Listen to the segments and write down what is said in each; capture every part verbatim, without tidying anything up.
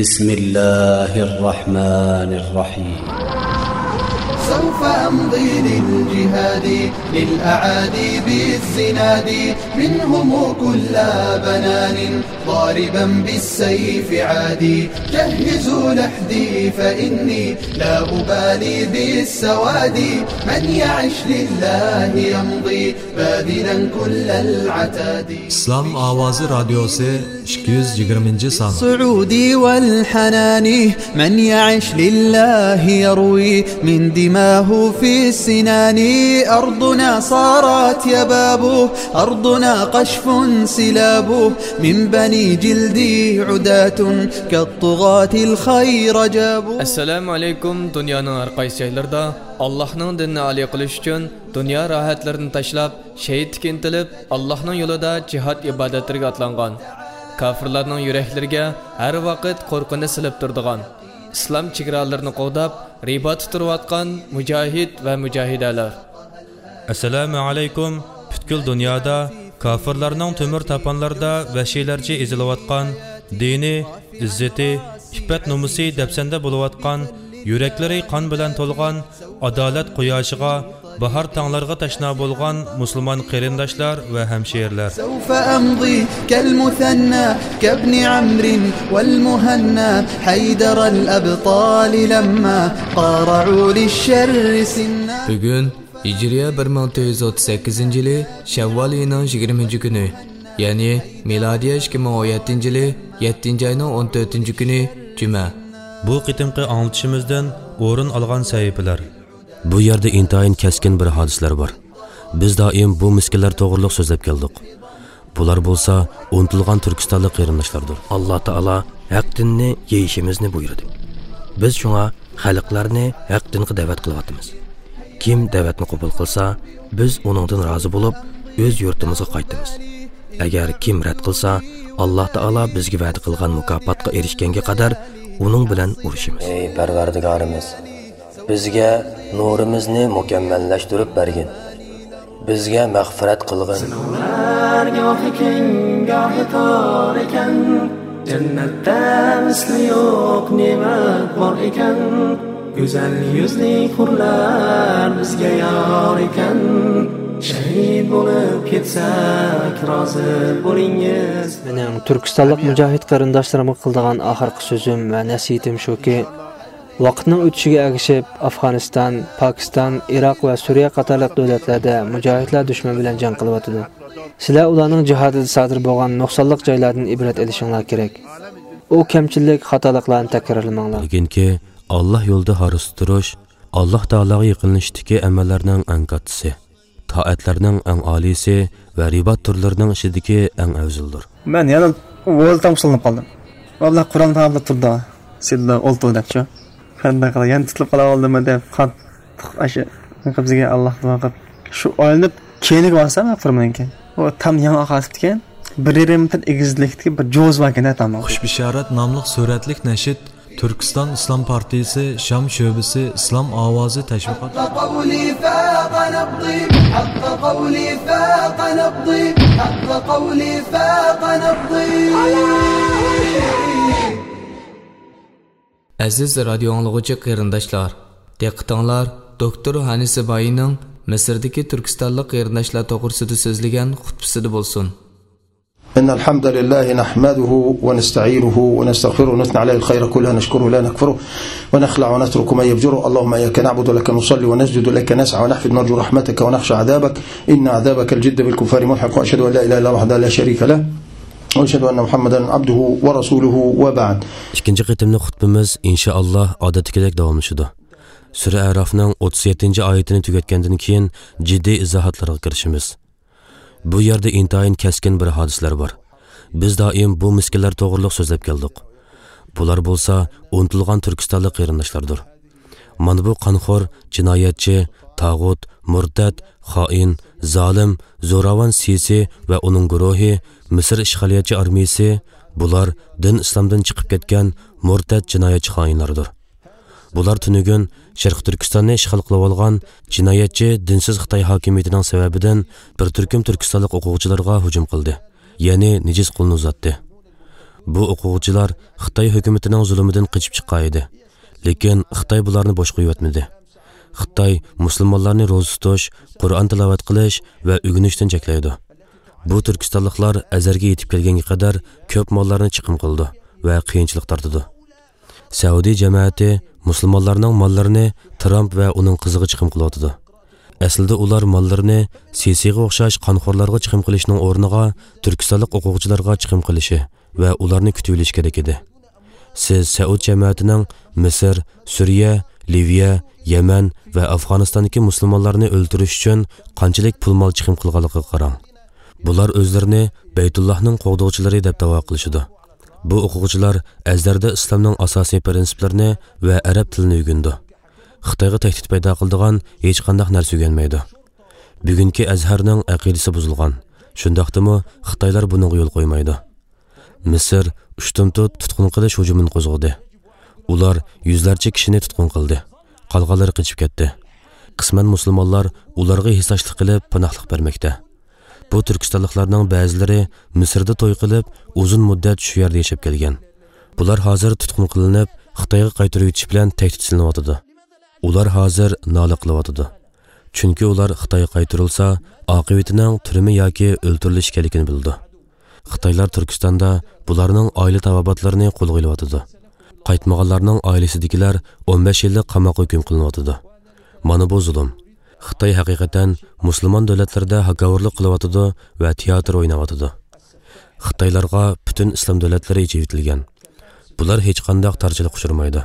بسم الله الرحمن الرحيم. سوف أمضي للجهاد، للأعادي بالزناد، منهم كل بنان، ضاربا بالسيف عادي، جهزوا لحدي فإني لا أبالي بالسواد، من يعش لله يمضي باذلا كل العتاد. ئىسلام ئاۋازى رادىيوسى، ئىككى يۈز يىگىرمىنچى سان. الصعود والحنان، من يعش لله يروي من دماه في السنان. أرضنا صارت يباب، أرضنا قشف سلاب، من بني جلدي عداة كالطغاة الخير جابوا. ئەسسالامۇ ئەلەيكۇم. دۇنيانىڭ ھەر قايسى جايلىرىدا ئاللاھنىڭ دىنىنى ئالىي قىلىش ئۈچۈن دۇنيا راھەتلىرىنى تاشلاپ، شېھىتلىككە ئىنتىلىپ، ئاللاھنىڭ يولىدا جىھاد ئىبادەتلىرىگە ئاتلانغان، كاپىرلارنىڭ يۈرەكلىرىگە ھەر ۋاقىت قورقۇنچ سېلىپ تۇرىدىغان، ئىسلام چېگرالىرىنى قوغداپ، رىباتتا تۇرۇۋاتقان مۇجاھىد ۋە مۇجاھىدەلەر. ئەسسالامۇ ئەلەيكۇم. پۈتكۈل دۇنيادا كاپىرلارنىڭ تۆمۈر تاپانلىرىدا ۋەھشىيلەرچە ئېزىلىۋاتقان، دىنى، ئىززىتى، ئىپپەت-نومۇسى دەپسەندە بولۇۋاتقان، يۈرەكلىرى قان بىلەن تولغان، ئادالەت قۇياشىغا، باھار تاڭلارغا تەشنا بولغان مۇسۇلمان قېرىنداشلار ۋە ھەمشىرىلەر. سوف ئەمضى كەلمۇسەننا، كەبنى ئەمرى ۋەلمۇھەننا، ھەيدەرەل ئەبتالى لەمما قارەئۇ لىششەررى سىننا. بۈگۈن ھىجرىيە بىر مىڭ تۆت يۈز ئوتتۇز سەككىزىنچى يىلى شەۋۋال ئېيىنىڭ يىگىرمىنچى كۈنى، يەنى مىلادىيە ئىككى مىڭ ئون يەتتىنچى يىلى يەتتىنچى ئاينىڭ ئون تۆتىنچى كۈنى، جۈمە. بۇ قېتىمقى ئاڭلىتىشىمىزدىن ئورۇن ئالغان سەھىپىلەر. بۇ يەردە ئىنتايىن كەسكىن بىر ھادىسىلەر بار. بىز دائىم بۇ مىسكىنلەر توغرۇلۇق سۆزلەپ كەلدۇق. بۇلار بولسا ئۇنتۇلغان تۈركىستانلىق قېرىنداشلاردۇر. ئاللا تائالا ھەق دىننى يېيىشىمىزنى بۇيرۇدى. بىز شۇڭا خەلقلەرنى ھەق دىنغا دەۋەت قىلىۋاتىمىز. كىم دەۋەتنى قوبۇل قىلسا، بىز ئۇنىڭدىن رازى بولۇپ، ئۆز يۇرتىمىزغا قايتىمىز. ئەگەر كىم رەت قىلسا، ئاللا تائالا بىزگە ۋەدە قىلغان مۇكاپاتقا ئېرىشكەنگە قەدەر ئۇنىڭ بىلەن ئۇرۇشىمىز. ئەي پەرۋەردىگارىمىز، بىزگە نۇرىمىزنى مۇكەممەللەشتۈرۈپ بەرگىن. بىزگە مەغپىرەت قىلغىن. سىناۋلار گاھى كەڭ، گاھى تار ئىكەن، جەننەتتە مىسلى يوق نېمەت بار ئىكەن. گۈزەل يۈزلۈك ھۇرلار بىزگە يار ئىكەن، شەھىد بولۇپ كەتسەك رازى بولىڭىز. مېنىڭ تۈركىستانلىق مۇجاھىد قېرىنداشلىرىمغا قىلىدىغان ئاخىرقى سۆزۈم ۋە نەسىھىتىم شۇكى، ۋاقىتنىڭ ئۆتۈشىگە ئەگىشىپ، ئافغانىستان، پاكىستان، ئىراق ۋە سۈرىيە قاتارلىق دۆلەتلەردە مۇجاھىدلار دۈشمەن بىلەن جەڭ قىلىۋاتىدۇ. سىلەر ئۇلارنىڭ جىھادىدا سادىر بولغان نۇقسانلىق جايلاردىن ئىبرەت ئېلىشىڭلار كېرەك. ئۇ كەمچىلىك، خاتالىقلارنى تەكرارلىماڭلار. بىلگىنكى، ئاللا يولىدا ھارسا تۇرۇش ئاللا تائالاغا يېقىنلىشىشتىكى ئەمەللەرنىڭ ئەڭ كاتتىسى، تائەتلەرنىڭ ئەڭ ئالىيسى ۋە رىبات تۈرلىرىنىڭ ئىچىدىكى ئەڭ ئەۋزىلدۇر. مەن يەنە ۋوزدان سولىنىپ قالدىم. ۋاللا قۇرئان تاماملاپ تۇرىدۇ. سىددا ئولتۇر دەپچۇ. قانداق قىلاي، يەنە تۇتۇلۇپ قالاۋالدىممۇ دەپ قاتتىق ئاشۇ قىپسىگە ئاللاھ دۇئا قىلىپ. شۇ ئايلىنىپ كېيىنىگە بارسام، قۇرمىنىڭكى. ئۇ تام يېڭى ئاقارتىپتىكەن. بىر يېرىم مېتىر ئېگىزلىكتىكى بىر جوز باركەن، تامغا. خۇش بېشارەت ناملىق سۈرەتلىك نەشىد تۈركىستان ئىسلام پارتىيىسى شام شۆبىسى ئىسلام ئاۋازى تەشۋىقات. حق قولي فاق نبضي، حق قولي فاق نبضي، حق قولي فاق نبضي. ئەزىز رادىيو ئاڭلىغۇچى قېرىنداشلار، دىققىتىڭلار دوكتور ھانى سىبايىنىڭ مىسىردىكى تۈركىستانلىق قېرىنداشلار توغرىسىدا سۆزلىگەن خۇتبىسىدە بولسۇن. إن الحمد لله نحمده ونستعينه ونستغفره ونثني عليه الخير كله نشكره لا نكفره ونخلع ونترك ما يفجره. اللهم إياك نعبد ولك نصلي ونسجد لك نسعى ونحفد نرجو رحمتك ونخشى عذابك إن عذابك الجد بالكفار ملحق. وأشهد أن لا إله إلا الله وحده لا شريك له وأشهد أن محمدا عبده ورسوله وبعد. ئىككىنچى قېتىملىق خۇتبىمىز ئىنشائاللا ئادەتتىكىدەك داۋاملىشىدۇ. سۈرە ئەرافنىڭ ئوتتۇز يەتتىنچى ئايىتىنى تۈگەتكەندىن كېيىن جىددىي ئىزاھاتلارغا كىرىشىمىز. بۇ يەردە ئىنتايىن كەسكىن بىر ھادىسىلەر بار. بىز دائىم بۇ مىسكىنلەر توغرۇلۇق سۆزلەپ كەلدۇق. بۇلار بولسا ئۇنتۇلغان تۈركىستانلىق قېرىنداشلاردۇر. مانا بۇ قانخور، جىنايەتچى، تاغۇت، مۇرتەت، خائىن، زالىم، زوراۋان سىسى ۋە ئۇنىڭ گۇرۇھى، مىسىر ئىشغالىيەتچى ئارمىيىسى، بۇلار دىن ئىسلامدىن چىقىپ كەتكەن مۇرتەت جىنايەتچى خائىنلاردۇر. بۇلار تۈنۈگۈن شەرقىي تۈركىستاننى ئىشغال قىلىۋالغان جىنايەتچى دىنسىز خىتاي ھاكىمىيىتىنىڭ سەۋەبىدىن بىر تۈركۈم تۈركىستانلىق ئوقۇغۇچىلارغا ھۇجۇم قىلدى، يەنى نىجىس قولىنى ئۇزاتتى. بۇ ئوقۇغۇچىلار خىتاي ھۆكۈمىتىنىڭ زۇلۇمىدىن قېچىپ چىققان ئىدى. لېكىن خىتاي بۇلارنى بوش قويۇۋەتمىدى. خىتاي مۇسۇلمانلارنى روزا تۇتۇش، قۇرئان تىلاۋەت قىلىش ۋە ئۆگىنىشتىن چەكلەيدۇ. بۇ تۈركىستانلىقلار ئەزەرگە يېتىپ كەلگەنگە قەدەر كۆپ ماللارنى چىقىم قىلىدۇ ۋە قىيىنچىلىق تارتىدۇ. سەئۇدى جەمەتى مۇسۇلمانلارنىڭ ماللىرىنى ترامپ ۋە ئۇنىڭ قىزىغا چىقىم قىلىۋاتىدۇ. ئەسلىدە ئۇلار ماللىرىنى سىسىغا ئوخشاش قانخورلارغا چىقىم قىلىشنىڭ ئورنىغا تۈركىستانلىق ئوقۇغۇچىلارغا چىقىم قىلىشى ۋە ئۇلارنى كۈتۈۋېلىشى كېرەك ئىدى. سىز سەئۇد جەمەتىنىڭ مىسىر، سۈرىيە، لىۋىيە، يەمەن ۋە ئافغانىستاندىكى مۇسۇلمانلارنى ئۆلتۈرۈش ئۈچۈن قانچىلىك پۇل مال چىقىم قىلغانلىقىغا قاراڭ. بۇلار ئۆزلىرىنى بەيتۇللاھنىڭ قوغدىغۇچىلىرى دەپ داۋا قىلىشىدۇ. بۇ ئوقۇغۇچىلار ئەزھەردە ئىسلامنىڭ ئاساسىي پىرىنسىپلىرىنى ۋە ئەرەب تىلىنى ئۆگىنىدۇ. خىتايغا تەھدىت پەيدا قىلىدىغان ھېچقانداق نەرسە ئۆگەنمەيدۇ. بۈگۈنكى ئەزھەرنىڭ ئەقىدىسى بۇزۇلغان. شۇنداقتىمۇ خىتايلار بۇنىڭغا يول قويمايدۇ. مىسىر ئۇشتۇمتۇت تۇتقۇن قىلىش ھۇجۇمىنى قوزغىدى. ئۇلار يۈزلەرچە كىشىنى تۇتقۇن قىلدى. قالغانلىرى قېچىپ كەتتى. قىسمەن مۇسۇلمانلار ئۇلارغا ھېسداشلىق قىلىپ پاناھلىق بەرمەكتە. بۇ تۈركىستانلىقلارنىڭ بەزىلىرى مىسىردا توي قىلىپ، ئۇزۇن مۇددەت شۇ يەردە ياشاپ كەلگەن. بۇلار ھازىر تۇتقۇن قىلىنىپ، خىتايغا قايتۇرۇۋېتىش بىلەن تەھدىت سېلىنىۋاتىدۇ. ئۇلار ھازىر نالە قىلىۋاتىدۇ. چۈنكى ئۇلار خىتايغا قايتۇرۇلسا، ئاقىۋىتىنىڭ تۈرمە ياكى ئۆلتۈرۈلۈش ئىكەنلىكىنى بىلىدۇ. خىتايلار تۈركىستاندا بۇلارنىڭ ئائىلە تاۋابىئاتلىرىنى قولغا ئېلىۋاتىدۇ. قايتمىغانلارنىڭ ئائىلىسىدىكىلەر ئون بەش يىللىق قاماققا ھۆكۈم قىلىنىۋاتىدۇ. مانا بۇ زۇلۇم. خىتاي ھەقىقەتەن مۇسۇلمان دۆلەتلىرىدە ھاكاۋۇرلۇق قىلىۋاتىدۇ ۋە تىياتىر ئويناۋاتىدۇ. خىتايلارغا پۈتۈن ئىسلام دۆلەتلىرى ئېچىۋېتىلگەن. بۇلار ھېچقانداق تارچىلىققا ئۇچرىمايدۇ.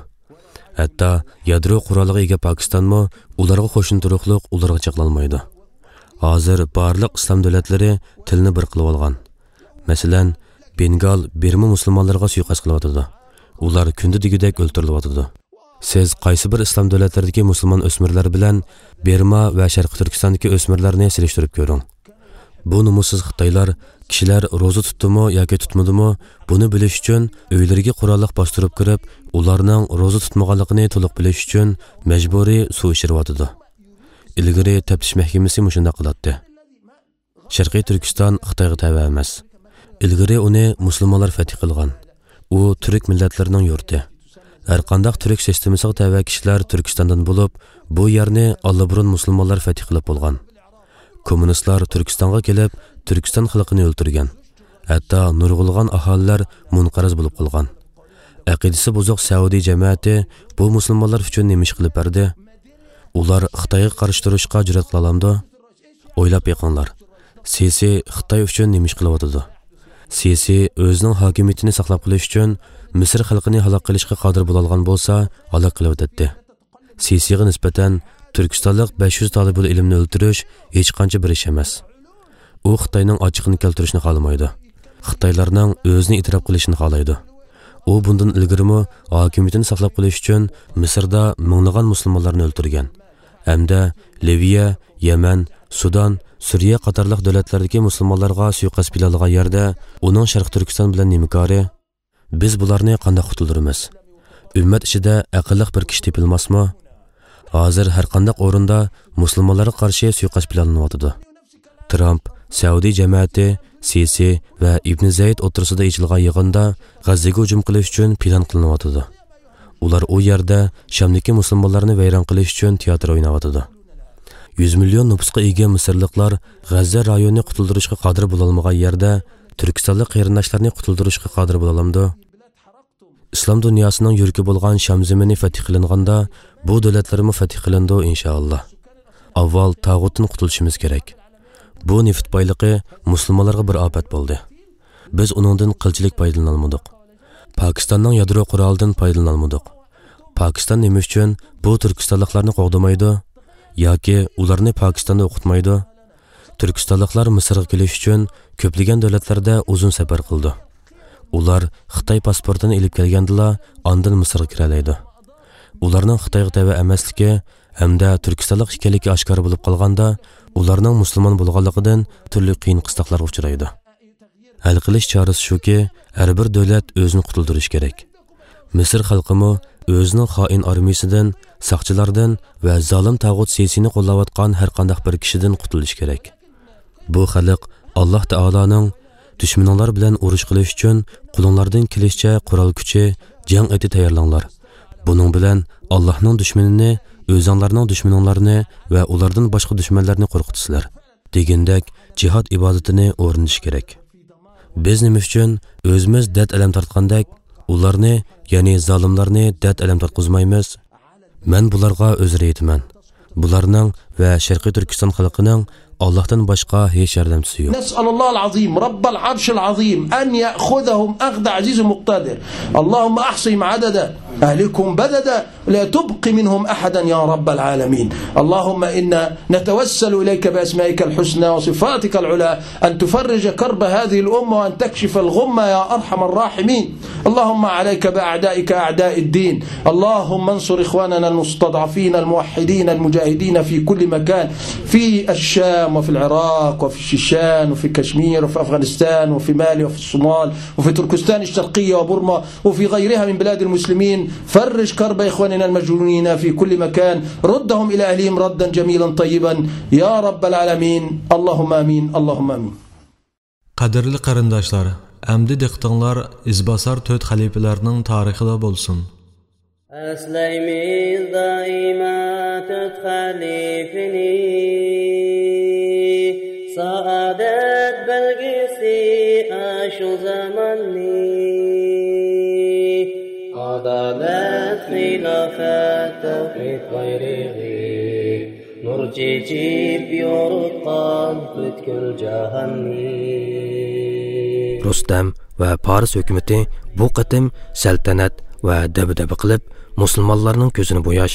ھەتتا يادرو قورالىغا ئىگە پاكىستانمۇ ئۇلارغا قوشنا تۇرۇقلۇق ئۇلارغا چېقىلالمايدۇ. ھازىر بارلىق ئىسلام دۆلەتلىرى تىلنى بىر قىلىۋالغان. مەسىلەن، بېنگال بىرما مۇسۇلمانلىرىغا سۇيىقەست قىلىۋاتىدۇ. ئۇلار كۈندە دېگۈدەك ئۆلتۈرۈلۈۋاتىدۇ. سىز قايسى بىر ئىسلام دۆلەتلىرىدىكى مۇسۇلمان ئۆسمۈرلەر بىلەن بىرما ۋە شەرقىي تۈركىستاندىكى ئۆسمۈرلەرنى سېلىشتۇرۇپ كۆرۈڭ. بۇ نومۇسسىز خىتايلار كىشىلەر روزا تۇتتىمۇ ياكى تۇتمىدىمۇ، بۇنى بىلىش ئۈچۈن ئۆيلىرىگە قوراللىق باستۇرۇپ كىرىپ، ئۇلارنىڭ روزا تۇتمىغانلىقىنى تولۇق بىلىش ئۈچۈن مەجبۇرىي سۇ ئىچۈرۈۋاتىدۇ. ئىلگىرى تەپتىش مەھكىمىسى مۇشۇنداق قىلاتتى. شەرقىي تۈركىستان خىتايغا تەۋە ئەمەس. ئىلگىرى ئۇنى مۇسۇلمانلار فەتھى قىلغان. ئۇ تۈرك مىللەتلىرىنىڭ يۇرتى. ھەرقانداق تۈرك سىستېمىسىغا تەۋە كىشىلەر تۈركىستاندىن بولۇپ، بۇ يەرنى ئاللىبۇرۇن مۇسۇلمانلار فەتھى قىلىپ بولغان. كوممۇنىستلار تۈركىستانغا كېلىپ، تۈركىستان خەلقىنى ئۆلتۈرگەن. ھەتتا نۇرغۇنلىغان ئاھالىلەر مۇنقەرز بولۇپ قالغان. ئەقىدىسى بۇزۇق سەئۇدى جەمەتى بۇ مۇسۇلمانلار ئۈچۈن نېمە ئىش قىلىپ بەردى؟ ئۇلار خىتايغا قارشى تۇرۇشقا جۈرئەت قىلالامدۇ؟ ئويلاپ بېقىڭلار، سىسى خىتاي ئۈچۈن نېمە ئىش قىلىۋاتىدۇ؟ سىسى ئۆزىنىڭ ھاكىمىيىتىنى ساقلاپ قېلىش ئۈچۈن مىسىر خەلقىنى ھالاك قىلىشقا قادىر بولالىغان بولسا، ھالاك قىلىۋېتەتتى. سىسىغا نىسبەتەن تۈركىستانلىق بەش يۈز تالىبۇل ئىلىمنى ئۆلتۈرۈش ھېچقانچە بىر ئىش ئەمەس. ئۇ خىتاينىڭ ئاچچىقىنى كەلتۈرۈشنى خالىمايدۇ. خىتايلارنىڭ ئۆزىنى ئېتىراپ قىلىشىنى خالايدۇ. ئۇ بۇندىن ئىلگىرىمۇ ھاكىمىيىتىنى ساقلاپ قېلىش ئۈچۈن مىسىردا مىڭلىغان مۇسۇلمانلارنى ئۆلتۈرگەن. ھەمدە لىۋىيە، يەمەن، سۇدان، سۈرىيە قاتارلىق دۆلەتلەردىكى مۇسۇلمانلارغا سۇيىقەست پىلانلىغان يەردە ئۇنىڭ شەرقىي تۈركىستان بىلەن نېمە كارى؟ بىز بۇلارنى قانداق قۇتۇلدۇرىمىز؟ ئۈممەت ئىچىدە ئەقىللىق بىر كىشى تېپىلماسمۇ؟ ھازىر ھەرقانداق ئورۇندا مۇسۇلمانلارغا قارشى سۇيىقەست پىلانلىنىۋاتىدۇ. ترامپ، سەئۇدى جەمەتى، سىسى ۋە ئىبن زەيد ئوتتۇرىسىدا ئېچىلغان يىغىندا غەززىگە ھۇجۇم قىلىش ئۈچۈن پىلان قىلىنىۋاتىدۇ. ئۇلار ئۇ يەردە شامدىكى مۇسۇلمانلارنى ۋەيران قىلىش ئۈچۈن تىياتىر ئويناۋاتىدۇ. يۈز مىليون نوپۇسقا ئىگە مىسىرلىقلار غەززە رايونىنى قۇتۇلدۇرۇشقا قادىر بولالمىغان يەردە، تۈركىستانلىق قېرىنداشلارنى قۇتۇلدۇرۇشقا قادىر بولالامدۇ؟ ئىسلام دۇنياسىنىڭ يۈرىكى بولغان شام زېمىنى فەتھى قىلىنغاندا، بۇ دۆلەتلەرمۇ فەتھى قىلىنىدۇ، ئىنشائاللا. ئاۋۋال تاغۇتتىن قۇتۇلۇشىمىز كېرەك. بۇ نېفىت بايلىقى مۇسۇلمانلارغا بىر ئاپەت بولدى. بىز ئۇنىڭدىن قىلچىلىك پايدىلىنالمىدۇق. پاكىستاننىڭ يادرو قورالىدىن پايدىلىنالمىدۇق. پاكىستان نېمە ئۈچۈن بۇ تۈركىستانلىقلارنى قوغدىمايدۇ؟ ياكى ئۇلارنى پاكىستاندا ئوقۇتمايدۇ؟ تۈركىستانلىقلار مىسىرغا كېلىش ئۈچۈن كۆپلىگەن دۆلەتلەردە ئۇزۇن سەپەر قىلىدۇ. ئۇلار خىتاي پاسپورتىنى ئېلىپ كەلگەندىلا ئاندىن مىسىرغا كىرەلەيدۇ. ئۇلارنىڭ خىتايغا تەۋە ئەمەسلىكى ھەمدە تۈركىستانلىق ئىكەنلىكى ئاشكارا بولۇپ قالغاندا، ئۇلارنىڭ مۇسۇلمان بولغانلىقىدىن تۈرلۈك قىيىن قىستاقلارغا ئۇچرايدۇ. ھەل قىلىش چارىسى شۇكى، ھەر بىر دۆلەت ئۆزىنى قۇتۇلدۇرۇشى كېرەك. مىسىر خەلقىمۇ ئۆزىنىڭ خائىن ئارمىيىسىدىن، ساقچىلاردىن ۋە زالىم تاغۇت سىسىنى قوللاۋاتقان ھەرقانداق بىر كىشىدىن قۇتۇلۇشى كېرەك. بۇ خەلق ئاللاھ تائالانىڭ دۈشمىنىڭلار بىلەن ئۇرۇش قىلىش ئۈچۈن قولۇڭلاردىن كېلىشىچە قورال كۈچى، جەڭ ئېتى تەييارلاڭلار. بۇنىڭ بىلەن ئاللاھنىڭ دۈشمىنىنى، ئۆزۈڭلارنىڭ دۈشمىنىڭلارنى ۋە ئۇلاردىن باشقا دۈشمەنلەرنى قورقۇتىسىلەر» دېگەندەك جىھاد ئىبادىتىنى ئورنىتىش كېرەك. بىز نېمە ئۈچۈن ئۆزىمىز دەرد-ئەلەم تارتقاندەك، ئۇلارنى، يەنى زالىملارنى دەرد-ئەلەم تارتقۇزمايمىز؟ مەن بۇلارغا ئۆزرە يېتىمەن. بۇلارنىڭ ۋە شەرقىي تۈركىستان خەلقىنىڭ ئاللاھتىن باشقا ھېچ ياردەمچىسى يوق. نسأل الله العظيم رب العرش العظيم أن يأخذهم أخذ عزيز مقتدر. اللهم أحصهم عددا، أهلكهم بددا، لا تبق منهم أحدا يا رب العالمين. اللهم إنا نتوسل إليك بأسمائك الحسنى وصفاتك العلى أن تفرج كرب هذه الأمة وأن تكشف الغمة يا أرحم الراحمين. اللهم عليك بأعدائك أعداء الدين. اللهم انصر إخواننا المستضعفين الموحدين المجاهدين في كل مكان، في الشام وفي العراق وفي الشيشان وفي كشمير وفي أفغانستان وفي مالي وفي الصومال وفي تركستان الشرقية وبورما وفي غيرها من بلاد المسلمين. فرج كرب إخواننا المجروحين في كل مكان. ردهم إلى أهلهم ردا جميلا طيبا يا رب العالمين. اللهم آمين. اللهم آمين. قەدىرلىك قېرىنداشلار، ئەمدى دىققىتىڭلار ئىزباسار تۆت خەلىپىلەرنىڭ تارىخىدا بولسۇن. ئەسلەيمىز دائىما تۆت خەلىپىنى، سائادەت بەلگىسى ئاشۇ زاماننى. ئادالەت، خىلاپەت، تەۋھىد بايرىقى، نۇر چېچىپ يورۇتقان پۈتكۈل جاھاننى. رۇستەم ۋە پارس ھۆكۈمىتى بۇ قېتىم سەلتەنەت ۋە دەبدەبە قىلىپ، مۇسۇلمانلارنىڭ كۆزىنى بوياش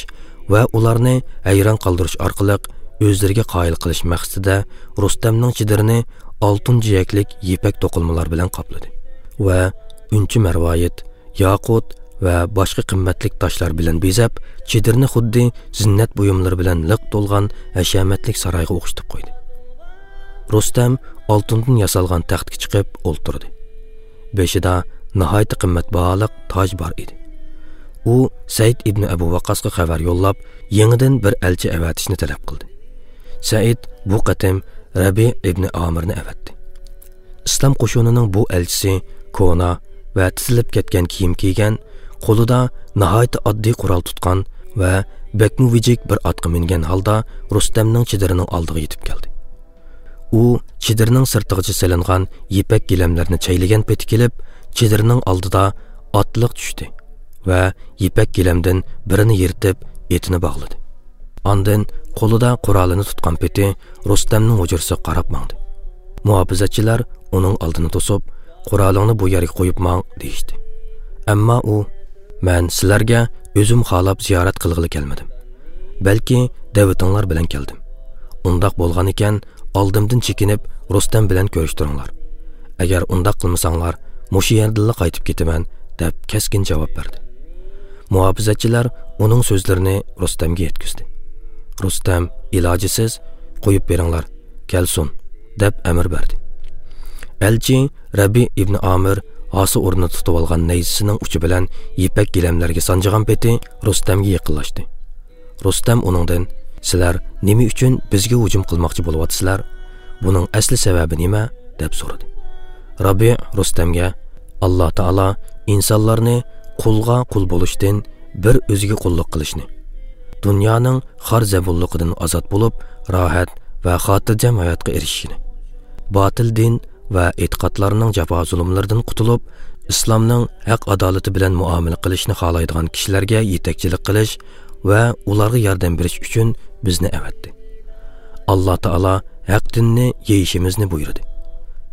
ۋە ئۇلارنى ھەيران قالدۇرۇش ئارقىلىق ئۆزلىرىگە قايىل قىلىش مەقسىتىدە رۇستەمنىڭ چېدىرىنى ئالتۇن جىيەكلىك يىپەك توقۇلمىلار بىلەن قاپلىدى ۋە ئۈنچە مەرۋايىت، ياقۇت ۋە باشقا قىممەتلىك تاشلار بىلەن بېزەپ، چېدىرنى خۇددى زىننەت بۇيۇملىرى بىلەن لىق تولغان ھەشەمەتلىك سارايغا ئوخشىتىپ قويدى. رۇستەم ئالتۇندىن ياسالغان تەختكە چىقىپ ئولتۇردى. بېشىدا ناھايىتى قىممەت باھالىق تاج بار ئىدى. ئۇ سەئىد ئىبنى ئەبۇ ۋەققاسقا خەۋەر يوللاپ، يېڭىدىن بىر ئەلچى ئەۋەتىشنى تەلەپ قىلدى. سەئىد بۇ قېتىم رەبىئ ئىبنى ئامىرنى ئەۋەتتى. ئىسلام قوشۇنىنىڭ بۇ ئەلچىسى كونا ۋە تىزىلىپ كەتكەن كىيىم كىيگەن، قولىدا ناھايىتى ئاددىي قورال تۇتقان ۋە بەكمۇ ۋىجىك بىر ئاتقا مىنگەن ھالدا رۇستەمنىڭ چېدىرىنىڭ ئالدىغا يېتىپ كەلدى. ئۇ چېدىرنىڭ سىرتىغىچە سېلىنغان يىپەك گىلەملەرنى چەيلىگەن پېتى كېلىپ، چېدىرنىڭ ئالدىدا ئاتلىق چۈشتى ۋە يىپەك گىلەمدىن بىرىنى يىرتىپ، ئېتىنى باغلىدى. ئاندىن قولىدا قورالىنى تۇتقان پېتى رۇستەمنىڭ ھۇجرىسىغا قاراپ ماڭدى. مۇھاپىزەتچىلەر ئۇنىڭ ئالدىنى توسۇپ، «قورالىڭنى بۇ يەرگە قويۇپ ماڭ» دېيىشتى. ئەمما ئۇ، «مەن سىلەرگە ئۆزۈم خالاپ زىيارەت قىلغىلى كەلمىدىم. بەلكى دەۋىتىڭلار بىلەن كەلدىم. ئۇنداق بولغان ئىكەن، ئالدىمدىن چېكىنىپ، رۇستەم بىلەن كۆرۈشتۈرۈڭلار. ئەگەر ئۇنداق قىلمىساڭلار، مۇشۇ يەردىنلا قايتىپ كېتىمەن» دەپ كەسكىن جاۋاب بەردى. مۇھاپىزەتچىلەر ئۇنىڭ سۆزلىرىنى رۇستەمگە يەتكۈزدى. رۇستەم ئىلاجىسىز، «قويۇپ بېرىڭلار، كەلسۇن» دەپ ئەمىر بەردى. ئەلچى رەبىئ ئىبنى ئامىر ھاسا ئورنىدا تۇتۇۋالغان نەيزىسىنىڭ ئۇچى بىلەن يىپەك گىلەملەرگە سانجىغان پېتى رۇستەمگە يېقىنلاشتى. رۇستەم ئۇنىڭدىن، «سىلەر نېمە ئۈچۈن بىزگە ھۇجۇم قىلماقچى بولۇۋاتىسىلەر؟ بۇنىڭ ئەسلى سەۋەبى نېمە؟» دەپ سورىدى. رابىئ رۇستەمگە، «ئاللا تائالا ئىنسانلارنى قۇلغا قۇل بولۇشتىن بىر ئۆزىگە قۇللۇق قىلىشنى، دۇنيانىڭ خار-زەبۇنلۇقىدىن ئازاد بولۇپ، راھەت ۋە خاتىرجەم ھاياتقا ئېرىشىشىنى، باتىل دىن ۋە ئېتىقادلارنىڭ جاپا-زۇلۇملىرىدىن قۇتۇلۇپ، ئىسلامنىڭ ھەق-ئادالىتى بىلەن مۇئامىلە قىلىشنى خالايدىغان كىشىلەرگە يېتەكچىلىك قىلىش ۋە ئۇلارغا ياردەم بېرىش ئۈچۈن بىزنى ئەۋەتتى. ئاللا تائالا ھەق دىننى يېيىشىمىزنى بۇيرۇدى.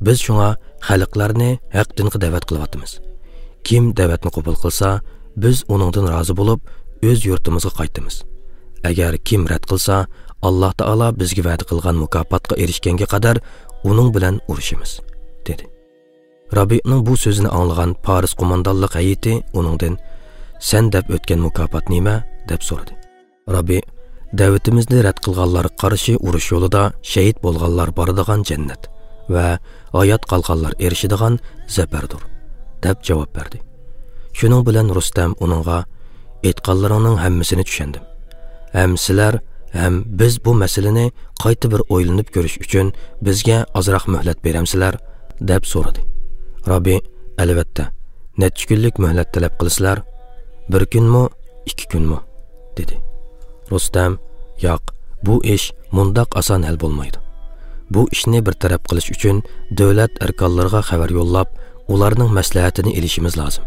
بىز شۇڭا خەلقلەرنى ھەق دىنغا دەۋەت قىلىۋاتىمىز. كىم دەۋەتنى قوبۇل قىلسا، بىز ئۇنىڭدىن رازى بولۇپ، ئۆز يۇرتىمىزغا قايتىمىز. ئەگەر كىم رەت قىلسا، ئاللا تائالا بىزگە ۋەدە قىلغان مۇكاپاتقا ئېرىشكەنگە قەدەر ئۇنىڭ بىلەن ئۇرۇشىمىز» دېدى. رابىئنىڭ بۇ سۆزىنى ئاڭلىغان پارس قوماندانلىق ھەيئىتى ئۇنىڭدىن، «سەن دەپ ئۆتكەن مۇكاپات نېمە؟» دەپ سورىدى. رابىئ، «دەۋىتىمىزنى رەت قىلغانلارغا قارشى ئۇرۇش يولىدا شېھىت بولغانلار بارىدىغان جەننەت ۋە ھايات قالغانلار ئېرىشىدىغان زەپەردۇر» دەپ جاۋاب بەردى. شۇنىڭ بىلەن رۇستەم ئۇنىڭغا، «ئېيتقانلىرىڭنىڭ ھەممىسىنى چۈشەندىم. ھەم سىلەر، ھەم بىز بۇ مەسىلىنى قايتا بىر ئويلىنىپ كۆرۈش ئۈچۈن بىزگە ئازراق مۆھلەت بېرەمسىلەر؟» دەپ سورىدى. رابىي: «ئەلۋەتتە، نەچچە كۈنلۈك مۆھلەت تەلەپ قىلىسىلەر؟ بىر كۈنمۇ، ئىككى كۈنمۇ؟» دېدى. رۇستەم: «ياق، بۇ ئىش مۇنداق ئاسان ھەل بولمايدۇ. بۇ ئىشنى بىر تەرەپ قىلىش ئۈچۈن دۆلەت ئەركانلىرىغا خەۋەر يوللاپ، ئۇلارنىڭ مەسلىھەتىنى ئېلىشىمىز لازىم.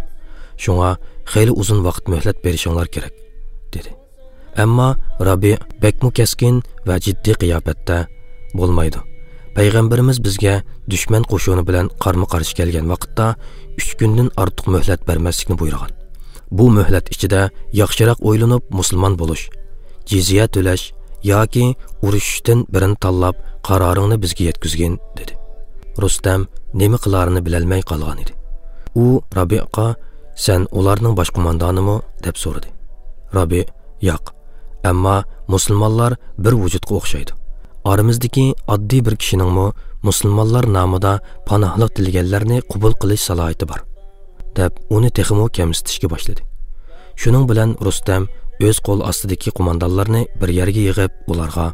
شۇڭا خېلى ئۇزۇن ۋاقىت مۆھلەت بېرىشىڭلار كېرەك» دېدى. ئەمما رابىي بەكمۇ كەسكىن ۋە جىددىي قىياپەتتە: «بولمايدۇ. پەيغەمبىرىمىز بىزگە دۈشمەن قوشۇنى بىلەن قارمۇ قارشى كەلگەن ۋاقىتتا ئۈچ كۈندىن ئارتۇق مۆھلەت بەرمەسلىكنى بۇيرۇغان. بۇ مۆھلەت ئىچىدە ياخشىراق ئويلىنىپ مۇسۇلمان بولۇش، جىزيە تۆلەش ياكى ئۇرۇشۇشتىن بىرىنى تاللاپ، قارارىڭنى بىزگە يەتكۈزگىن» دېدى. رۇستەم نېمە قىلارىنى بىلەلمەي قالغان ئىدى. ئۇ رابىئقا: «سەن ئۇلارنىڭ باش قوماندانىمۇ؟» دەپ سورىدى. رابىئ: «ياق، ئەمما مۇسۇلمانلار بىر ۋۇجۇدقا ئوخشايدۇ. ئارىمىزدىكى ئاددىي بىر كىشىنىڭمۇ مۇسۇلمانلار نامىدا پاناھلىق تىلىگەنلەرنى قوبۇل قىلىش سالاھىيىتى بار» دەپ، ئۇنى تېخىمۇ كەمسىتىشكە باشلىدى. شۇنىڭ بىلەن رۇستەم ئۆز قول ئاستىدىكى قوماندانلارنى بىر يەرگە يىغىپ، ئۇلارغا: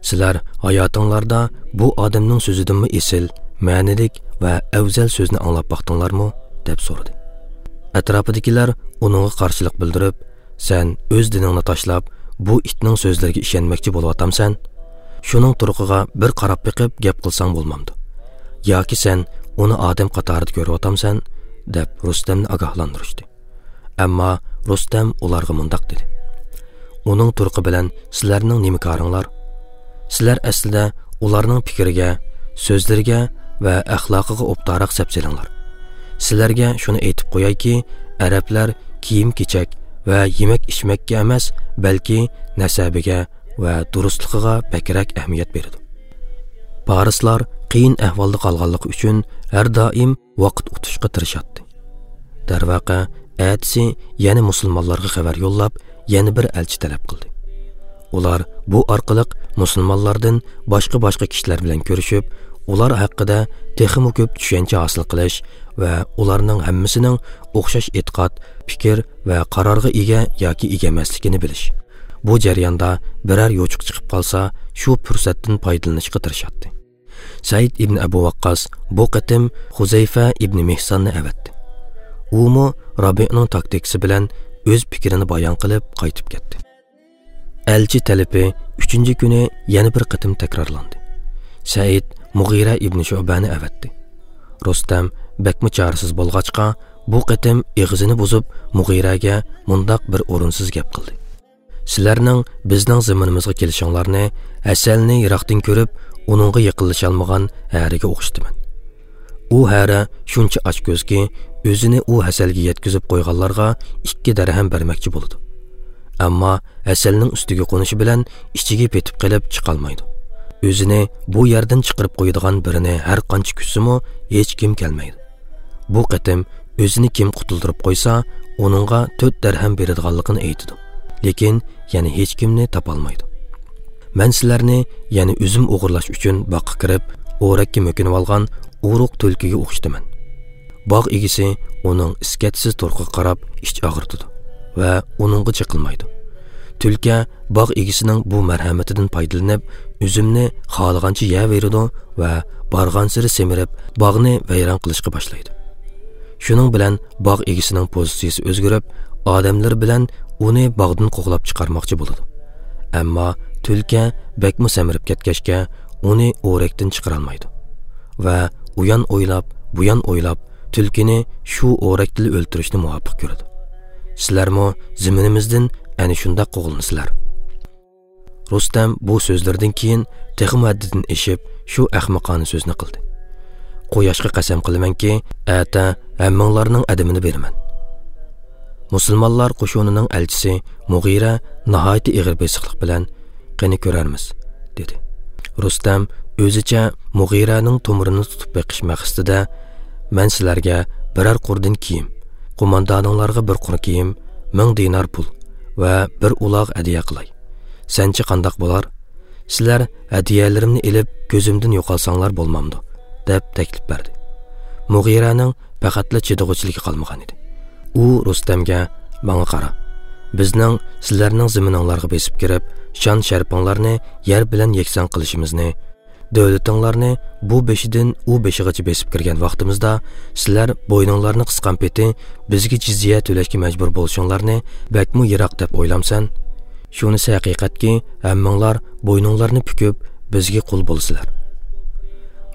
«سىلەر ھاياتىڭلاردا بۇ ئادەمنىڭ سۆزىدىنمۇ ئېسىل، مەنىلىك ۋە ئەۋزەل سۆزنى ئاڭلاپ باقتىڭلارمۇ؟» دەپ سورىدى. ئەتراپىدىكىلەر ئۇنىڭغا قارشىلىق بىلدۈرۈپ: «سەن ئۆز دىنىڭنى تاشلاپ، بۇ ئىتنىڭ سۆزلىرىگە ئىشەنمەكچى بولۇۋاتامسەن؟ شۇنىڭ تۇرقىغا بىر قاراپ بېقىپ گەپ قىلساڭ بولمامدۇ؟ ياكى سەن ئۇنى ئادەم قاتارىدا كۆرۈۋاتامسەن؟» دەپ رۇستەمنى ئاگاھلاندۇرۇشتى. ئەمما رۇستەم ئۇلارغا مۇنداق دېدى: «ئۇنىڭ تۇرقى بىلەن سىلەرنىڭ نېمە كارىڭلار؟ سىلەر ئەسلىدە ئۇلارنىڭ پىكرىگە، سۆزلىرىگە ۋە ئەخلاقىغا ئوبدانراق سەپسېلىڭلار. سىلەرگە شۇنى ئېيتىپ قويايكى، ئەرەبلەر كىيىم-كېچەك ۋە يېمەك-ئىچمەككە ئەمەس، بەلكى نەسەبىگە ۋە دۇرۇسلۇقىغا بەكرەك ئەھمىيەت بېرىدۇ. پارسلار قىيىن ئەھۋالدا قالغانلىقى ئۈچۈن ھەر دائىم ۋاقىت ئۇتۇشقا تىرىشاتتى. دەرۋەقە، ئەتىسى يەنە مۇسۇلمانلارغا خەۋەر يوللاپ، يەنە بىر ئەلچى تەلەپ قىلدى. ئۇلار بۇ ئارقىلىق مۇسۇلمانلاردىن باشقا-باشقا كىشىلەر بىلەن كۆرۈشۈپ، ئۇلار ھەققىدە تېخىمۇ كۆپ چۈشەنچە ھاسىل قىلىش ۋە ئۇلارنىڭ ھەممىسىنىڭ ئوخشاش ئېتىقاد، پىكىر ۋە قارارغا ئىگە ياكى ئىگە ئەمەسلىكىنى بىلىش، بۇ جەرياندا بىرەر يوچۇق چىقىپ قالسا، شۇ پۇرسەتتىن پايدىلىنىشقا تىرىشاتتى.» سەئىد ئىبن ئەبۇ ۋەققاس بۇ قېتىم خۇزەيفە ئىبن مىھساننى ئەۋەتتى. ئۇمۇ رابىئنىڭ تاكتىكىسى بىلەن ئۆز پىكرىنى بايان قىلىپ قايتىپ كەتتى. ئەلچى تەلىپى ئۈچىنچى كۈنى يەنە بىر قېتىم تەكرارلاندى. سەئىد مۇغىرە ئىبن شۇئبەنى ئەۋەتتى. رۇستەم بەكمۇ چارىسىز بولغاچقا، بۇ قېتىم ئېغىزىنى بۇزۇپ، مۇغىرەگە مۇنداق بىر ئورۇنسىز گەپ قىلدى: «سىلەرنىڭ بىزنىڭ زېمىنىمىزغا كېلىشىڭلارنى ھەسەلنى يىراقتىن كۆرۈپ، ئۇنىڭغا يېقىنلىشالمىغان ھەرىگە ئوخشىتىمەن. ئۇ ھەرە شۇنچە ئاچكۆزكى، ئۆزىنى ئۇ ھەسەلگە يەتكۈزۈپ قويغانلارغا ئىككى دەرھەم بەرمەكچى بولىدۇ. ئەمما ھەسەلنىڭ ئۈستىگە قونۇشى بىلەن ئىچىگە پېتىپ قېلىپ چىقالمايدۇ. ئۆزىنى بۇ يەردىن چىقىرىپ قويىدىغان بىرىنى ھەر قانچە كۈتسىمۇ، ھېچكىم كەلمەيدۇ. بۇ قېتىم ئۆزىنى كىم قۇتۇلدۇرۇپ قويسا، ئۇنىڭغا تۆت دەرھەم بېرىدىغانلىقىنى ئېيتىدۇ. لېكىن يەنە ھېچكىمنى تاپالمايدۇ. مەن سىلەرنى يەنە ئۈزۈم ئوغرىلاش ئۈچۈن باغقا كىرىپ، ئورەككە مۆكۈنۈۋالغان ئورۇق تۈلكىگە ئوخشىتىمەن. باغ ئىگىسى ئۇنىڭ ئىسكەتسىز تۇرقىغا قاراپ ئىچ ئاغرىتىدۇ ۋە ئۇنىڭغا جىقىلمايدۇ. تۈلكە باغ ئىگىسىنىڭ بۇ مەرھەمىتىدىن پايدىلىنىپ، ئۈزۈمنى خالىغانچە يەۋېرىدۇ ۋە بارغانسېرى سېمىرىپ، باغنى ۋەيران قىلىشقا باشلايدۇ. شۇنىڭ بىلەن باغ ئىگىسىنىڭ پوزىتسىيىسى ئۆزگىرىپ، ئادەملىرى بىلەن ئۇنى باغدىن قوغلاپ چىقارماقچى بولىدۇ. ئەمما تۈلكە بەكمۇ سەمرىپ كەتكەچكە، ئۇنى ئورەكتىن چىقىرالمايدۇ ۋە ئۇيان ئويلاپ، بۇيان ئويلاپ، تۈلكىنى شۇ ئورەكتىلا ئۆلتۈرۈشنى مۇۋاپىق كۆرىدۇ. سىلەرمۇ زېمىنىمىزدىن ئەنە شۇنداق قوغلىنىسىلەر.» رۇستەم بۇ سۆزلىرىدىن كېيىن تېخىمۇ ھەددىدىن ئېشىپ، شۇ ئەخمىقانە سۆزنى قىلدى: «قۇياشقا قەسەم قىلىمەنكى، ئەتە ھەممىڭلارنىڭ ئەدىمىنى بېرىمەن.» مۇسۇلمانلار قوشۇنىنىڭ ئەلچىسى مۇغىرە ناھايىتى ئېغىر بېسىقلىق بىلەن: «قېنى كۆرەرمىز» دېدى. رۇستەم ئۆزىچە مۇغىرەنىڭ تومۇرىنى تۇتۇپ بېقىش مەقسىتىدە: «مەن سىلەرگە بىرەر قۇردىن كىيىم، قوماندانىڭلارغا بىر قۇر كىيىم، مىڭ دىنار پۇل ۋە بىر ئۇلاغ ھەدىيە قىلاي. سەنچە قانداق بولار؟ سىلەر ھەدىيەلىرىمنى ئېلىپ، كۆزۈمدىن يوقالساڭلار بولمامدۇ؟» دەپ تەكلىپ بەردى. مۇغىرەنىڭ پەقەتلا چىدىغۇچىلىكى قالمىغان ئىدى. ئۇ رۇستەمگە: «ماڭا قارا. بىزنىڭ سىلەرنىڭ زېمىنىڭلارغا بېسىپ كىرىپ، شان-شەرىپىڭلارنى يەر بىلەن يەكسان قىلىشىمىزنى، دۆلىتىڭلارنى بۇ بېشىدىن ئۇ بېشىغىچە بېسىپ كىرگەن ۋاقتىمىزدا، سىلەر بوينۇڭلارنى قىسقان پېتى بىزگە جىزيە تۆلەشكە مەجبۇر بولۇشۇڭلارنى بەكمۇ يىراق دەپ ئويلامسەن؟ شۇنىسى ھەقىقەتكى، ھەممىڭلار بوينۇڭلارنى پۈكۈپ، بىزگە قۇل بولىسىلەر.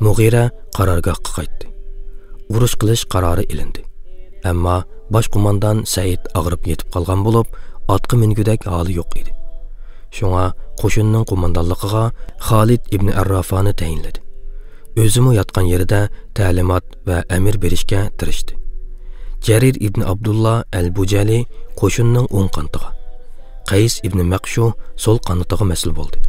مۇغىرە قارارگاھقا قايتتى. ئۇرۇش قىلىش قارارى ئېلىندى. ئەمما باش قوماندان سەئىد ئاغرىپ يېتىپ قالغان بولۇپ، ئاتقا مىنگۈدەك ھالى يوق ئىدى. شۇڭا قوشۇننىڭ قوماندانلىقىغا خالىد ئىبنى ئەررافانى تەيىنلىدى. ئۆزىمۇ ياتقان يېرىدە تەلىمات ۋە ئەمىر بېرىشكە تىرىشتى. جەرىر ئىبنى ئابدۇللا ئەل بۇجەلى قوشۇننىڭ ئوڭ قانىتىغا، قەيس ئىبنى مەقشۇ سول قانىتىغا مەسئۇل بولدى.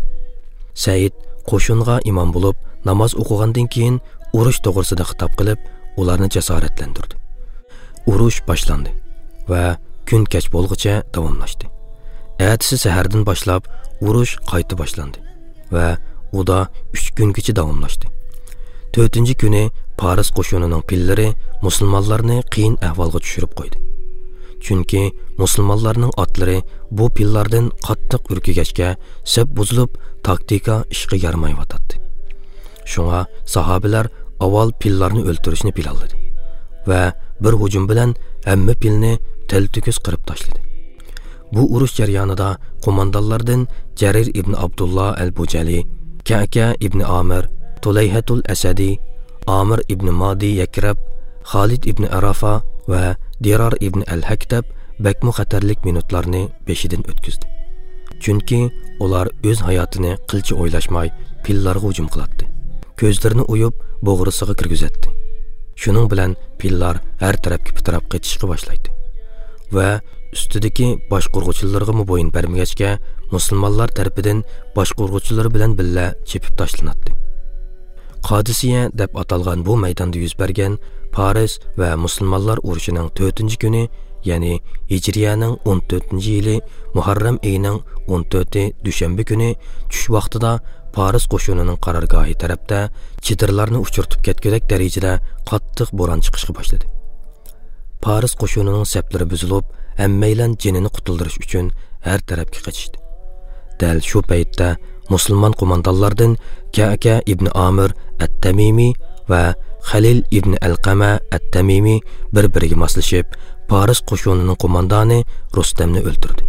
سەئىد قوشۇنغا ئىمام بولۇپ، ناماز ئوقۇغاندىن كېيىن، ئۇرۇش توغرىسىدا خىتاب قىلىپ، ئۇلارنى جاسارەتلەندۈردى. ئۇرۇش باشلاندى ۋە كۈن كەچ بولغۇچە داۋاملاشتى. ئەتىسى سەھەردىن باشلاپ ئۇرۇش قايتا باشلاندى ۋە ئۇدا ئۈچ كۈنگىچە داۋاملاشتى. تۆتىنچى كۈنى پارس قوشۇنىنىڭ پىللىرى مۇسۇلمانلارنى قىيىن ئەھۋالغا چۈشۈرۈپ قويدى. چۈنكى مۇسۇلمانلارنىڭ ئاتلىرى بۇ پىللاردىن قاتتىق ئۈركۈگەچكە، سەپ بۇزۇلۇپ، تاكتىكا ئىشقا يارىمايۋاتاتتى. شۇڭا ساھابىلەر ئاۋۋال پىللارنى ئۆلتۈرۈشنى پىلانلىدى ۋە بىر ھۇجۇم بىلەن ھەممە پىلنى تەلتۆكۈس قىرىپ تاشلىدى. بۇ ئۇرۇش جەريانىدا قوماندانلاردىن جەرىر ئىبن ئابدۇللا ئەل بۇجەلى، كەكە ئىبن ئامىر، تۇلەيھەتۇل ئەسەدى، ئامىر ئىبن مادى يەكرەب، خالىد ئىبن ئەرافا ۋە دىرار ئىبن ئەل ھەكتەب بەكمۇ خەتەرلىك مىنۇتلارنى بېشىدىن ئۆتكۈزدى. چۈنكى ئۇلار ئۆز ھاياتىنى قىلچە ئويلاشماي پىللارغا ھۇجۇم قىلاتتى. كۆزلىرىنى ئويۇپ، بوغرىسىغا كىرگۈزەتتى. شۇنىڭ بىلەن پىللار ھەر تەرەپكە پىتىراپ قېچىشقا باشلايتتى ۋە ئۈستىدىكى باشقۇرغۇچىلىرىغىمۇ بويۇن بەرمىگەچكە، مۇسۇلمانلار تەرىپىدىن باشقۇرغۇچىلىرى بىلەن بىللە چېپىپ تاشلىناتتى. قادىسىيە دەپ ئاتالغان بۇ مەيداندا يۈز بەرگەن پارس ۋە مۇسۇلمانلار ئۇرۇشىنىڭ تۆتىنچى كۈنى، يەنى ھىجرىيەنىڭ ئون تۆتىنچى يىلى مۇھەررەم ئېيىنىڭ ئون تۆتى دۈشەنبە كۈنى چۈش ۋاقتىدا پارس قوشۇنىنىڭ قارارگاھى تەرەپتە چېدىرلارنى ئۇچۇرتۇپ كەتكۈدەك دەرىجىدە قاتتىق بوران چىقىشقا باشلىدى. پارس قوشۇنىنىڭ سەپلىرى بۈزۈلۈپ، ھەممەيلەن جېنىنى قۇتۇلدۇرۇش ئۈچۈن ھەر تەرەپكە قېچىشتى. دەل شۇ پەيتتە مۇسۇلمان قوماندانلاردىن كەكە ئىبنى ئامىر ئەت-تەمىمى ۋە خەلىل ئىبنى ئەلقەمە ئەت-تەمىمى بىر-بىرىگە ماسلىشىپ، پارس قوشۇنىنىڭ قوماندانى رۇستەمنى ئۆلتۈردى.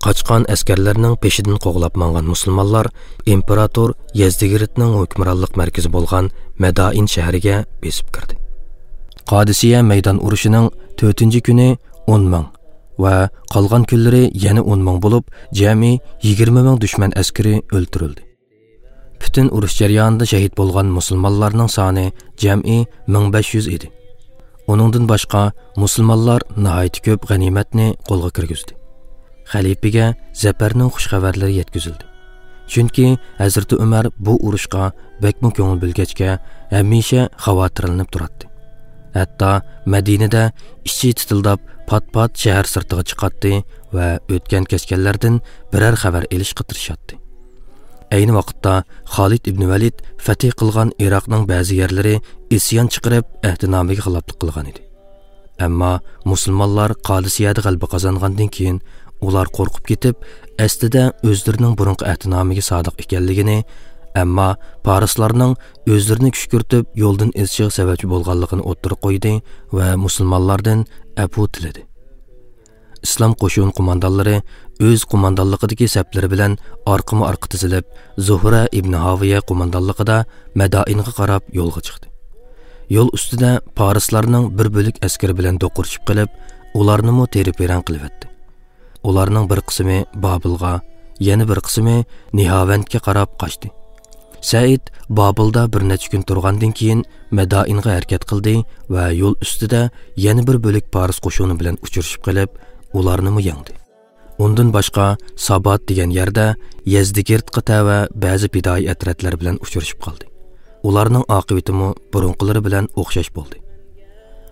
قاچقان ئەسكەرلەرنىڭ پېشىدىن قوغلاپ ماڭغان مۇسۇلمانلار ئىمپېراتور يەزدىگىرتنىڭ ھۆكۈمرانلىق مەركىزى بولغان مەدائىن شەھىرىگە بېسىپ كىردى. قادىسىيە مەيدان ئۇرۇشىنىڭ تۆتىنچى كۈنى ئون مىڭ ۋە قالغان كۈنلىرى يەنە ئون مىڭ بولۇپ، جەمئىي يىگىرمە مىڭ دۈشمەن ئەسكىرى ئۆلتۈرۈلدى. پۈتۈن ئۇرۇش جەريانىدا شەھىت بولغان مۇسۇلمانلارنىڭ سانى جەمئىي مىڭ بەش يۈز ئىدى. ئۇنىڭدىن باشقا، مۇسۇلمانلار ناھايىتى كۆپ غەنىيمەتنى قولغا كىرگۈزدى. خەلىپىگە زەپەرنىڭ خۇش خەۋەرلىرى يەتكۈزۈلدى. چۈنكى ھەزرىتى ئۆمەر بۇ ئۇرۇشقا بەكمۇ كۆڭۈل بۆلگەچكە، ھەمىشە خاۋاتىرلىنىپ تۇراتتى. ھەتتا مەدىنىدە ئىچى تىتىلداپ، پات-پات شەھەر سىرتىغا چىقاتتى ۋە ئۆتكەن-كەچكەنلەردىن بىرەر خەۋەر ئېلىشقا تىرىشاتتى. ئەينى ۋاقىتتا خالىد ئىبن ۋەلىد فەتھى قىلغان ئىراقنىڭ بەزى يەرلىرى ئىسيان چىقىرىپ، ئەھدىنامىگە خىلاپلىق قىلغان ئىدى. ئەمما مۇسۇلمانلار قادىسىيەدە غەلىبە قازانغاندىن كېيىن، ئۇلار قورقۇپ كېتىپ، ئەسلىدە ئۆزلىرىنىڭ بۇرۇنقى ئەھدىنامىگە سادىق ئىكەنلىكىنى، ئەمما پارسلارنىڭ ئۆزلىرىنى كۈشكۈرتۈپ، يولدىن ئېزىشىغا سەۋەبچى بولغانلىقىنى ئوتتۇرىغا قويدى ۋە مۇسۇلمانلاردىن ئەپۇ تىلىدى. ئىسلام قوشۇن قوماندانلىرى ئۆز قوماندانلىقىدىكى سەپلىرى بىلەن ئارقىمۇ ئارقا تىزىلىپ، زۇھرە ئىبنى ھاۋىيە قوماندانلىقىدا مەدائىنغا قاراپ يولغا چىقتى. يول ئۈستىدە پارسلارنىڭ بىر بۆلەك ئەسكىرى بىلەن دوقۇرۇشۇپ قېلىپ، ئۇلارنىمۇ تېرە-پېرەڭ قىلىۋەتتى. ئۇلارنىڭ بىر قىسمى بابىلغا، يەنە بىر قىسمى نىھاۋەندكە قاراپ قاچتى. سەئىد بابىلدا بىر نەچچە كۈن تۇرغاندىن كېيىن، مەدائىنغا ھەرىكەت قىلدى ۋە يول ئۈستىدە يەنە بىر بۆلەك پارس قوشۇنى بىلەن ئۇچرىشىپ قېلىپ، ئۇلارنىمۇ يەڭدى. ئۇندىن باشقا، سابات دېگەن يەردە يەزدىگىرتقا تەۋە بەزى پىدائىي ئەترەتلەر بىلەن ئۇچرىشىپ قالدى. ئۇلارنىڭ ئاقىۋىتىمۇ بۇرۇنقىلىرى بىلەن ئوخشاش بولدى.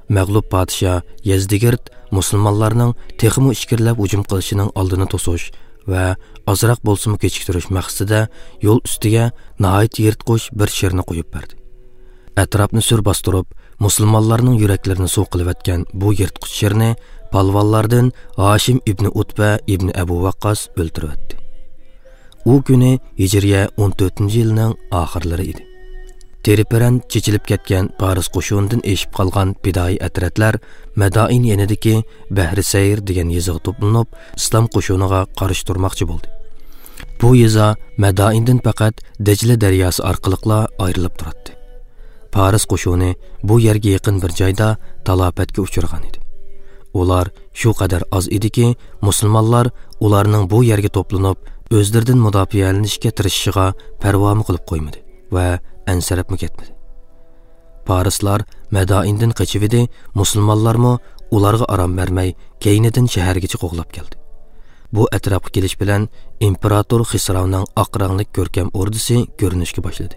مەغلۇپ پادىشاھ يەزدىگىرت مۇسۇلمانلارنىڭ تېخىمۇ ئىچكىرىلەپ ھۇجۇم قىلىشىنىڭ ئالدىنى توسۇش ۋە ئازراق بولسىمۇ كېچىكتۈرۈش مەقسىتىدە يول ئۈستىگە ناھايىتى يىرتقۇچ بىر شىرنى قويۇپ بەردى. ئەتراپنى سۈر باستۇرۇپ، مۇسۇلمانلارنىڭ يۈرەكلىرىنى سۇ قىلىۋەتكەن بۇ يىرتقۇچ شىرنى پالۋانلاردىن ھاشىم ئىبنى ئۇتبە ئىبنى ئەبۇ ۋەققاس ئۆلتۈرۈۋەتتى. ئۇ كۈنى ھىجرىيە ئون تۆتىنچى يىلنىڭ ئاخىرلىرى ئىدى. تېرىپىرەن چېچىلىپ كەتكەن پارس قوشۇنىدىن ئېشىپ قالغان پىدائىي ئەترەتلەر مەدائىن يېنىدىكى بەھرى سەير دېگەن يېزىغا توپلىنىپ، ئىسلام قوشۇنىغا قارشى تۇرماقچى بولدى. بۇ يېزا مەدائىندىن پەقەت دەجلە دەرياسى ئارقىلىقلا ئايرىلىپ تۇراتتى. پارس قوشۇنى بۇ يەرگە يېقىن بىر جايدا تالاپەتكە ئۇچرىغان ئىدى. ئۇلار شۇ قەدەر ئاز ئىدىكى، مۇسۇلمانلار ئۇلارنىڭ بۇ يەرگە توپلىنىپ، ئۆزلىرىدىن مۇداپىئەلىنىشكە تىرىشىشىغا پەرۋامۇ قىلىپ قويمىدى ۋە ئەنسىرەپمۇ كەتمىدى. پارسلار مەدائىندىن قېچىۋىدى، مۇسۇلمانلارمۇ ئۇلارغا ئارام بەرمەي، كەينىدىن شەھەرگىچە قوغلاپ كەلدى. بۇ ئەتراپقا كېلىش بىلەن ئىمپېراتور خىسراۋنىڭ ئاق رەڭلىك كۆركەم ئوردىسى كۆرۈنۈشكە باشلىدى.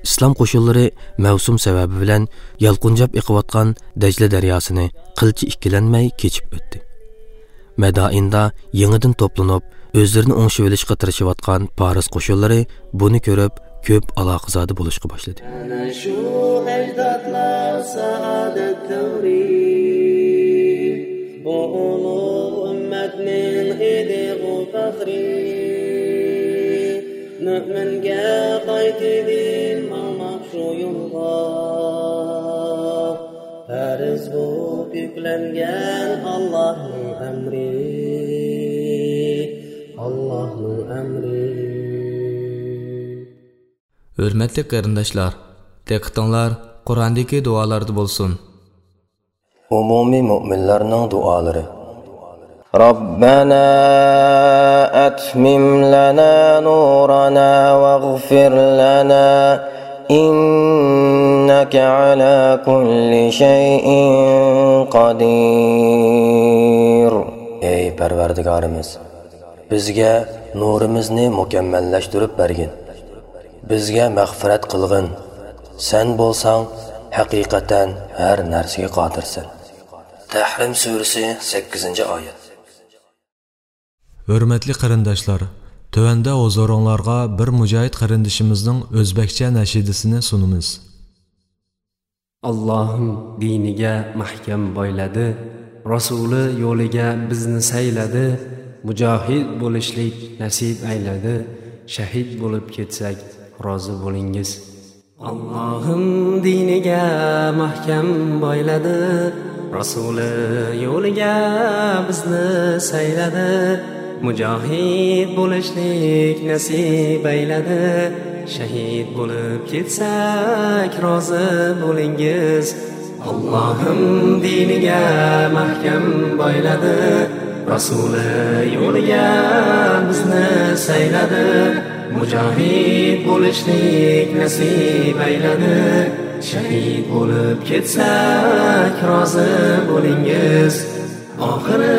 ئىسلام قوشۇنلىرى مەۋسۇم سەۋەبى بىلەن يالقۇنجاپ ئېقىۋاتقان دەجلە دەرياسىنى قىلچە ئىككىلەنمەي كېچىپ ئۆتتى. مەدائىندا يېڭىدىن توپلىنىپ، ئۆزلىرىنى ئوڭشىۋېلىشقا تىرىشىۋاتقان پارس قوشۇنلىرى بۇنى كۆرۈپ، كۆپ ئالاقىزادە بولۇشقا باشلىدى. ئەنە شۇ ئەجدادلار سائادەت دەۋرى، بۇ ئۇلۇغ ئۈممەتنىڭ ئىدىغۇ پەخرى. مۆمىنگە قايتىدىن ماڭماق شۇ يولغا، پەرز بولۇپ يۈكلەنگەن ئاللاھنىڭ ئەمرى، ئاللاھنىڭ ئەمرى. ھۆرمەتلىك قېرىنداشلار، دىققىتىڭلار قۇرئاندىكى دۇئالاردا بولسۇن. ئومۇمىي مۆمىنلەرنىڭ دۇئالىرى. ربنا أتمم لنا نورنا واغفر لنا إنك على كل شيء قدير. ئەي پەرۋەردىگارىمىز، بىزگە نۇرىمىزنى مۇكەممەللەشتۈرۈپ بەرگىن. بىزگە مەغپىرەت قىلغىن. سەن بولساڭ ھەقىقەتەن ھەر نەرسىگە قادىرسەن. تەھرىم سۈرىسى، سەككىزىنچى ئايەت. ھۆرمەتلىك قېرىنداشلار، تۆۋەندە ھۇزۇرۇڭلارغا بىر مۇجاھىد قېرىندىشىمىزنىڭ ئۆزبەكچە نەشىدىسىنى سۇنىمىز. ئاللاھىم دىنىگە مەھكەم بايلىدى، رەسۇلى يولىگە بىزنى سەيلىدى، مۇجاھىد بولۇشلۇق نەسىپ ئەيلىدى، شەھىد بولۇپ كەتسەك رازى بولۇڭىز. ئاللاھىم دىنىگە مەھكەم بايلىدى، رەسۇلى يولىگە بىزنى سەيلىدى، مۇجاھىد بولۇشلۇق نەسىپ ئەيلىدى، شەھىد بولۇپ كەتسەك رازى بولۇڭىز. ئاللاھىم دىنىگە مەھكەم بايلىدى، رەسۇلى يولىگە بىزنى سەيلىدى، مۇجاھىد بولۇشلۇق نەسىپ ئەيلىدى، شەھىد بولۇپ كەتسەك رازى بولۇڭىز. ئاخىرى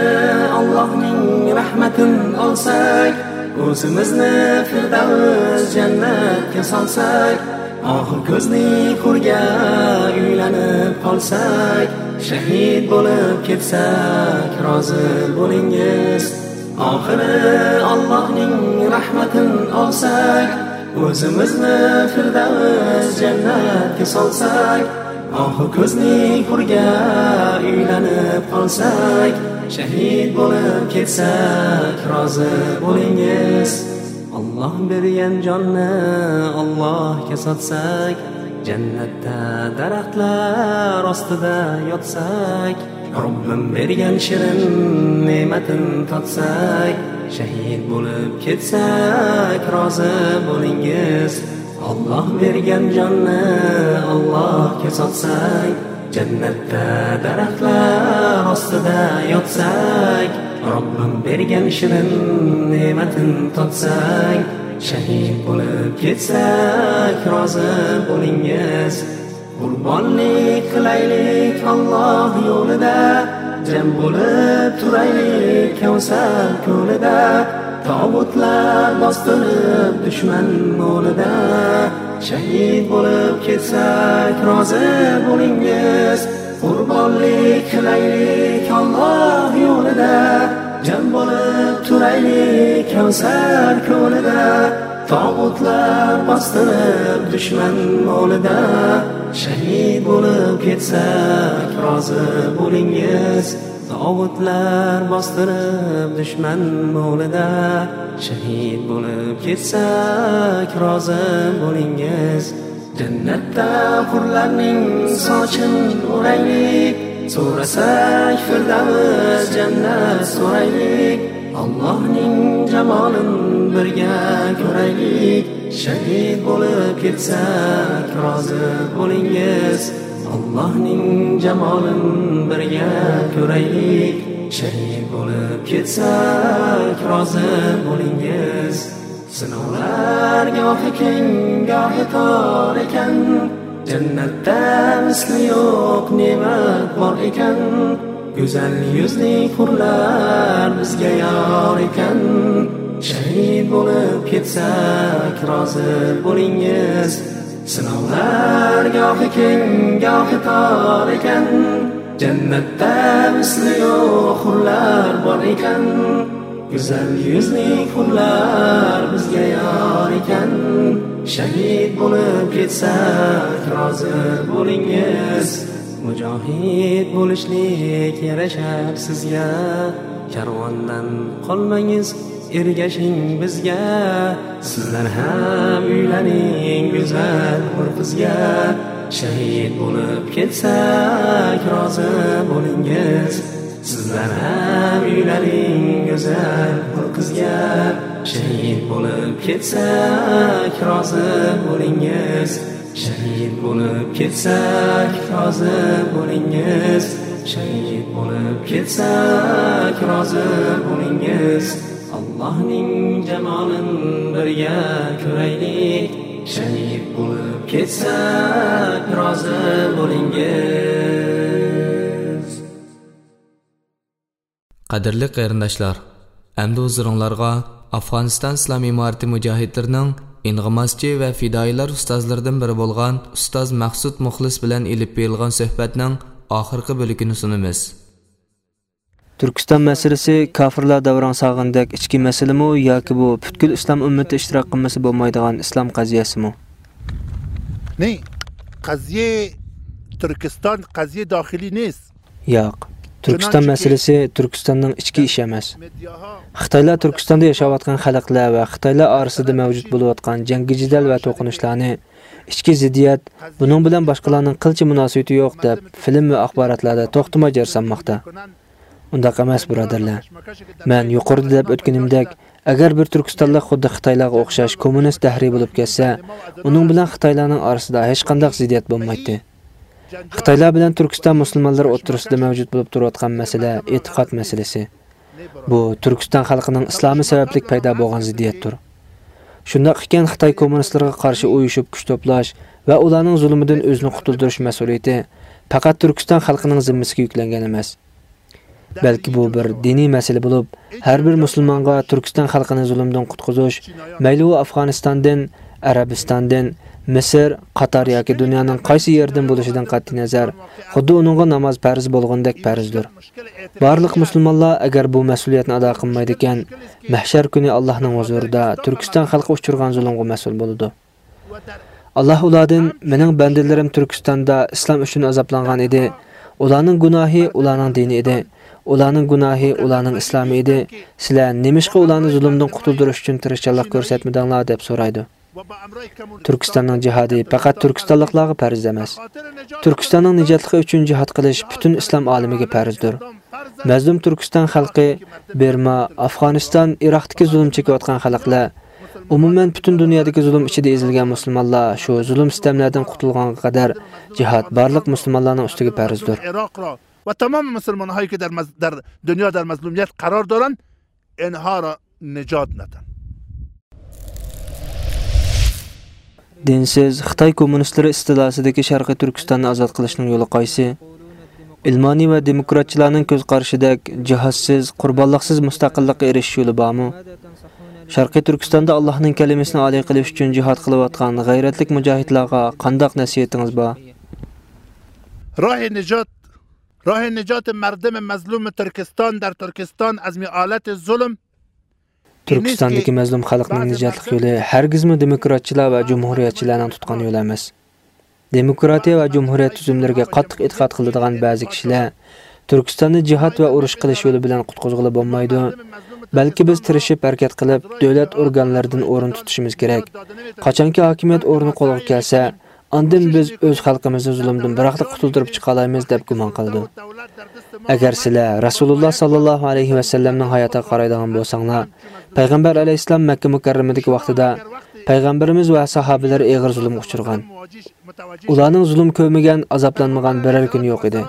ئاللاھنىڭ رەھمىتىن ئالساق، ئۆزىمىزنى فىردەۋس جەننەتكە سالساق، ئاخىر كۆزنى كۆرگە ئۆيلىنىپ قالساق، شەھىد بولۇپ كەتسەك رازى بولۇڭىز. ئاخىرى ئاللاھنىڭ رەھمىتىن ئالساق، ئۆزىمىزنى فىردەۋس جەننەتكە سالساق، ئاخىر كۆزنى كۆرگە ئۆيلىنىپ قالساق، شەھىد بولۇپ كەتسەك رازى بولۇڭىز. ئاللاھ بەرگەن جاننى ئاللاھقا ساتساق، جەننەتتە دەرەخلەر ئاستىدا ياتساق، رەببىم بەرگەن شېرىن نېمەتتىن تاتساق، شەھىد بولۇپ كەتسەك رازى بولۇڭىز. ئاللاھ بەرگەن جاننى ئاللاھقا ساتساق، جەننەتتە دەرەخلەر ئاستىدا ياتساق، رەببىم بەرگەن شېرىن نېمەتتىن تاتساق، شەھىد بولۇپ كەتسەك رازى بولۇڭىز. قۇربانلىق قىلايلىق ئاللاھ يولىدا، جەم بولۇپ تۇرايلىق كەۋسەر كۆلىدە. تاغۇتلار باستۇرۇپ دۈشمەن مولىدا، شەھىد بولۇپ كەتسەك رازى بولۇڭىز. قۇربانلىق قىلايلىق ئاللاھ يولىدا، جەم بولۇپ تۇرايلىق كەۋسەر كۆلىدە. تاغۇتلار باستۇرۇپ دۈشمەن مولىدا، شەھىد بولۇپ كەتسەك رازى بولۇڭىز. ئاۋۇتلار باستۇرۇپ دۈشمەن مولىدا، شەھىد بولۇپ كەتسەك رازى بولىڭىز. جەننەتتە ھۇرلارنىڭ ساچىن ئۇرايلىق، سورىساق فىردەۋس جەننەت سورايلىق. ئاللاھنىڭ جامالىن بىرگە كۆرەيلىك. شەھىد بولۇپ كەتسەك رازى بولىڭىز. ئاللاھنىڭ جامالىن بىرگە كۆرەيلىك. شەھىد بولۇپ كەتسەك رازى بولىڭىز. سىناۋلار گاھى كەڭ، گاھى تار ئىكەن. جەننەتتە مىسلى يوق نېمەت بار ئىكەن. گۈزەل يۈزلۈك ھۇرلار بىزگە يار ئىكەن. شەھىد بولۇپ كەتسەك رازى بولىڭىز. سىناۋلار گاھى كەڭ، گاھى تار ئىكەن. جەننەتتە مىسلى يوق ھۇرلار بار ئىكەن. گۈزەل يۈزلۈك ھۇرلار بىزگە يار ئىكەن. شەھىد بولۇپ كەتسەك رازى بولىڭىز. مۇجاھىد بولۇشلۇق يارىشار سىزگە. كارۋاندىن قالماڭىز، ئەگىشىڭ بىزگە. سىزلەر ھەم ئۆيلىنىڭ گۈزەل ھۇر قىزغا. شەھىد بولۇپ كەتسەك رازى بولىڭىز. سىزلەر ھەم ئۆيلىنىڭ گۈزەل ھۇر قىزغا. شەھىد بولۇپ كەتسەك رازى بولىڭىز. شەھىد بولۇپ كەتسەك رازى بولىڭىز. شەھىد بولۇپ كەتسەك رازى بولىڭىز. ئاللاھنىڭ جامالىن بىرگە كۆرەيلىك. شەھىد بولۇپ كەتسەك رازى بولىڭىز. قەدىرلىك قېرىنداشلار، ئەمدى ھۇزۇرۇڭلارغا ئافغانىستان ئىسلام ئىمارىتى مۇجاھىدلىرىنىڭ ئىنغىماسچى ۋە پىدائىيلار ئۇستازلىرىدىن بىرى بولغان ئۇستاز مەخسۇت مۇخلىس بىلەن ئېلىپ بېرىلغان سۆھبەتنىڭ ئاخىرقى بۆلىكىنى سۇنىمىز. تۈركىستان مەسىلىسى كاپىرلار دەۋراڭ سالغىنىدەك ئىچكى مەسىلىمۇ ياكى بۇ پۈتكۈل ئىسلام ئۈممىتى ئىشتىراك قىلمىسا بولمايدىغان ئىسلام قەزىيەسىمۇ؟ Ne? Qeziye Türkistan, qeziye daxili nêst. ياق، تۈركىستان مەسىلىسى تۈركىستاننىڭ ئىچكى ئىشى ئەمەس. خىتايلار تۈركىستاندا ياشاۋاتقان خەلقلەر ۋە خىتايلار ئارىسىدا مەۋجۇت بولۇۋاتقان جەڭگى جېدەل ۋە توقۇنۇشلارنى، ئىچكى زىددىيەت، بۇنىڭ بىلەن باشقىلارنىڭ قىلچە مۇناسىۋىتى يوق دەپ، فىلىم ۋە ئاخباراتلاردا توختىماي جار سالماقتا. ئۇنداق ئەمەس، بۇرادەرلەر. مەن يۇقىرىدا دەپ ئۆتكىنىمدەك، ئەگەر بىر تۈركىستانلىق خۇددى خىتايلارغا ئوخشاش كوممۇنىست دەھرىي بولۇپ كەتسە، ئۇنىڭ بىلەن خىتايلارنىڭ ئارىسىدا ھېچقانداق زىددىيەت بولمايتتى. خىتايلار بىلەن تۈركىستان مۇسۇلمانلىرى ئوتتۇرىسىدا مەۋجۇت بولۇپ تۇرۇۋاتقان مەسىلە ئېتىقاد مەسىلىسى. بۇ تۈركىستان خەلقىنىڭ ئىسلامى سەۋەبلىك پەيدا بولغان زىددىيەتتۇر. شۇنداق ئىكەن، خىتاي كوممۇنىستلىرىغا قارشى ئۇيۇشۇپ كۈچ توپلاش ۋە ئۇلارنىڭ زۇلۇمىدىن ئۆزىنى قۇتۇلدۇرۇش مەسئۇلىيىتى پەقەت تۈركىستان خەلقىنىڭ زىممىسىگە يۈكلەنگەن ئەمەس. بەلكى بۇ بىر دىنىي مەسىلە بولۇپ، ھەر بىر مۇسۇلمانغا تۈركىستان خەلقىنى زۇلۇمدىن قۇتقۇزۇش، مەيلى ئۇ ئافغانىستاندىن، ئەرەبىستاندىن، مىسىر، قاتار ياكى دۇنيانىڭ قايسى يېرىدىن بولۇشىدىن قەتئىينەزەر، خۇددى ئۇنىڭغا ناماز پەرز بولغىنىدەك پەرزدۇر. بارلىق مۇسۇلمانلار ئەگەر بۇ مەسئۇلىيەتنى ئادا قىلمايدىكەن، مەھشەر كۈنى ئاللاھنىڭ ھۇزۇرىدا تۈركىستان خەلقى ئۇچرىغان زۇلۇمغا مەسئۇل بولىدۇ. ئاللاھ ئۇلاردىن، مېنىڭ بەندىلىرىم تۈركىستاندا ئىسلام ئۈچۈن ئازابلانغان ئىدى. ئۇلارنىڭ گۇناھى ئۇلارنىڭ دىنى ئىدى. ئۇلارنىڭ گۇناھى ئۇلارنىڭ ئىسلامى ئىدى. سىلەر نېمىشقا ئۇلارنى زۇلۇمدىن قۇتۇلدۇرۇش ئۈچۈن تىرىشچانلىق كۆرسەتمىدىڭلار؟ دەپ سورايدۇ. تۈركىستاننىڭ جىھادى پەقەت تۈركىستانلىقلارغا پەرز ئەمەس. تۈركىستاننىڭ نىجاتلىقى ئۈچۈن جىھاد قىلىش پۈتۈن ئىسلام ئالىمىگە پەرزدۇر. مەزلۇم تۈركىستان خەلقى، بىرما، ئافغانىستان، ئىراقتىكى زۇلۇم چېكىۋاتقان خەلقلەر، ئومۇمەن پۈتۈن دۇنيادىكى زۇلۇم ئىچىدە ئېزىلگەن مۇسۇلمانلار شۇ زۇلۇم سىتەملەردىن قۇتۇلغانغا قەدەر جىھاد بارلىق مۇسۇلمانلارنىڭ ئۈستىگە پەرزدۇر. Ve tamam Müslüman hayki der, der dünya der mazlumiyet karar doran, enhara necat neten. دىنسىز خىتاي كوممۇنىستلىرى ئىستىلاسىدىكى شەرقىي تۈركىستاننى ئازاد قىلىشنىڭ يولى قايسى؟ ئىلمانىي ۋە دېموكراتچىلارنىڭ كۆز قارىشىدەك جىھادسىز، قۇربانلىقسىز مۇستەقىللىققا ئېرىشىش يولى بارمۇ؟ شەرقىي تۈركىستاندا ئاللاھنىڭ كەلىمىسىنى ئالىي قىلىش ئۈچۈن جىھاد قىلىۋاتقان غەيرەتلىك مۇجاھىدلارغا قانداق نەسىھىتىڭىز بار؟ Rahi necat, rahi necat merdim mazlum Türkistan der Türkistan az mialet zulm. تۈركىستاندىكى مەزلۇم خەلقنىڭ نىجاتلىق يولى ھەرگىزمۇ دېموكراتچىلار ۋە جۇمھۇرىيەتچىلەرنىڭ تۇتقان يولى ئەمەس. دېموكراتىيە ۋە جۇمھۇرىيەت تۈزۈملىرىگە قاتتىق ئېتىقاد قىلىدىغان بەزى كىشىلەر تۈركىستاننى جىھاد ۋە ئۇرۇش قىلىش يولى بىلەن قۇتقۇزغىلى بولمايدۇ. بەلكى بىز تىرىشىپ ھەرىكەت قىلىپ، دۆلەت ئورگانلىرىدىن ئورۇن تۇتۇشىمىز كېرەك. قاچانكى ھاكىمىيەت ئورنى قولغا كەلسە، ئاندىن بىز ئۆز خەلقىمىزنى زۇلۇمدىن بىراقلا قۇتۇلدۇرۇپ چىقالايمىز، دەپ گۇمان قىلىدۇ. ئەگەر سىلەر رەسۇلۇللا ساللاللاھۇ ئەلەيھى ۋەسەللەمنىڭ ھاياتىغا قارايدىغان بولساڭلار، پەيغەمبەر ئەلەيھىسسالام مەككە مۇكەررەمىدىكى ۋاقتىدا پەيغەمبىرىمىز ۋە ساھابىلىرى ئېغىر زۇلۇمغا ئۇچرىغان. ئۇلارنىڭ زۇلۇم كۆرمىگەن، ئازابلانمىغان بىرەر كۈنى يوق ئىدى.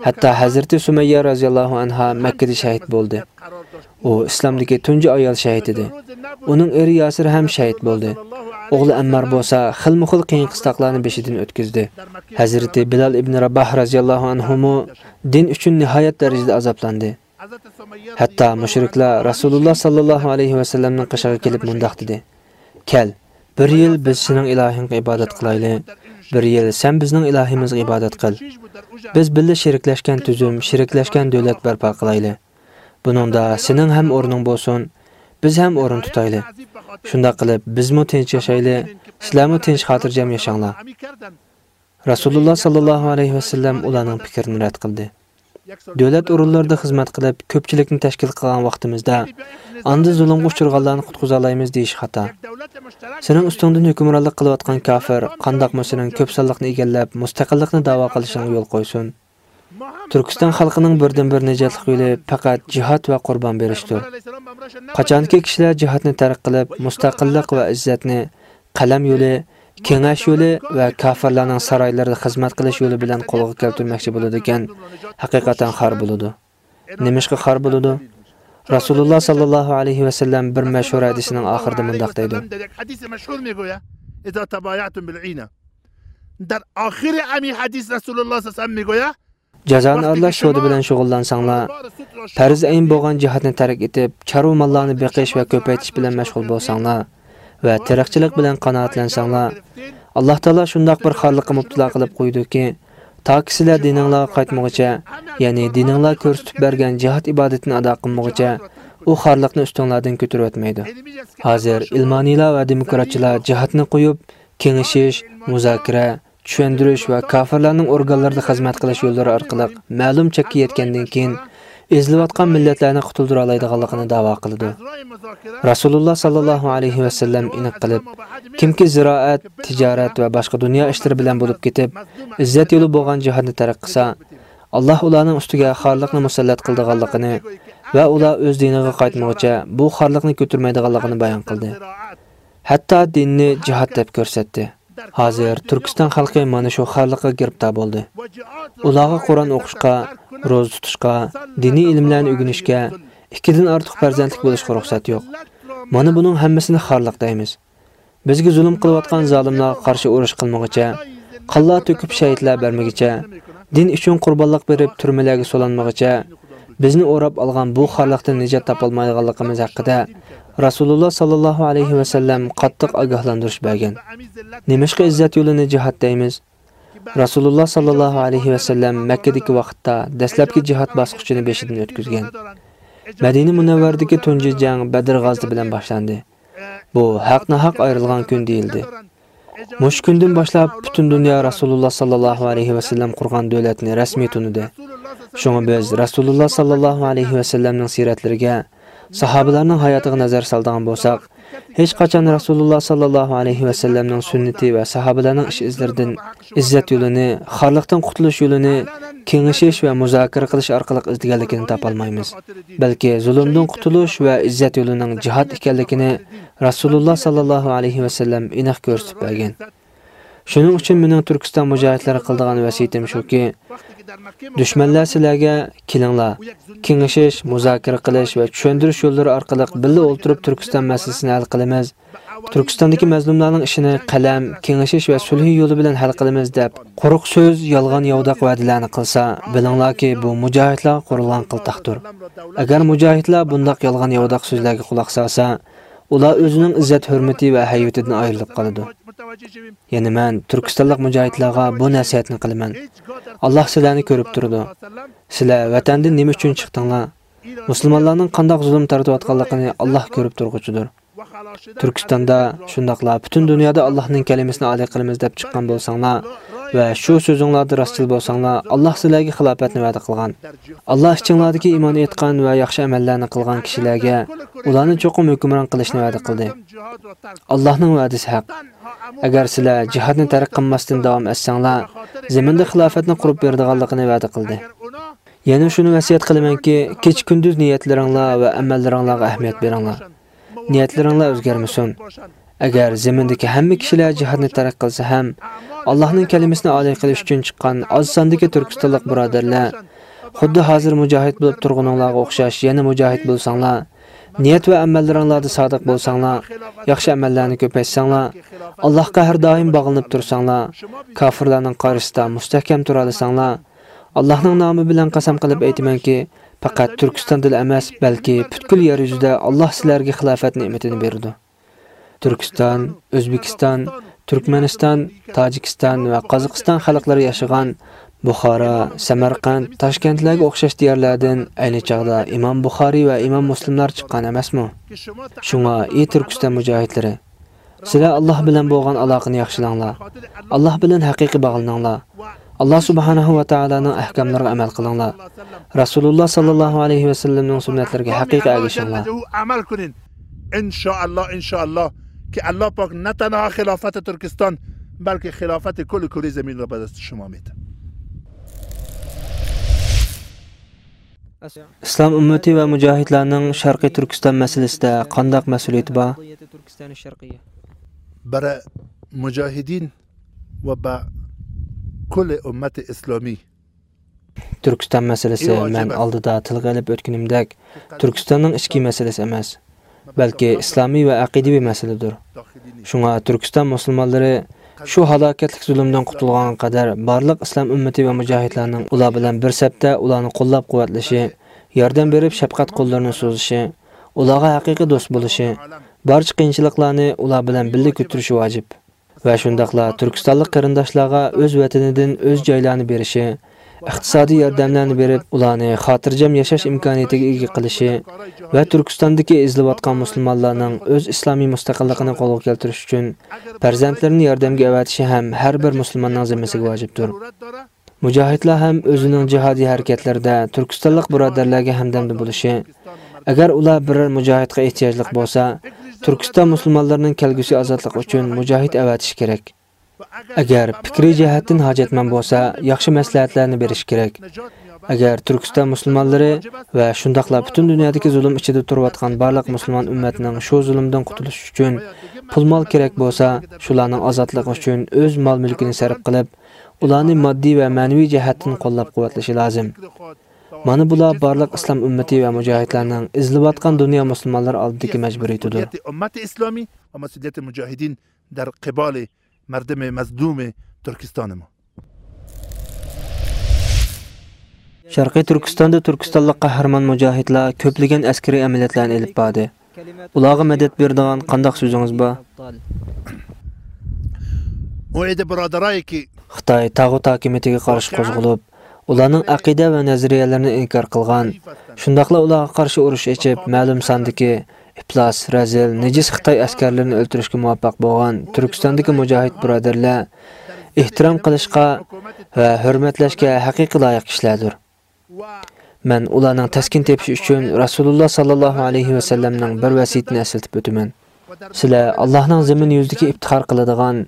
ھەتتا ھەزرىتى سۇمەييە رازىياللاھۇ ئەنھا مەككىدە شەھىت بولدى. ئۇ ئىسلامدىكى تۇنجى ئايال شەھىت ئىدى. ئۇنىڭ ئېرى ياسىر ھەم شەھىت بولدى. ئوغلى ئەممار بولسا خىلمۇخىل قىيىن قىستاقلارنى بېشىدىن ئۆتكۈزدى. ھەزرىتى بىلال ئىبنى راباھ رازىياللاھۇ ئەنھۇمۇ دىن ئۈچۈن نىھايەت دەرىجىدە ئازابلاندى. ھەتتا مۇشرىكلار رەسۇلۇللا ساللاللاھۇ ئەلەيھى ۋەسەللەمنىڭ قېشىغا كېلىپ مۇنداق دېدى: «كەل، بىر يىل بىز سېنىڭ ئىلاھىڭغا ئىبادەت قىلايلى، بىر يىل سەن بىزنىڭ ئىلاھىمىزغا ئىبادەت قىل. بىز بىللە شېرىكلەشكەن تۈزۈم، شېرىكلەشكەن دۆلەت بەرپا قىلايلى. بۇنىڭدا سېنىڭ ھەم ئورنۇڭ بولسۇن، بىز ھەم ئورۇن تۇتايلى. شۇنداق قىلىپ، بىزمۇ تىنچ ياشايلى، سىلەرمۇ تىنچ خاتىرجەم ياشاڭلار.» رەسۇلۇللا ساللاللاھۇ ئەلەيھى ۋەسەللەم ئۇلارنىڭ پىكرىنى رەت قىلدى. دۆلەت ئورۇنلىرىدا خىزمەت قىلىپ، كۆپچىلىكنى تەشكىل قىلغان ۋاقتىمىزدا، ئاندىن زۇلۇمغا ئۇچرىغانلارنى قۇتقۇزالايمىز دېيىش خاتا. سېنىڭ ئۈستۈڭدىن ھۆكۈمرانلىق قىلىۋاتقان كاپىر قانداقمۇ سېنىڭ كۆپ سانلىقنى ئىگىلەپ، مۇستەقىللىقنى دەۋا قىلىشىڭغا يول قويسۇن؟ تۈركىستان خەلقىنىڭ بىردىنبىر نىجاتلىق يولى پەقەت جىھاد ۋە قۇربان بېرىشتۇر. قاچانكى كىشىلەر جىھادنى تەرك قىلىپ، مۇستەقىللىق ۋە ئىززەتنى، قەلەم يولى، كېڭەش يولى ۋە كاپىرلارنىڭ سارايلىرىدا خىزمەت قىلىش يولى بىلەن قولغا كەلتۈرمەكچى بولىدىكەن، ھەقىقەتەن خار بولىدۇ. نېمىشقا خار بولىدۇ؟ رەسۇلۇللا ساللاللاھۇ ئەلەيھى ۋەسەللەم بىر مەشھۇر ھەدىسىنىڭ ئاخىرىدا مۇنداق دەيدۇ: در آخر همین حدیث رسول الله صلی الله علیه و سلم می‌گوید، جازانى ئارىلاش سودا بىلەن شۇغۇللانساڭلار، پەرز ئەين بولغان جىھادنى تەرك ئېتىپ، چارۋا ماللارنى بېقىش ۋە كۆپەيتىش بىلەن مەشغۇل بولساڭلار ۋە تېرىقچىلىق بىلەن قانائەتلەنسەڭلار، ئاللاھ تائالا شۇنداق بىر خارلىققا مۇپتىلا قىلىپ قويىدۇكى، تاكى سىلەر دىنىڭلارغا قايتمىغۇچە، يەنى دىنىڭلار كۆرسىتىپ بەرگەن جىھاد ئىبادىتىنى ئادا قىلمىغۇچە، ئۇ خارلىقنى ئۈستۈڭلاردىن كۆتۈرۈۋەتمەيدۇ. ھازىر ئىلمانىيلار ۋە دېموكراتچىلار جىھادنى قويۇپ، كېڭىشىش، مۇزاكىرە، چۈشەندۈرۈش ۋە كاپىرلارنىڭ ئورگانلىرىدا خىزمەت قىلىش يوللىرى ئارقىلىق مەلۇم چەككە يەتكەندىن كېيىن، ئېزىلىۋاتقان مىللەتلەرنى قۇتۇلدۇرالايدىغانلىقىنى داۋا قىلىدۇ. رەسۇلۇللا ساللاللاھۇ ئەلەيھى ۋەسەللەم ئېنىق قىلىپ، كىمكى زىرائەت، تىجارەت ۋە باشقا دۇنيا ئىشلىرى بىلەن بولۇپ كېتىپ، ئىززەت يولى بولغان جىھادنى تەرك قىلسا، ئاللاھ ئۇلارنىڭ ئۈستىگە خارلىقنى مۇسەللەت قىلىدىغانلىقىنى ۋە ئۇلار ئۆز دىنىغا قايتمىغۇچە بۇ خارلىقنى كۆتۈرمەيدىغانلىقىنى بايان قىلدى. ھەتتا دىننى جىھاد دەپ كۆرسەتتى. ھازىر تۈركىستان خەلقى مانا شۇ خارلىققا گىرىپتار بولدى. ئۇلارغا قۇرئان ئوقۇشقا، روزا تۇتۇشقا، دىنىي ئىلىملەرنى ئۆگىنىشكە، ئىككىدىن ئارتۇق پەرزەنتلىك بولۇشقا رۇخسەت يوق. مانا بۇنىڭ ھەممىسىنى خارلىق دەيمىز. بىزگە زۇلۇم قىلىۋاتقان زالىملارغا قارشى ئۇرۇش قىلمىغۇچە، قانلار تۆكۈپ شەھىدلەر بەرمىگۈچە، دىن ئۈچۈن قۇربانلىق بېرىپ تۈرمىلەرگە سولانمىغۇچە، بىزنى ئوراپ ئالغان بۇ خارلىقتىن نىجات تاپالمايدىغانلىقىمىز ھەققىدە رەسۇلۇللا ساللاللاھۇ ئەلەيھى ۋەسەللەم قاتتىق ئاگاھلاندۇرۇش بەرگەن. نېمىشقا ئىززەت يولىنى جىھاد دەيمىز؟ رەسۇلۇللا ساللاللاھۇ ئەلەيھى ۋەسەللەم مەككىدىكى ۋاقىتتا دەسلەپكى جىھاد باسقۇچىنى بېشىدىن ئۆتكۈزگەن. مەدىنە مۇنەۋۋەرىدىكى تۇنجى جەڭ بەدر غازىتى بىلەن باشلاندى. بۇ ھەق-ناھەق ئايرىلغان كۈن دېيىلدى. مۇشۇ كۈندىن باشلاپ پۈتۈن دۇنيا رەسۇلۇللا ساللاللاھۇ ئەلەيھى ۋەسەللەم قۇرغان دۆلەتنى رەسمىي تونۇدى. شۇڭا بىز رەسۇلۇللا ساللاللاھۇ ئەلەيھى ۋەسەللەمنىڭ سىيرەتلىرىگە، ساھابىلەرنىڭ ھاياتىغا نەزەر سالىدىغان بولساق، ھېچقاچان رەسۇلۇللا ساللاللاھۇ ئەلەيھى ۋەسەللەمنىڭ سۈننىتى ۋە ساھابىلەرنىڭ ئىش ئىزلىرىدىن ئىززەت يولىنى، خارلىقتىن قۇتۇلۇش يولىنى، كېڭىشىش ۋە مۇزاكىرە قىلىش ئارقىلىق ئىزدىگەنلىكىنى تاپالمايمىز. بەلكى زۇلۇمدىن قۇتۇلۇش ۋە ئىززەت يولىنىڭ جىھاد ئىكەنلىكىنى رەسۇلۇللا ساللاللاھۇ ئەلەيھى ۋەسەللەم ئېنىق كۆرسىتىپ بەرگەن. شۇنىڭ ئۈچۈن مېنىڭ تۈركىستان مۇجاھىدلىرىغا قىلىدىغان ۋەسىيىتىم شۇكى، دۈشمەنلەر سىلەرگە، كېلىڭلار، كېڭىشىش، مۇزاكىرە قىلىش ۋە چۈشەندۈرۈش يوللىرى ئارقىلىق بىللە ئولتۇرۇپ تۈركىستان مەسىلىسىنى ھەل قىلىمىز، تۈركىستاندىكى مەزلۇملارنىڭ ئىشىنى قەلەم، كېڭىشىش ۋە سۈلھى يولى بىلەن ھەل قىلىمىز دەپ، قۇرۇق سۆز، يالغان ياۋىداق ۋەدىلەرنى قىلسا، بىلىڭلاركى، بۇ مۇجاھىدلارغا قۇرۇلغان قىلتاقتۇر. ئەگەر مۇجاھىدلار بۇنداق يالغان ياۋىداق سۆزلەرگە قۇلاق سالسا، ئۇلار ئۆزىنىڭ ئىززەت-ھۆرمىتى ۋە ھەيۋىتىدىن ئايرىلىپ قالىدۇ. يەنى مەن تۈركىستانلىق مۇجاھىدلارغا بۇ نەسىھەتنى قىلىمەن. ئاللاھ سىلەرنى كۆرۈپ تۇرىدۇ. سىلەر ۋەتەندىن نېمە ئۈچۈن چىقتىڭلار؟ مۇسۇلمانلارنىڭ قانداق زۇلۇم تارتىۋاتقانلىقىنى ئاللاھ كۆرۈپ تۇرغۇچىدۇر. تۈركىستاندا، شۇنداقلا پۈتۈن دۇنيادا ئاللاھنىڭ كەلىمىسىنى ئالىي قىلىمىز دەپ چىققان بولساڭلار، ۋە شۇ سۆزۈڭلاردا راستچىل بولساڭلار، ئاللاھ سىلەرگە خىلاپەتنى ۋەدە قىلغان. ئاللاھ ئىچىڭلاردىكى ئىمان ئېيتقان ۋە ياخشى ئەمەللەرنى قىلغان كىشىلەرگە ئۇلارنى چوقۇم ھۆكۈمران قىلىشنى ۋەدە قىلدى. ئاللاھنىڭ ۋەدىسى ھەق. ئەگەر سىلەر جىھادنى تەرك قىلماستىن داۋام ئەتسەڭلار، زېمىندا خىلاپەتنى قۇرۇپ بېرىدىغانلىقىنى ۋەدە قىلدى. يەنە شۇنى ۋەسىيەت قىلىمەنكى، كېچە-كۈندۈز نىيەتلىرىڭلار ۋە ئەمەللىرىڭلارغا ئەھمىيەت بېرىڭلار. نىيەتلىرىڭلار ئۆزگەرمىسۇن. ئەگەر زېمىندىكى ھەممە كىشىلەر جىھادنى تەرك قىلسا ھەم، ئاللاھنىڭ كەلىمىسىنى ئالىي قىلىش ئۈچۈن چىققان ئاز ساندىكى تۈركىستانلىق بۇرادەرلەر، خۇددى ھازىر مۇجاھىد بولۇپ تۇرغىنىڭلارغا ئوخشاش يەنە مۇجاھىد بولساڭلار، نىيەت ۋە ئەمەللىرىڭلاردا سادىق بولساڭلار، ياخشى ئەمەللەرنى كۆپەيتسەڭلار، ئاللاھقا ھەر دائىم باغلىنىپ تۇرساڭلار، كاپىرلارنىڭ قارشىسىدا مۇستەھكەم تۇرالىساڭلار، ئاللاھنىڭ نامى بىلەن قەسەم قىلىپ ئېيتىمەنكى، پەقەت تۈركىستاندىلا ئەمەس، بەلكى پۈتكۈل يەر يۈزىدە ئاللاھ سىلەرگە خىلاپەت نېمىتىنى بېرىدۇ. تۈركىستان، ئۆزبېكىستان، تۈركمەنىستان، تاجىكىستان ۋە قازاقىستان خەلقلىرى ياشىغان بۇخارا، سەمەرقەنت، تاشكەنتلەرگە ئوخشاش دىيارلاردىن ئەينى چاغدا ئىمام بۇخارىي ۋە ئىمام مۇسلىملار چىققان ئەمەسمۇ؟ شۇڭا، ئى تۈركىستان مۇجاھىدلىرى، سىلەر ئاللاھ بىلەن بولغان ئالاقىنى ياخشىلاڭلار. ئاللاھ بىلەن ھەقىقىي باغلىنىڭلار. ئاللاھ سۇبھانەھۇ ۋە تائالانىڭ ئەھكاملىرىغا ئەمەل قىلىڭلار. رەسۇلۇللاھ ساللاللاھۇ ئەلەيھى ۋەسەللەمنىڭ سۈننەتلىرىگە ھەقىقىي ئەگىشىڭلار. ئەمەل قىلىڭ. ئىنشائاللاھ، ئىنشائاللاھ. كى ئاللاھ پاك نە تەنھا خىلاپەتى تۈركىستان، بەلكى خىلاپەتى كۈللى كۈرە زەمىنىگە بەدەستە شۇما مىت. ئىسلام ئۈممىتى ۋە مۇجاھىدلارنىڭ شەرقىي تۈركىستان مەسىلىسىدە قانداق مەسئۇلىيىتى بار؟ برای مجاهدین و به کل امت اسلامی. تۈركىستان مەسىلىسى، مەن ئالدىدا تىلغا ئېلىپ ئۆتكىنىمدەك، تۈركىستاننىڭ ئىچكى مەسىلىسى ئەمەس، بەلكى ئىسلامىي ۋە ئەقىدىۋى مەسىلىدۇر. شۇڭا تۈركىستان مۇسۇلمانلىرى شۇ ھالاكەتلىك زۇلۇمدىن قۇتۇلغانغا قەدەر بارلىق ئىسلام ئۈممىتى ۋە مۇجاھىدلارنىڭ ئۇلار بىلەن بىر سەپتە ئۇلارنى قوللاپ-قۇۋۋەتلىشى، ياردەم بېرىپ شەپقەت قوللىرىنى سوزۇشى، ئۇلارغا ھەقىقىي دوست بولۇشى، بارچە قىيىنچىلىقلارنى ئۇلار بىلەن بىللە كۆتۈرۈشى ۋاجىپ. ۋە شۇنداقلا تۈركىستانلىق قېرىنداشلارغا ئۆز ۋەتىنىدىن ئۆز جايلارنى بېرىشى، ئىقتىسادىي ياردەملەرنى بېرىپ، ئۇلارنى خاتىرجەم ياشاش ئىمكانىيىتىگە ئىگە قىلىشى ۋە تۈركىستاندىكى ئېزىلىۋاتقان مۇسۇلمانلارنىڭ ئۆز ئىسلامىي مۇستەقىللىقىنى قولغا كەلتۈرۈش ئۈچۈن پەرزەنتلىرىنى ياردەمگە ئەۋەتىشى ھەم ھەر بىر مۇسۇلماننىڭ زىممىسىگە ۋاجىپتۇر. مۇجاھىدلار ھەم ئۆزىنىڭ جىھادىي ھەرىكەتلىرىدە تۈركىستانلىق بۇرادەرلەرگە ھەمدەمدە بولۇشى، ئەگەر ئۇلار بىرەر مۇجاھىدقا ئېھتىياجلىق بولسا، تۈركىستان مۇسۇلمانلىرىنىڭ كەلگۈسى ئازادلىقى ئۈچۈن مۇجاھىد ئەۋەتىشى كېرەك. ئەگەر پىكرىي جەھەتتىن ھاجەتمەن بولسا، ياخشى مەسلىھەتلەرنى بېرىشى كېرەك. ئەگەر تۈركىستان مۇسۇلمانلىرى ۋە شۇنداقلا پۈتۈن دۇنيادىكى زۇلۇم ئىچىدە تۇرۇۋاتقان بارلىق مۇسۇلمان ئۈممەتنىڭ شۇ زۇلۇمدىن قۇتۇلۇشى ئۈچۈن پۇل-مال كېرەك بولسا، شۇلارنىڭ ئازادلىقى ئۈچۈن ئۆز مال-مۈلكىنى سەرپ قىلىپ، ئۇلارنى ماددىي ۋە مەنىۋى جەھەتتىن قوللاپ-قۇۋۋەتلىشى لازىم. مانا بۇلار بارلىق ئىسلام ئۈممىتى ۋە مۇجاھىدلارنىڭ ئېزىلىۋاتقان دۇنيا مۇسۇلمانلىرى ئالدىدىكى مەجبۇرىيىتىدۇر. ئۈممەتى ئىسلامىي ۋە مەسئۇلىيەتى مۇجاھىدىن دەر قىبالى مەردىمى مەزلۇمى تۈركىستانىمۇ. شەرقىي تۈركىستاندا تۈركىستانلىق قەھرىمان مۇجاھىدلار كۆپلىگەن ئەسكىرىي ئەمەلىيەتلەرنى ئېلىپ باردى. ئۇلارغا مەدەت بېرىدىغان قانداق سۆزىڭىز بار؟ ئۇ ئىدى بۇرادىرايكى. خىتاي تاغۇت ھاكىمىيىتىگە قارشى قوزغىلىپ، ئۇلارنىڭ ئەقىدە ۋە نەزەرىيەلىرىنى ئىنكار قىلغان، شۇنداقلا ئۇلارغا قارشى ئۇرۇش ئېچىپ، مەلۇم ساندىكى ئىپلاس، رەزىل، نىجىس خىتاي ئەسكەرلىرىنى ئۆلتۈرۈشكە مۇۋەپپەق بولغان تۈركىستاندىكى مۇجاھىد بۇرادەرلەر ئېھتىرام قىلىشقا ۋە ھۆرمەتلەشكە ھەقىقىي لايىق كىشىلەردۇر. مەن ئۇلارنىڭ تەسكىن تېپىشى ئۈچۈن رەسۇلۇللا ساللاللاھۇ ئەلەيھى ۋەسەللەمنىڭ بىر ۋەسىيىتىنى ئەسلىتىپ ئۆتىمەن. سىلەر ئاللاھنىڭ زېمىن يۈزىدىكى ئىپتىخار قىلىدىغان،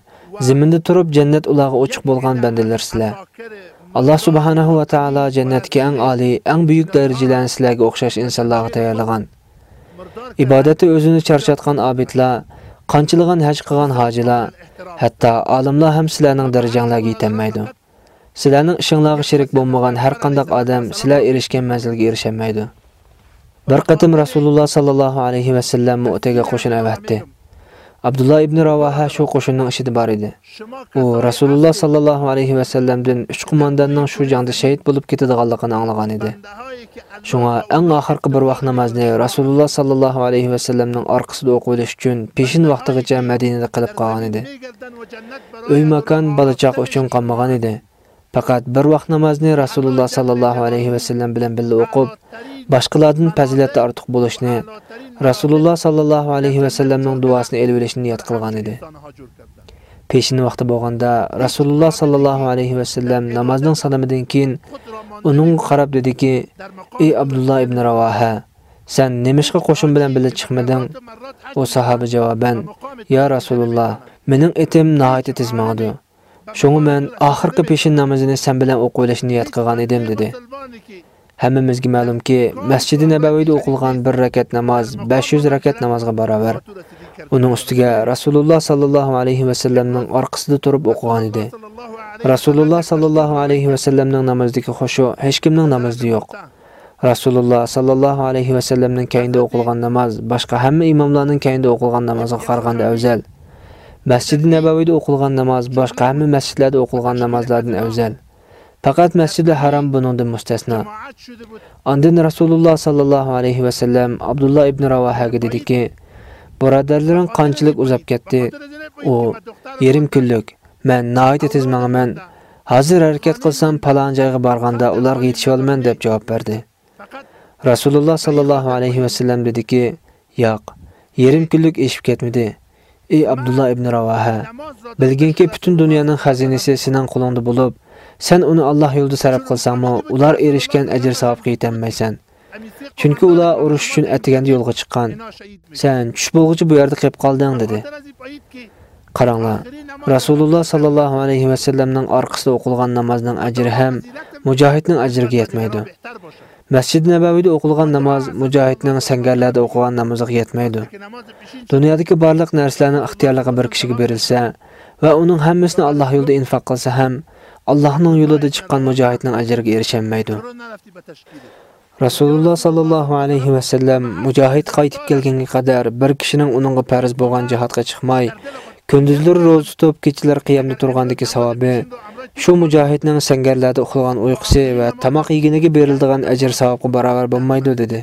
زېمىندا تۇرۇپ جەننەت ئۇلارغا ئوچۇق بولغان بەندىلەرسىلەر. ئاللاھ سۇبھانەھۇ ۋە تائالا جەننەتتىكى ئەڭ ئالىي، ئەڭ بۈيۈك دەرىجىلەرنى سىلەرگە ئوخشاش ئىنسانلارغا تەييارلىغان. ئىبادەتتە ئۆزىنى چارچاتقان ئابىدلار، قانچىلىغان ھەج قىلغان ھاجىلار، ھەتتا ئالىملار ھەم سىلەرنىڭ دەرىجەڭلارگە يېتەلمەيدۇ. سىلەرنىڭ ئىشىڭلارغا شېرىك بولمىغان ھەر قانداق ئادەم سىلەر ئېرىشكەن مەنزىلگە ئېرىشەلمەيدۇ. بىر قېتىم رەسۇلۇللا ساللاللاھۇ ئەلەيھى ۋەسەللەم مۇئتەگە قوشۇن ئەۋەتتى. ئابدۇللا ئىبنى راۋاھە شۇ قوشۇننىڭ ئىچىدە بار ئىدى. ئۇ رەسۇلۇللا ساللاللاھۇ ئەلەيھى ۋەسەللەمدىن ئۈچ قومانداننىڭ شۇ جەڭدە شېھىت بولۇپ كېتىدىغانلىقىنى ئاڭلىغان ئىدى. شۇڭا ئەڭ ئاخىرقى بىر ۋاق نامازنى رەسۇلۇللا ساللاللاھۇ ئەلەيھى ۋەسەللەمنىڭ ئارقىسىدا ئوقۇۋېلىش ئۈچۈن پېشىن ۋاقتىغىچە مەدىنىدە قېلىپ قالغان ئىدى. ئۆي-ماكان، بالا-چاقا ئۈچۈن قالمىغان ئىدى. پەقەت بىر ۋاق نامازنى رەسۇلۇللا ساللاللاھۇ ئەلەيھى ۋەسەللەم بىلەن بىللە ئوقۇپ، باشقىلاردىن پەزىلەتتە ئارتۇق بولۇشنى، رەسۇلۇللا ساللاللاھۇ ئەلەيھى ۋەسەللەمنىڭ دۇئاسىنى ئېلىۋېلىشنى نىيەت قىلغان ئىدى. پېشىن ۋاقتى بولغاندا، رەسۇلۇللا ساللاللاھۇ ئەلەيھى ۋەسەللەم نامازنىڭ سالىمىدىن كېيىن ئۇنىڭغا قاراپ دېدىكى، ئى ئابدۇللا ئىبنى راۋاھە، سەن نېمىشقا قوشۇن بىلەن بىللە چىقمىدىڭ؟ ئۇ ساھابە جاۋابەن، يا رەسۇلۇللا، مېنىڭ ئېتىم ناھايىتى تېز ماڭىدۇ. شۇڭا مەن ئاخىرقى پېشىن نامىزىنى سەن بىلەن ئوقۇۋېلىشنى نىيەت قىلغان ئىدىم، دېدى. ھەممىمىزگە مەلۇمكى، مەسچىدى نەبەۋىدە ئوقۇلغان بىر رەكەت ناماز بەش يۈز رەكەت نامازغا باراۋەر. ئۇنىڭ ئۈستىگە رەسۇلۇللا ساللاللاھۇ ئەلەيھى ۋەسەللەمنىڭ ئارقىسىدا تۇرۇپ ئوقۇغان ئىدى. رەسۇلۇللا ساللاللاھۇ ئەلەيھى ۋەسەللەمنىڭ نامىزىدىكى خۇشۇ ھېچكىمنىڭ نامىزىدا يوق. رەسۇلۇللا ساللاللاھۇ ئەلەيھى ۋەسەللەمنىڭ كەينىدە ئوقۇلغان ناماز باشقا ھەممە ئىماملارنىڭ كەينىدە ئوقۇلغان نامازغا قارىغاندا ئەۋزەل. مەسچىدى نەبەۋىدە ئوقۇلغان ناماز باشقا ھەممە مەسچىتلەردە ئوقۇلغان نامازلاردىن ئەۋزەل. پەقەت مەسچىدىل ھارام بۇنىڭدىن مۇستەسنا. ئاندىن رەسۇلۇللا ساللاللاھۇ ئەلەيھى ۋەسەللەم ئابدۇللا ئىبنى راۋاھەگە دېدىكى، بۇرادەرلىرىڭ قانچىلىك ئۇزاپ كەتتى؟ ئۇ، يېرىم كۈنلۈك، مەن ناھايىتى تېز ماڭىمەن. ھازىر ھەرىكەت قىلسام، پالان جايغا بارغاندا ئۇلارغا يېتىشىۋالىمەن، دەپ جاۋاب بەردى. رەسۇلۇللا ساللاللاھۇ ئەلەيھى ۋەسەللەم دېدىكى، ياق، يېرىم كۈنلۈك ئېشىپ كەتمىدى. ئى ئابدۇللا ئىبنى راۋاھە، بىلگىنكى، پۈتۈن دۇنيانىڭ خەزىنىسى سېنىڭ قولۇڭدا بولۇپ، سەن ئۇنى ئاللاھ يولىدا سەرپ قىلساڭمۇ، ئۇلار ئېرىشكەن ئەجىر-ساۋابقا يېتەلمەيسەن. چۈنكى ئۇلار ئۇرۇش ئۈچۈن ئەتىگەندە يولغا چىققان. سەن چۈش بولغۇچە بۇ يەردە قېلىپ قالدىڭ، دېدى. قاراڭلار، رەسۇلۇللا ساللاللاھۇ ئەلەيھى ۋەسەللەمنىڭ ئارقىسىدا ئوقۇلغان نامازنىڭ ئەجرى ھەم مۇجاھىدنىڭ ئەجرىگە يەتمەيدۇ. مەسچىدى نەبەۋىدە ئوقۇلغان ناماز مۇجاھىدنىڭ سەڭگەرلەردە ئوقۇغان نامىزىغا يەتمەيدۇ. دۇنيادىكى بارلىق نەرسىلەرنىڭ ئىختىيارلىقى بىر كىشىگە بېرىلسە ۋە ئۇنىڭ ھەممىسىنى ئاللاھ يولىدا ئىنفاق قىلسا ھەم، ئاللاھنىڭ يولىدا چىققان مۇجاھىدنىڭ ئەجرىگە ئېرىشەلمەيدۇ. رەسۇلۇللا ساللاللاھۇ ئەلەيھى ۋەسەللەم مۇجاھىد قايتىپ كەلگەنگە قەدەر بىر كىشىنىڭ ئۇنىڭغا پەرز بولغان جىھادقا چىقماي، كۈندۈزلىرى روزا تۇتۇپ، كېچىلىرى قىيامدا تۇرغاندىكى ساۋابى شۇ مۇجاھىدنىڭ سەڭگەرلەردە ئۇخلىغان ئۇيقۇسى ۋە تاماق يېگىنىگە بېرىلىدىغان ئەجىر-ساۋابقا باراۋەر بولمايدۇ، دېدى.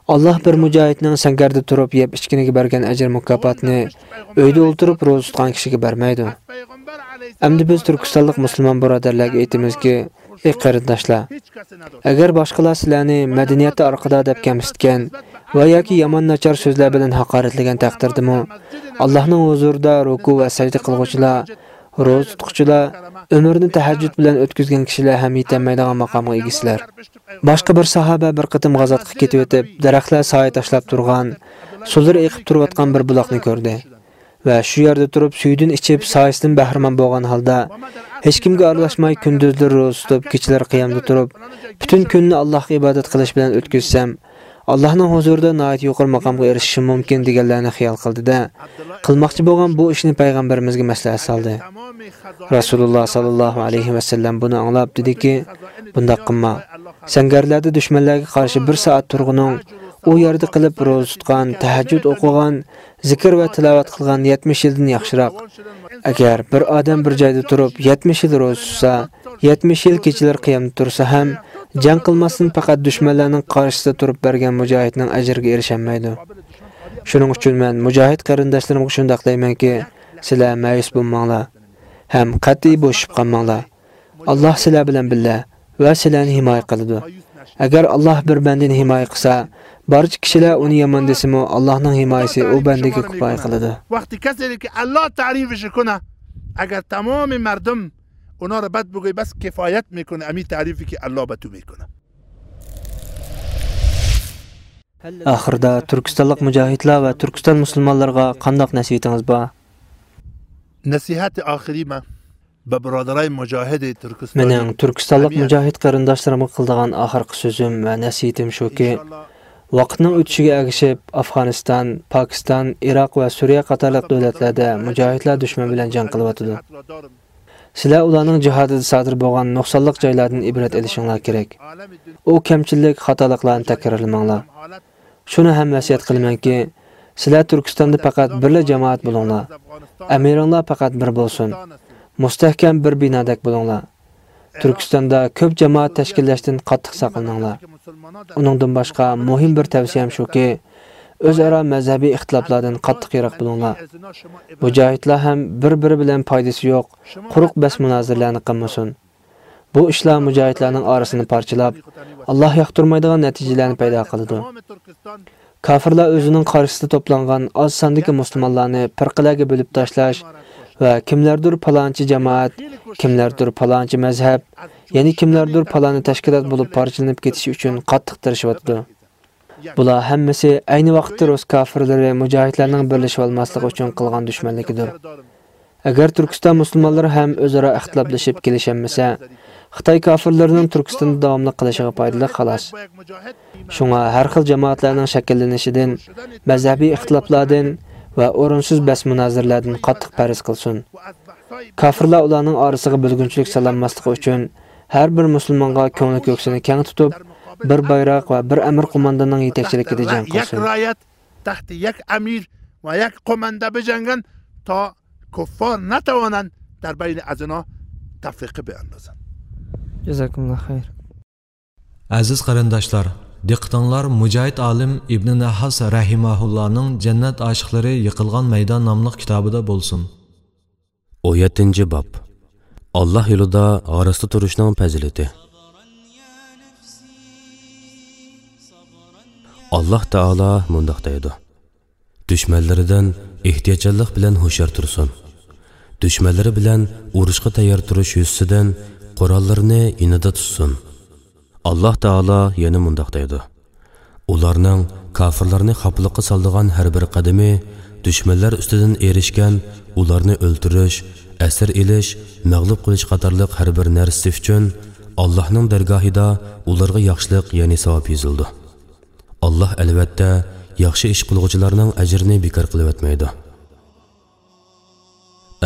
ئاللاھ بىر مۇجاھىدنىڭ سەڭگەردە تۇرۇپ يەپ-ئىچكىنىگە بەرگەن ئەجىر-مۇكاپاتنى ئۆيدە ئولتۇرۇپ روزا تۇتقان كىشىگە بەرمەيدۇ. ئەمدى بىز تۈركىستانلىق مۇسۇلمان بۇرادەرلەرگە ئېيتىمىزكى، ئى قېرىنداشلار، ئەگەر باشقىلار سىلەرنى مەدەنىيەتتە ئارقىدا دەپ كەمسىتكەن ۋە ياكى يامان ناچار سۆزلەر بىلەن ھاقارەتلىگەن تەقدىردىمۇ، ئاللاھنىڭ ھۇزۇرىدا رۇكۇ ۋە سەجدە قىلغۇچىلار، روزا تۇتقۇچىلار، ئۆمرىنى تەھەججۇد بىلەن ئۆتكۈزگەن كىشىلەر ھەم يېتەلمەيدىغان ماقامغا ئىگىسىلەر. باشقا بىر ساھابە بىر قېتىم غازاتقا كېتىۋېتىپ، دەرەخلەر سايە تاشلاپ تۇرغان، سۇلىرى ئېقىپ تۇرۇۋاتقان بىر بۇلاقنى كۆردى. ۋە شۇ يەردە تۇرۇپ سۈيىدىن ئىچىپ، سايىسىدىن بەھرىمەن بولغان ھالدا، ھېچكىمگە ئارىلاشماي كۈندۈزلىرى روزا تۇتۇپ، كېچىلىرى قىيامدا تۇرۇپ، پۈتۈن كۈننى ئاللاھقا ئىبادەت قىلىش بىلەن ئۆتكۈزسەم، ئاللاھنىڭ ھۇزۇرىدا ناھايىتى يۇقىرى ماقامغا ئېرىشىشىم مۇمكىن، دېگەنلەرنى خىيال قىلدى-دە، قىلماقچى بولغان بۇ ئىشنى پەيغەمبىرىمىزگە مەسلىھەت سالدى. رەسۇلۇللا ساللاللاھۇ ئەلەيھى ۋەسەللەم بۇنى ئاڭلاپ دېدىكى، بۇنداق قىلما. سەڭگەرلەردە دۈشمەنلەرگە قارشى بىر سائەت تۇرغىنىڭ، ئۇ يەردە قېلىپ روزا تۇتقان، تەھەججۇد ئوقۇغان، زىكىر ۋە تىلاۋەت قىلغان يەتمىش يىلدىن ياخشىراق. ئەگەر بىر ئادەم بىر جايدا تۇرۇپ يەتمىش يىل روزا تۇتسا، يەتمىش يىل كېچىلىرى قىيامدا تۇرسا ھەم، جەڭ قىلماستىن پەقەت دۈشمەنلەرنىڭ قارشىسىدا تۇرۇپ بەرگەن مۇجاھىدنىڭ ئەجرىگە ئېرىشەلمەيدۇ. شۇنىڭ ئۈچۈن مەن مۇجاھىد قېرىنداشلىرىمغا شۇنداق دەيمەنكى، سىلەر مەيۈس بولماڭلار ھەم قەتئىي بوشىشىپ قالماڭلار. ئاللاھ سىلەر بىلەن بىللە ۋە سىلەرنى ھىمايە قىلىدۇ. ئەگەر ئاللاھ بىر بەندىنى ھىمايە قىلسا، بارچە كىشىلەر ئۇنى يامان دېسىمۇ، ئاللاھنىڭ ھىمايىسى ئۇ بەندىگە كۇپايە قىلىدۇ. وقتی کسی که الله تعریفش کنه، اگر تمام مردم اونا رو بد بگوی، بس کفایت می‌کنه امی تعریفی که الله به تو می‌کنه. ئاخىردا تۈركىستانلىق مۇجاھىدلار ۋە تۈركىستان مۇسۇلمانلىرىغا قانداق نەسىھىتىڭىز بار؟ نصیحت آخری من به برادرای مجاهد ترکستانی، مېنىڭ تۈركىستانلىق مۇجاھىد قېرىنداشلىرىمغا قىلىدىغان ئاخىرقى سۆزۈم ۋە نەسىھىتىم شۇكى، ۋاقىتنىڭ ئۆتۈشىگە ئەگىشىپ، ئافغانىستان، پاكىستان، ئىراق ۋە سۈرىيە قاتارلىق دۆلەتلەردە مۇجاھىدلار دۈشمەن بىلەن جەڭ قىلىۋاتىدۇ. سىلەر ئۇلارنىڭ جىھادىدا سادىر بولغان نۇقسانلىق جايلاردىن ئىبرەت ئېلىشىڭلار كېرەك. ئۇ كەمچىلىك، خاتالىقلارنى تەكرارلىماڭلار. شۇنى ھەم ۋەسىيەت قىلىمەنكى، سىلەر تۈركىستاندا پەقەت بىرلا جامائەت بولۇڭلار. ئەمىرىڭلار پەقەت بىر بولسۇن. مۇستەھكەم بىر بىنادەك بولۇڭلار. تۈركىستاندا كۆپ جامائەت تەشكىللەشتىن قاتتىق ساقلىنىڭلار. ئۇنىڭدىن باشقا مۇھىم بىر تەۋسىيەم شۇكى، ئۆزئارا مەزھەبىي ئىختىلاپلاردىن قاتتىق يىراق بولۇڭلار. مۇجاھىدلار ھەم بىر-بىرى بىلەن پايدىسى يوق، قۇرۇق بەس مۇنازىرىلەرنى قىلمىسۇن. بۇ ئىشلار مۇجاھىدلارنىڭ ئارىسىنى پارچىلاپ، ئاللاھ ياقتۇرمايدىغان نەتىجىلەرنى پەيدا قىلىدۇ. كاپىرلار ئۆزىنىڭ قارشىسىدا توپلانغان ئاز ساندىكى مۇسۇلمانلارنى پىرقىلەرگە بۆلۈپ تاشلاش ۋە كىملەردۇر پالانچى جامائەت، كىملەردۇر پالانچى مەزھەپ، يەنە كىملەردۇر پالانى تەشكىلات بولۇپ پارچىلىنىپ كېتىشى ئۈچۈن قاتتىق تىرىشىۋاتىدۇ. بۇلار ھەممىسى ئەينى ۋاقىتتا رۇس كاپىرلىرى مۇجاھىدلارنىڭ بىرلىشىۋالماسلىقى ئۈچۈن قىلغان دۈشمەنلىكىدۇر. ئەگەر تۈركىستان مۇسۇلمانلىرى ھەم ئۆزئارا ئىختىلاپلىشىپ كېلىشەلمىسە، خىتاي كاپىرلىرىنىڭ تۈركىستاندا داۋاملىق قېلىشىغا پايدىلىق، خالاس. شۇڭا ھەر خىل جامائەتلەرنىڭ شەكىللىنىشىدىن، مەزھەبىي ئىختىلاپلاردىن ۋە ئورۇنسىز بەس-مۇنازىرىلەردىن قاتتىق پەرھىز قىلسۇن. كاپىرلار ئۇلارنىڭ ئارىسىغا بۆلگۈنچىلىك سالالماسلىقى ئۈچۈن، ھەر بىر مۇسۇلمانغا كۆڭلى كۆكسىنى كەڭ تۇتۇپ، بىر بايراق ۋە بىر ئەمىر قومانداننىڭ يېتەكچىلىكىدە جەڭ قىلسۇن. تەھتى يەك ئەمىر ۋە يەك قوماندا بىر جەڭگەن تا كۇففار ناتاۋانان دەربەينى ئەزىنا تەفرىقى بىئەندازان. جازاكۇمۇللا خەير. ئەزىز قېرىنداشلار، دىققىتىڭلار مۇجاھىد ئالىم ئىبنى نەھاس رەھىمەھۇللانىڭ جەننەت ئاشىقلىرى يىقىلغان مەيدان ناملىق كىتابىدا بولسۇن. ئون يەتتىنچى باب. ئاللاھ يولىدا ھاراستا تۇرۇشنىڭ پەزىلىتى. ئاللاھ تائالا مۇنداق دەيدۇ: دۈشمەنلىرىدىن ئېھتىياتچانلىق بىلەن ھوشيار تۇرسۇن. دۈشمەنلىرى بىلەن ئۇرۇشقا تەييار تۇرۇش يۈزىسىدىن قوراللىرىنى يېنىدا تۇتسۇن. ئاللاھ تائالا يەنە مۇنداق دەيدۇ: ئۇلارنىڭ، كاپىرلارنى خاپىلىققا سالىدىغان ھەر بىر قەدىمى، دۈشمەنلەر ئۈستىدىن ئېرىشكەن، ئۇلارنى ئۆلتۈرۈش، ئەسىر ئېلىش، مەغلۇپ قىلىش قاتارلىق ھەر بىر نەرسىسى ئۈچۈن ئاللاھنىڭ دەرگاھىدا ئۇلارغا ياخشىلىق، يەنى ساۋاب يېزىلىدۇ. ئاللاھ، ئەلۋەتتە، ياخشى ئىش قىلغۇچىلارنىڭ ئەجرىنى بىكار قىلىۋەتمەيدۇ.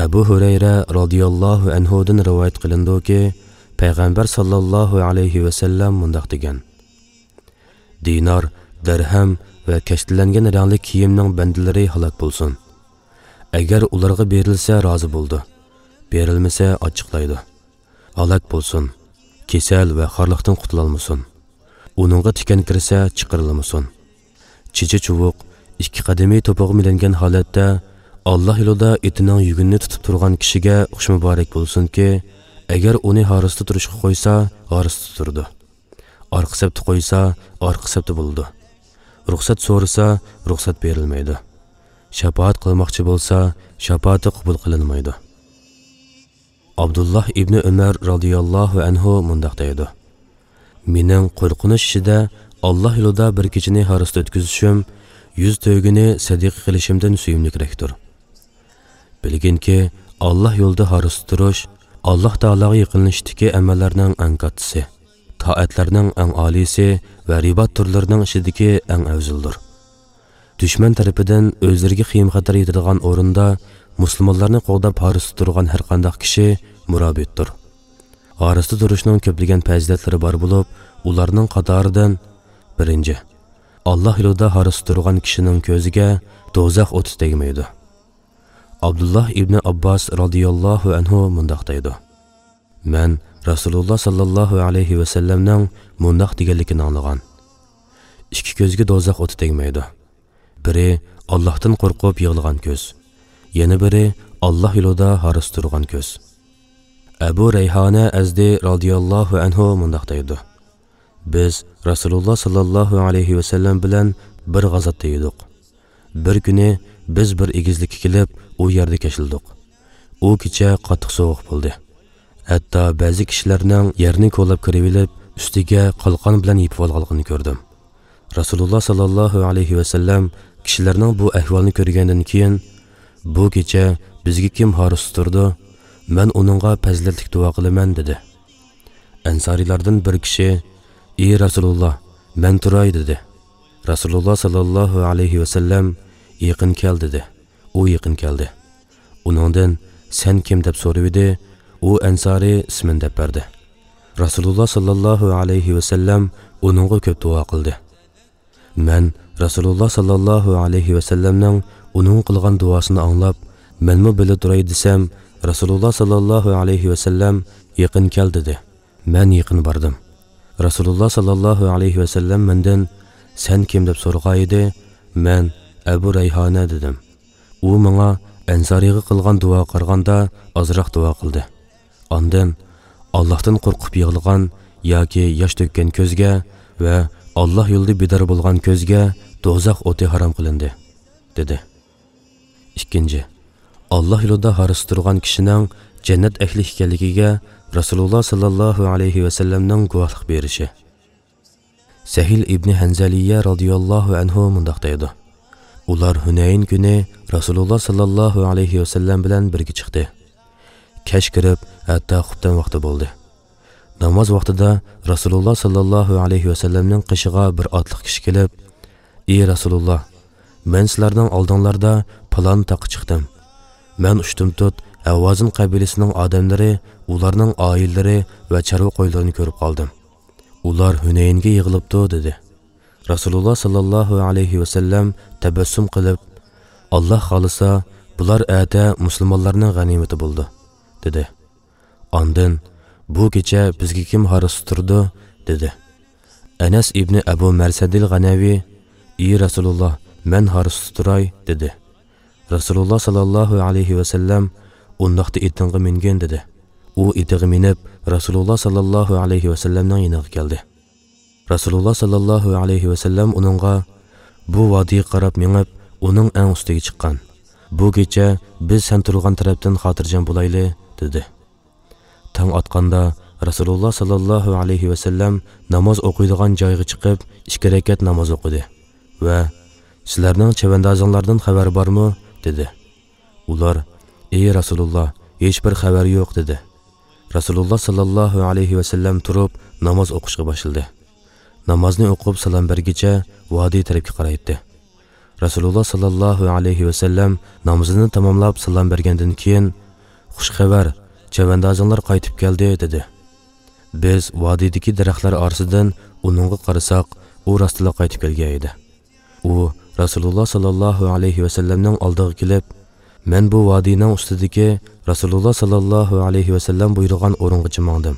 ئەبۇ ھۇرەيرە رازىياللاھۇ ئەنھۇدىن رىۋايەت قىلىنىدۇكى، پەيغەمبەر ساللاللاھۇ ئەلەيھى ۋەسەللەم مۇنداق دېگەن: دىنار، دىرھەم ۋە كەشتىلەنگەن رەڭلىك كىيىمنىڭ بەندىلىرى ھالاك بولسۇن. ئەگەر ئۇلارغا بېرىلسە، رازى بولىدۇ، بېرىلمىسە، ئاچچىقلايدۇ. ھالاك بولسۇن، كېسەل ۋە خارلىقتىن قۇتۇلالمىسۇن. ئۇنىڭغا تىكەن كىرسە، چىقىرىلمىسۇن. چېچى چۇۋۇق، ئىككى قەدىمى توپىغا مىلەنگەن ھالەتتە ئاللاھ يولىدا ئېتىنىڭ يۈگىنىنى تۇتۇپ تۇرغان كىشىگە خۇش مۇبارەك بولسۇنكى، ئەگەر ئۇنى ھاراستا تۇرۇشقا قويسا، ھاراستا تۇرىدۇ. ئارقا سەپتە قويسا، ئارقا سەپتە بولىدۇ. رۇخسەت سورىسا، رۇخسەت بېرىلمەيدۇ. شاپائەت قىلماقچى بولسا، شاپائىتى قوبۇل قىلىنمايدۇ. ئابدۇللاھ ئىبنى ئۆمەر رازىياللاھۇ ئەنھۇ مۇنداق دەيدۇ: مېنىڭ قورقۇنچ ئىچىدە ئاللاھ يولىدا بىر كېچىنى ھاراستا ئۆتكۈزۈشۈم يۈز تۆگىنى سەدىقە قىلىشىمدىن سۆيۈملۈكرەكتۇر. بىلگىنكى، ئاللاھ يولىدا ھاراستا تۇرۇش ئاللاھ تائالاغا يېقىنلىشىشتىكى ئەمەللەرنىڭ ئەڭ كاتتىسى، تائەتلەرنىڭ ئەڭ ئالىيسى ۋە رىبات تۈرلىرىنىڭ ئىچىدىكى ئەڭ ئەۋزىلىدۇر. دۈشمەن تەرىپىدىن ئۆزلىرىگە خېيىم-خەتەر يېتىدىغان ئورۇندا مۇسۇلمانلارنى قوغداپ ھاراستا تۇرغان ھەرقانداق كىشى مۇرابىتتۇر. ھاراستا تۇرۇشنىڭ كۆپلىگەن پەزىلەتلىرى بار بولۇپ، ئۇلارنىڭ قاتارىدىن: بىرىنچى، ئاللاھ يولىدا ھاراستا تۇرغان كىشىنىڭ كۆزىگە دوزاخ ئوتى تەگمەيدۇ. ئابدۇللاھ ئىبنى ئابباس رازىياللاھۇ ئەنھۇ مۇنداق دەيدۇ: مەن رەسۇلۇللاھ ساللاللاھۇ ئەلەيھى ۋەسەللەمنىڭ مۇنداق دېگەنلىكىنى ئاڭلىغان: ئىككى كۆزگە دوزاخ ئوتى تەگمەيدۇ. بىرى ئاللاھتىن قورقۇپ يىغلىغان كۆز، يەنە بىرى ئاللاھ يولىدا ھاراستا تۇرغان كۆز. ئەبۇ رەيھانە ئەزدى رازىياللاھۇ ئەنھۇ مۇنداق دەيدۇ: بىز رەسۇلۇللاھ ساللاللاھۇ ئەلەيھى ۋەسەللەم بىلەن بىر غازاتتا ئىدۇق. بىر كۈنى بىز بىر ئېگىزلىككە كېلىپ، ئۇ يەردە كەچلىدۇق. ئۇ كېچە قاتتىق سوغۇق بولدى. ھەتتا بەزى كىشىلەرنىڭ يەرنى كولاپ كىرىۋېلىپ، ئۈستىگە قالقان بىلەن يېپىۋالغانلىقىنى كۆردۈم. رەسۇلۇللاھ ساللاللاھۇ ئەلەيھى ۋەسەللەم كىشىلەرنىڭ بۇ ئەھۋالىنى كۆرگەندىن كېيىن، بۇ كېچە بىزگە كىم ھاراستا تۇرىدۇ؟ مەن ئۇنىڭغا پەزىلەتلىك دۇئا قىلىمەن، دېدى. ئەنسارىيلاردىن بىر كىشى، ئى رەسۇلۇللاھ، مەن تۇراي، دېدى. رەسۇلۇللاھ ساللاللاھۇ ئەلەيھى ۋەسەللەم، يېقىن كەل، دېدى. ئۇ يېقىن كەلدى. ئۇنىڭدىن، سەن كىم؟ دەپ سورىۋىدى. ئۇ ئەنسارىي ئىسمىنى دەپ بەردى. رەسۇلۇللاھ ساللاللاھۇ ئەلەيھى ۋەسەللەم ئۇنىڭغا كۆپ دۇئا قىلدى. مەن رەسۇلۇللاھ ساللاللاھۇ ئەلەيھى ۋەسەللەمنىڭ ئۇنىڭغا قىلغان دۇئاسىنى ئاڭلاپ، مەنمۇ بىللە تۇراي دېسەم، رەسۇلۇللاھ ساللاللاھۇ ئەلەيھى ۋەسەللەم، يېقىن كەل، دېدى. مەن يېقىن باردىم. رەسۇلۇللاھ ساللاللاھۇ ئەلەيھى ۋەسەللەم مەندىن، سەن كىم؟ دەپ سورىغانىدى، مەن ئەبۇ رەيھانە، دېدىم. ئۇ ماڭا ئەنسارىيغا قىلغان دۇئاغا قارىغاندا ئازراق دۇئا قىلدى. ئاندىن ئاللاھتىن قورقۇپ يىغلىغان ياكى ياش تۆككەن كۆزگە ۋە ئاللاھ يولىدا بىدار بولغان كۆزگە دوزاخ ئوتى ھارام قىلىندى، دېدى. ئىككىنچى، ئاللا يولىدا ھارسا تۇرغان كىشىنىڭ جەننەت ئەھلى ئىكەنلىكىگە رەسۇلۇللا ساللاللاھۇ ئەلەيھى ۋەسەللەمنىڭ گۇۋاھلىق بېرىشى. سەھىل ئىبنى ھەنزەلىيە رازىياللاھۇ ئەنھۇ مۇنداق دەيدۇ: ئۇلار ھۈنەيىن كۈنى رەسۇلۇللا ساللاللاھۇ ئەلەيھى ۋەسەللەم بىلەن بىرگە چىقتى. كەچ كىرىپ، ھەتتا خۇپتەن ۋاقتى بولدى. ناماز ۋاقتىدا رەسۇلۇللا ساللاللاھۇ ئەلەيھى ۋەسەللەمنىڭ قېشىغا بىر ئاتلىق كىشى كېلىپ، ئى رەسۇلۇللا، مەن سىلەرنىڭ ئالدىڭلاردا پالان تاغقا چىقتىم. مەن ئۇشتۇمتۇت ھەۋازىن قەبىلىسىنىڭ ئادەملىرى، ئۇلارنىڭ ئائىلىلىرى ۋە چارۋا قويلىرىنى كۆرۈپ قالدىم. ئۇلار ھۈنەينگە يىغىلىپتۇ، دېدى. رەسۇلۇللا ساللاللاھۇ ئەلەيھى ۋەسەللەم تەبەسسۇم قىلىپ، ئاللا خالىسا، بۇلار ئەتە مۇسۇلمانلارنىڭ غەنىيمىتى بولىدۇ، دېدى. ئاندىن، بۇ كېچە بىزگە كىم ھارسا تۇرىدۇ؟ دېدى. ئەنەس ئىبنى ئەبۇ مەرسەدىل غەنەۋى، ئى رەسۇلۇللا، مەن ھارسا تۇراي، دېدى. رەسۇلۇللا ساللاللاھۇ ئەلەيھى ۋەسەللەم، ئۇنداقتا ئېتىڭغا مىنگىن، دېدى. ئۇ ئېتىغا مىنىپ، رەسۇلۇللا ساللاللاھۇ ئەلەيھى ۋەسەللەمنىڭ يېنىغا كەلدى. رەسۇلۇللا ساللاللاھۇ ئەلەيھى ۋەسەللەم ئۇنىڭغا، بۇ ۋادىگە قاراپ مېڭىپ، ئۇنىڭ ئەڭ ئۈستىگە چىققان. بۇ كېچە بىز سەن تۇرغان تەرەپتىن خاتىرجەم بولايلى، دېدى. تاڭ ئاتقاندا رەسۇلۇللا ساللاللاھۇ ئەلەيھى ۋەسەللەم ناماز ئوقۇيدىغان جايغا چىقىپ، ئىككى رەكەت ناماز ئوقۇدى ۋە، سىلەرنىڭ چەۋەندازىڭلاردىن خەۋەر بارمۇ؟ دېدى. ئۇلار، ئى رەسۇلۇللا، ھېچبىر خەۋەر يوق، دېدى. رەسۇلۇللا ساللاللاھۇ ئەلەيھى ۋەسەللەم تۇرۇپ ناماز ئوقۇشقا باشلىدى. نامازنى ئوقۇپ سالام بەرگىچە ۋادى تەرەپكە قارايتتى. رەسۇلۇللا ساللاللاھۇ ئەلەيھى ۋەسەللەم نامىزىنى تاماملاپ سالام بەرگەندىن كېيىن، خۇش خەۋەر، چەۋەندازىڭلار قايتىپ كەلدى، دېدى. بىز ۋادىدىكى دەرەخلەر ئارىسىدىن ئۇنىڭغا قارىساق، ئۇ راستلا قايتىپ كەلگەن ئىدى. ئۇ رەسۇلۇللا ساللاللاھۇ ئەلەيھى ۋەسەللەمنىڭ ئالدىغا كېلىپ، مەن بۇ ۋادىنىڭ ئۈستىدىكى رەسۇلۇللا ساللاللاھۇ ئەلەيھى ۋەسەللەم بۇيرۇغان ئورۇنغىچە ماڭدىم.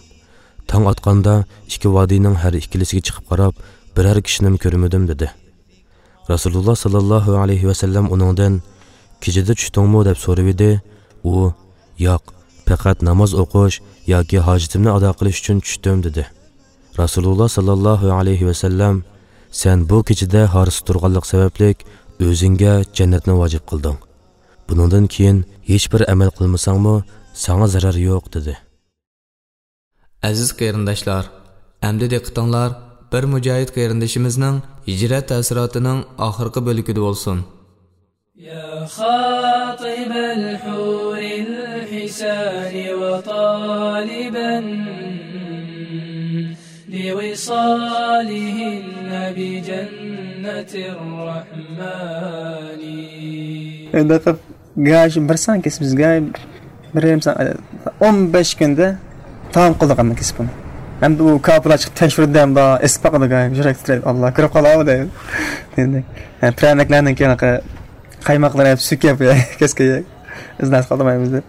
تاڭ ئاتقاندا ئىككى ۋادىنىڭ ھەر ئىككىلىسىگە چىقىپ قاراپ، بىرەر كىشىنىمۇ كۆرمىدىم، دېدى. رەسۇلۇللا ساللاللاھۇ ئەلەيھى ۋەسەللەم ئۇنىڭدىن، كېچىدە چۈشتۈڭمۇ؟ دەپ سورىۋىدى. ئۇ، ياق، پەقەت ناماز ئوقۇش ياكى ھاجىتىمنى ئادا قىلىش ئۈچۈن چۈشتۈم، دېدى. رەسۇلۇللا ساللاللاھۇ ئەلەيھى ۋەسەللەم، سەن بۇ كېچىدە ھارسا تۇرغانلىق سەۋەبلىك ئۆزۈڭگە جەننەتنى ۋاجىپ قىلدىڭ. بۇنىڭدىن كېيىن ھېچبىر ئەمەل قىلمىساڭمۇ ساڭا زەرەر يوق، دېدى. ئەزىز قېرىنداشلار، ئەمدى دىققىتىڭلار بىر مۇجاھىد قېرىندىشىمىزنىڭ ھىجرەت تەسىراتىنىڭ ئاخىرقى بۆلىكىدە بولسۇن. يا خاطب الحور الحسان وطالبا لوصالهن بجنة الرحمن. ئەمدى قىپ، گاي شۇ بىر سان كېسىپ بىز، گاي بىر يېرىم سان، ئون بەش كۈندە تامام قىلدۇق ئەمدى كېسىپ بۇنى. ئەمدى ئۇ كاپىرلار چىقىپ تەكشۈردى، ئەمدى ئېسىپ باقىدۇ، گاي يۈرەك تىترەيدۇ، ئاللا كۆرۈپ قالامۇ دەيدۇ. ئەمدى، ھە، پىرەنىكلەردىن كېيىن قايماقلار يەپ، سۈت يەپ، كەسكە يەپ، ئىزناس قالدۇرمايمىز دەپ.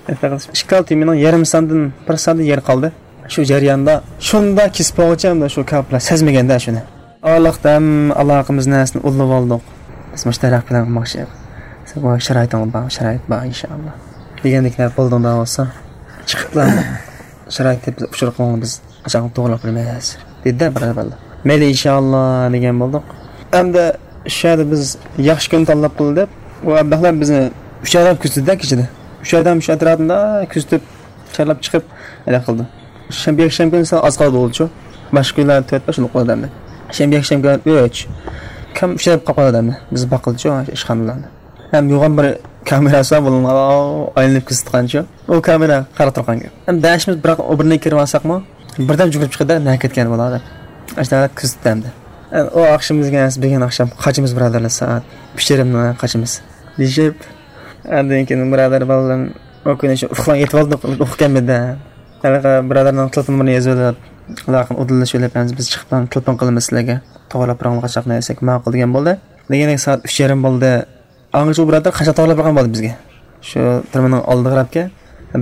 ئىككى تېمىنىڭ يېرىم ساندىن بىر ساندىن يېرى قالدى. شۇ جەرياندا شۇنداق كېسىپ بولغۇچە ئەمدى شۇ كاپىرلار سەزمىگەندە شۇنى. ئارىلىقتا ھەم ئالاقىمىز نەرسىنى ئۇلىۋالدۇق. بىز مۇشۇ دەرەخ پىلان قىلماقچى. سەن بۇ شارائىتىڭ بار، شارائىت بار، ئىنشائاللا. دېگەندەك بولدۇڭدا بولسا، چىقىپلا شارائىت دەپ بىز ئۇچۇر قىلىڭ، بىز قاچان توغرىلاپ بېرىمىز، دېدى-دە بىر بالىلار. مەيلى، ئىنشائاللا، دېگەن بولدۇق. ئەمدى شۇ يەردە بىز ياخشى كۈن تاللاپ قىلدى دەپ، ئۇ ئابلەخلەر بىزنى ئۈچ ئادەم كۆزىتىدى-دە كېچىدە. ئۈچ ئادەم شۇ ئەتراپىدا كۆزىتىپ، چارلاپ چىقىپ، ھېلىقى قىلدى. شەنبە يەكشەنبە كۈنى سەل ئاز قالدى بولدىچۇ. باشقا كۈنلەردە تۆت بەش بولۇپ قالدى ئەمدى. شەنبە يەكشەنبە كۈنى ئۈچ. كەم ئۈچ ئادەم قاپ قالدى ئەمدى. بىز باققىلىچۇ ئىشخانىلاردا. ھەم يوغان بىر كامېراسى بار بولۇڭلار، ئايلىنىپ كۆزىتىدىغانچۇ. ئۇ كامېرا قاراپ تۇرغان گەپ. ھەم بەشىمىز بىراق ئۇ بىرنى كىرىۋالساقمۇ، بىردەم جۈگۈرۈپ چىقىدۇ، نەگە كەتكەن بۇلار دەپ. ئاشۇنداق كۆزىتىدۇ ئەمدى. ئۇ ئاخشىمى بىزگە بۈگۈن ئاخشام قاچىمىز بۇرادەرلەر، سائەت ئۈچ يېرىمدە قاچىمىز، دېيىشىپ، ئاندىن كېيىن بۇرادەر بالىلىرىم ئۇ كۈنى شۇ ئۇخلاپ يېتىۋالدۇق، ئۇخلىغان ئىدى. ھېلىقى بۇرادەرنىڭ تېلېفون نومۇرىنى يېزىۋېلىپ، ئالاقىنى ئۇدۇللىشىۋېلىپ، ھەم بىز چىقىپ تېلېفون قىلىمىز سىلەرگە، توغرىلاپ بېرىڭلار قاچاقنى دېسەك، ماقۇل دېگەن بولدى. دېگەندەك سائەت ئۈچ يېرىم بولدى. ئاڭغىچە ئۇ بۇرادەر قاچاق توغرىلاپ بەرگەن بولدى بىزگە. شۇ تۈرمىنىڭ ئالدىغا قاراپكەن.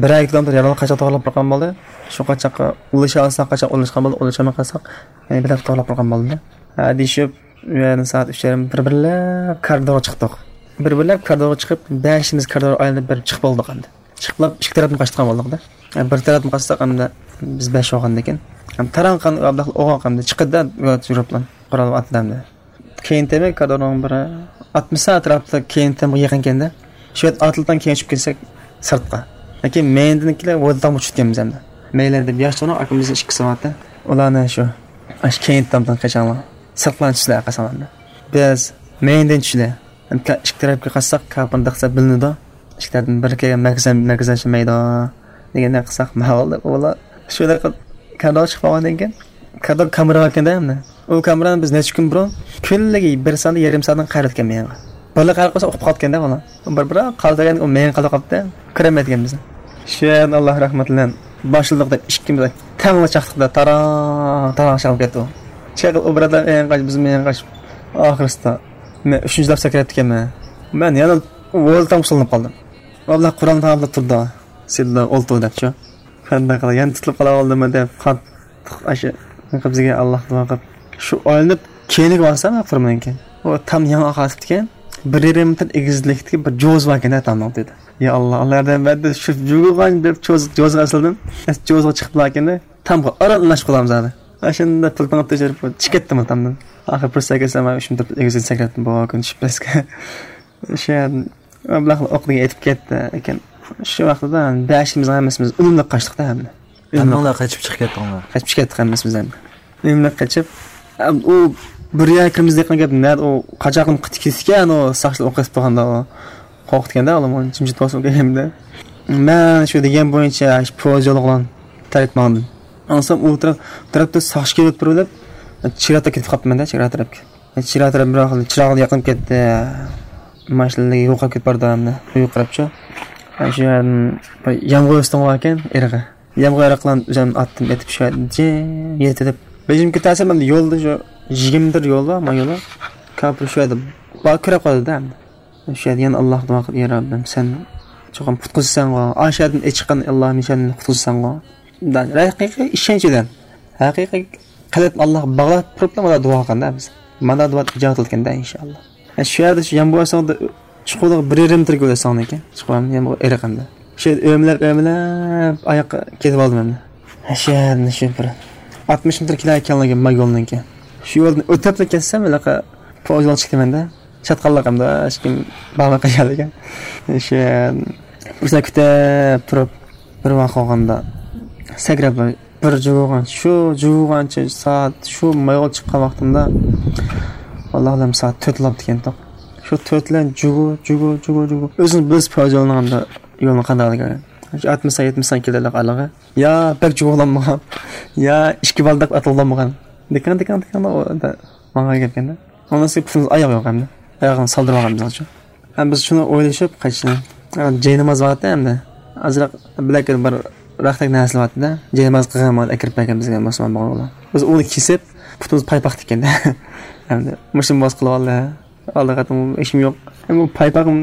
بىرەر كىلومېتىر يارىملىق قاچاق توغرىلاپ بەرگەن بولدى. شۇ قاچاققا ئۇلىشالساق قاچاق ئۇلاشقان بولدى، ئۇلىشالماي قالساق، يەنە بىر توغرىلاپ بەرگەن بولدى. ھە، دېيىشىپ، ئۇ يەردىن سائەت ئۈچ يېرىم بىر-بىرلەپ كارىدورغا چىقتۇق. بىر-بىرلەپ كارىدورغا چىقىپ، بەشىمىز كارىدور ئايلىنىپ بېرىپ چىقىپ بولدۇق ئەمدى. چىقىپلا ئىككى تەرەپتىن قاچىدىغان بولدۇق-دە. بىر تەرەپتىن قاچساق ئەمدى بىز بەش بولغاندىكىن. ھەم تارانقان ئابلەخ ئوغاق ئەمدى چىقىدۇ-دە، يۈرۈپلا قورال ئاتىدۇ ئەمدى. كېيىن تېمى كادىرنىڭ بىرى ئاتمىسا ئەتراپىدا كېيىن تېمىغا يېقىنكەندە، شۇ يەردە ئاتلىتان كېيىن چۈشۈپ كەتسەك سىرتقا. لېكىن مەينىدىكىلەر ۋودىتانغا چۈشۈپ كەتكەنمىز ئەمدى. مەيلەر دەپ ياش چوڭ ئاكىمىزنىڭ ئىككىسى بارتى. ئۇلارنى شۇ، ئاشۇ كېيىن تامدىن قېچىڭلار. سىرتقا چۈشسىلەر قاساڭلارنى. بىز مەينىدىن چۈشىلى. ئىككى تەرەپكە قارىساق، كاپىرنى دەقسە بىلىنىدۇ. ئىككى تەرەپتىن بىر كەلگەن مەركىزەن، مەركىزەن چۈشمەيدۇ. دېگەندەك قىلساق، ماۋۇ ئۇلار شۇ دەققە كارىدورغا چىقىپ قالغاندىن كېيىن، كارىدور كامېرا باركەن-دە ئەمدى. ئۇ كامېرانى بىز نەچچە كۈن بۇرۇن كۈنلۈك بىر سائەت يېرىم سائەتتىن قايرىۋەتكەن مېيىڭغا. بالىلار قايرىپ قالسا ئۇقۇپ قالىدىكەن-دە ئۇلار. بىر، بىر قالدۇرغان ئۇ مېيىڭ قالدۇرۇپ قاپتۇ. كۆرەلمەيدىكەنمىز. شۇ يەردىن ئاللا رەھمىتى بىلەن باشلىدۇق دەپ ئىككىمىز تەڭلا چاقتۇق-دە، تاراڭ، تاراڭ چاقىپ كەتتى ئۇ. چېقىل ئۇ بۇرادەر مېيىڭ قاچ، بىز مېيىڭ قاچ. ئاخىرسىدا مەن ئۈچىنچى لاپ سەكرەپ كەتكەنمەن. مەن يەنە ۋولتام سولىنىپ قالدىم. ئابلا قۇرئان تاماملاپ تۇرىدۇ. سىدلا ئولتۇر دەپچۇ. قانداق قىلار، يەنە تۇتۇلۇپ قالاۋالدىممۇ دەپ قاتتىق ئاشۇ بىزگە ئاللا دۇئا قىلىپ. شۇ ئايلىنىپ كەينىگە بارسام، ئاپىرىمنىڭكى. ئۇ تام يېڭى ئاقاسىپتىكەن. بىر يېرىم مېتىر ئېگىزلىكتىكى بىر جوز باركەن تامنىڭ دېدى. يا ئاللا، ئاللا ياردەم بەردى. شۇ جۇگۇغان بىر جوز، جوزغا ئاسىلدىم. جوزغا چىقىپ باركەندە تامغا ئاران ئۇلاشقا بولامىز ھازىر. ئاشۇنداق پىلتىڭ ئاتتى چىقىپ كەتتىم تامدىن. ئاخىر پۇرسەت كەلسە مەن ئۈچ مېتىر ئېگىزگە سەكرەتتىم بۇ كۈن چۈشۈپ پەسكە. شۇ ئابلاقلا ئوقلىغا ئېتىپ كەتتى ئىكەن. شۇ ۋاقتىدا بەشىمىز ھەممىمىز ئۈنۈملۈك قاچتۇق-دە ھەمدە. ئۈنۈملۈك. ھەممىڭلار قېچىپ چىقىپ كەتتىڭلار؟ قېچىپ چىقىپ كەتتۇق ھەممىمىز ھەمدە. ئۈنۈملۈك قېچىپ، ئۇ بىر يەر كىرىمىز دېگەن گەپ، نەدە ئۇ قاچاقلىم قېتىپ كېتىدىكەن، ئۇ ساقچىلار ئوق ئېتىپ تۇرغاندا ئۇ قورقۇتكەندە، ئۇلارمۇ جىمجىت بولسۇن دېگەندە. مەن شۇ دېگەن بويىچە شۇ پويىز يولى بىلەن تەرەپ ماڭدىم. ئاڭلىسام ئۇ تەرەپ، تەرەپتە ساقچى كېلىپ تۇرۇپ، چېگرا تەرەپ كېتىپ قاپتىمەن دە، چېگرا تەرەپكە. چىراغ تەرەپ بىر ۋاقىت، چىراغ يېقىنىپ كەتتى. ماشىنىلار يوقاپ كېتىپ بارىدۇ ئەمدى. يوقىراپچۇ. شۇ يەردىن بىر يامغۇر ئۈستۈڭ باركەن، ئېرىغى. يامغۇر ئېرىقلارنى ئۆزۈم ئاتتىم ئېتىپ شۇ يەردە جىم يېتىدىپ. بېشىم كېتەرسە مەن يولدا شۇ يىگىرمە مېتىر يول بار، ما يولى. كاپىر شۇ يەردە بار كۆرۈپ قالدى ئەمدى. شۇ يەردە يەنە ئاللاھقا دۇئا قىلىپ، يا رەببىم، سەن چوقۇم قۇتقۇزىسەنغۇ. ئاشۇ يەردىن ئېچىققان ئاللاھىم، سەن قۇتقۇزىسەنغۇ. ھەقىقىي ئىشەنچ بىلەن. ھەقىقىي قەلبنى ئاللاھقا باغلاپ تۇرۇپلا مانا دۇئا قىلغاندا بىز. مانا دۇئا ئىجابەت قىلىدىكەندە ئىنشائاللا. شۇ يەردە شۇ يامغۇر ئەسەڭدە چوقۇم بىر يېرىم مېتىر كۆرسەڭلىكىن. چوقۇم يامغۇر ئېرىقىندا. شۇ يەردە ئۆمىلەپ، ئۆمىلەپ ئاياققا كېتىپ ئالدىم ئەمدى. شۇ يەردىن شۇ بىر ئاتمىش مېتىر كېلەر ئىكەنلىكى ما يولنىڭكى. شۇ يولدىن ئۆتۈپلا كەتسەم، ھېلىقى پويىز يولغا چىقىمەن-دە. چاتقاللىق ئەمدى، ھېچكىم بارماي قالغانلىكىن. شۇ يەردىن پۇرسەت كۈتۈپ تۇرۇپ، بىر ۋاقىت بولغاندا سەكرەپ بىر جۇگۇغان، شۇ جۇگۇغانچە سائەت، شۇ مايغا چىققان ۋاقتىمدا، ۋاللاھىلەم سائەت تۆت بوپتىكەنتۇق. شۇ تۆت بىلەن جۇگۇ، جۇگۇ، جۇگۇ، جۇگۇ. ئۆزىڭىز بىلىسىز پويىز يولىنىڭ ئەمدى يولىنى قانداقلىقىنى. شۇ ئاتمىش، يەتمىش كىلولۇق ئارىلىقى. يا بەك جۇگۇغىلانمىغان، يا ئىككى بالداق ئاتىلىغانمىغان. دىكاڭ، دىكاڭ، دىكاڭ، ئۇ يەردە ماڭغان گەپكەندە. ئۇنىڭ ئۈستىگە پۇتىمىز ئاياغ يوق ئەمدى. ئاياغنى سالدۇرۇۋالغان بىزنىڭچۇ. ھەم بىز شۇنى ئويلىشىپ قايتىشنى. جايناماز بارتى ئەمدى. ئازراق بىلەك بىر راختەك نەرسە بارتى-دە. جايناماز قىلغان ئەكىرىپ بەرگەن بىزگە مۇسۇلمان بولغانلار. بىز ئۇنى كېسىپ، پۇتىمىز پايپاق تىككەندە. ئەمدى مۇشۇنى بوس قىلىۋالدى. ئالدى قېتىم ھېچكىم يوق. ئەمما پايپاقىم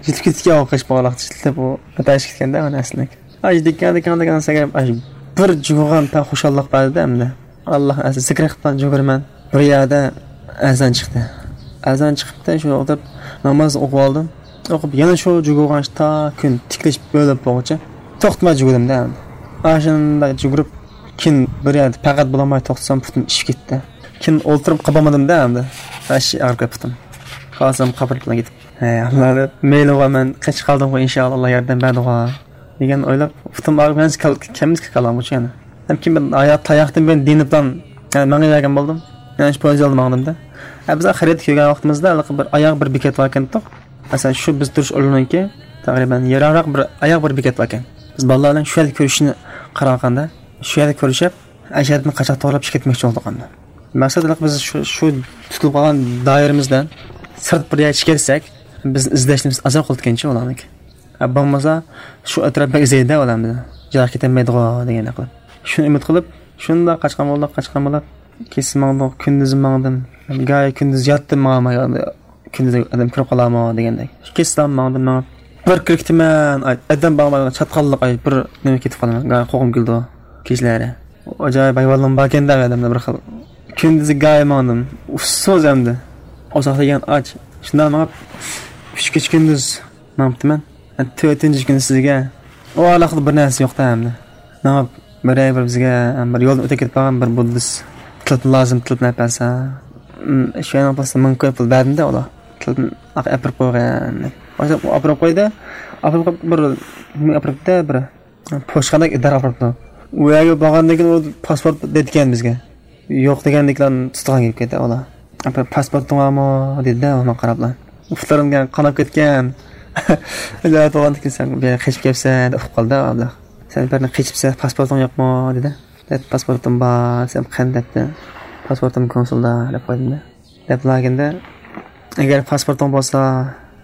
يېتىپ كېتىدىكەن، ئۇ قېچىپ باغلاق يېتىپ، ئۇ ئەتەشكە كەتكەندە ئۇ نەرسىلىك. ئاي دىككان، دىككان، دىككان سەكرەپ، ئاي بىر جۇگۇغان پەن خۇشاللىق بەردى ئەمدى. ئاللا ئەزىز، سەكرەپ قىپتان جۈگۈرىمەن. بىر يەردە ئەزان چىقتى. ئەزان چىقىپتۇ، شۇ ئولتۇرۇپ ناماز ئوقۇۋالدىم. ئوقۇپ يەنە شۇ جۇگۇغان تا كۈن تىكلىشىپ ئۆلۈپ بولغۇچە توختىماي جۈگۈردۈم-دە ئەمدى. ئاشۇنداق جۈگۈرۈپ كېيىن بىر يەردە پەقەت بولالماي توختىسام پۇتۇم ئىششىپ كەتتى. كېيىن ئولتۇرۇپ قالمىدىم-دە ئەمدى. ھەششى ئاغرىپ كەتتى پۇتۇم. خالىسام قاپىرىپ كېتىپ. ھەي ئاللا دەپ، مەيلىغۇ، مەن قېچىپ قالدىمغۇ، ئىنشائاللا ئاللا ياردەم بەردىغۇ دېگەن ئويلاپ، پۇتۇم ئاغرىپ يەنە كەل-، كەلمىسە كېلەلمىگۈچى يەنە. ھەم كېيىن مەن ئاياق تاياقتىن بىلەن دېيىنىپلا، يەنە مەڭگۈ بەرگەن بولدۇم. يەنە شۇ پويىز يولىدا ماڭدىم-دە. ھە، بىز خەرىدە كۆرگەن ۋاقتىمىزدا ھېلىقى بىر ئاياغ بىر بېكەت باركەنتۇق. مەسىلەن، شۇ بىز تۇرۇش ئورنىنىڭكى تەقرىبەن يىراقراق بىر ئاياغ بىر بېكەت باركەن. بىز بالىلار بىلەن شۇ يەردە كۆرۈشۈشنى قارار قىلغاندا، شۇ يەردە كۆرۈشۈپ، ئاشۇ يەردىن قاچاق توغرىلاپ چىقىپ كەتمەكچى بولدۇق ئەمدى. مەقسەت ھېلىقى بىز شۇ، شۇ تۇتۇلۇپ قالغان دائىرىمىزدىن سىرت بىر يەرگە چىقىپ كەتسەك، بىزنى ئىزدەشلىرىمىز ئازراق قىلىدىكەنچۇ ئۇلارنىڭكى. ھە، بولمىسا شۇ ئەتراپقا ئىزدەيدۇ ئۇلار بىزنى. يىراق كېتەلمەيدىغۇ دېگەندەك قىلىپ. شۇنى ئۈمىد قىلىپ، شۇنداق قاچقان بولدۇق، قاچقان بولۇپ، كېچىسى ماڭدۇق، كۈندۈزى ماڭدىم. گاھى كۈندۈز ياتتىم، ماڭالماي، كۈندۈز ئادەم كۆرۈپ قالارمۇ دېگەندەك. كېچىسى ماڭدىم، ماڭىپ، بىر كىرىپ كېتىمەن، ئاي، ئادەم بارمايدىغان چاتقاللىق، ئاي، بىر نېمە كېتىپ قالىمەن. گاھى قورقۇم كېلىدۇ كېچىلەرى. ئاجايىپ ھايۋانلىرىم باركەن-دە ئادەمدە بىر خىل. كۈندۈزى گاھى ماڭدىم، ئۇسسۇز ئەمدى. ئۇزاق دېگەن ئاچ. شۇنداق ماڭىپ، ئۈچ كېچە كۈندۈز ماڭىپتىمەن. تۆتىنچى كۈنى سىزگە ئۇ ئارىلىقتا بىر نەرسە يوق-تە ئەمدى. ماڭا بىرەر بىر بىزگە بىر يولدىن ئۆتۈپ كېتىپ قالغان بىر بۇددىست تېلېفون لازىم، تېلېفون ئەپ بەرسە. شۇ يەرنىڭ پۇلىسى مىڭ كوي پۇل بەردىم-دە ئۇلار. تېلېفون ئەپىرىپ قويغان. ئاپىرىپ قويدى. ئاپىرىپ قويۇپ، بىر نېمە ئاپىرىپتۇ، بىر پوچتىخانىدىكى ئىدارە ئاپىرىپتۇ. ئۇ يەرگە بارغاندىن كېيىن ئۇ پاسپورت دەيدىكەن بىزگە. يوق دېگەندىكىن تۇتقان كېلىپ كەتتى ئۇلار. «پاسپورتۇڭ بارمۇ؟» دېدى-دە، ئۇنىڭغا قاراپلا. پۇتلىرىم قاناپ كەتكەن. ئىلاھىم، بولغاندىن كېيىن سەن بۇ يەرگە قېچىپ كەپسەن دەپ ئۇقۇپ قالدى ئابلەخ. «سەن بىر يەردىن قېچىپسەن، پاسپورتۇڭ يوقمۇ؟» دېدى. «دەپ، پاسپورتۇم بار» دېسەم، «قېنى» دەپتۇ. «پاسپورتۇم كونسۇلدا» دەپ قويدۇم-دە. دەپ لاگېندا، «ئەگەر پاسپورتۇڭ بولسا،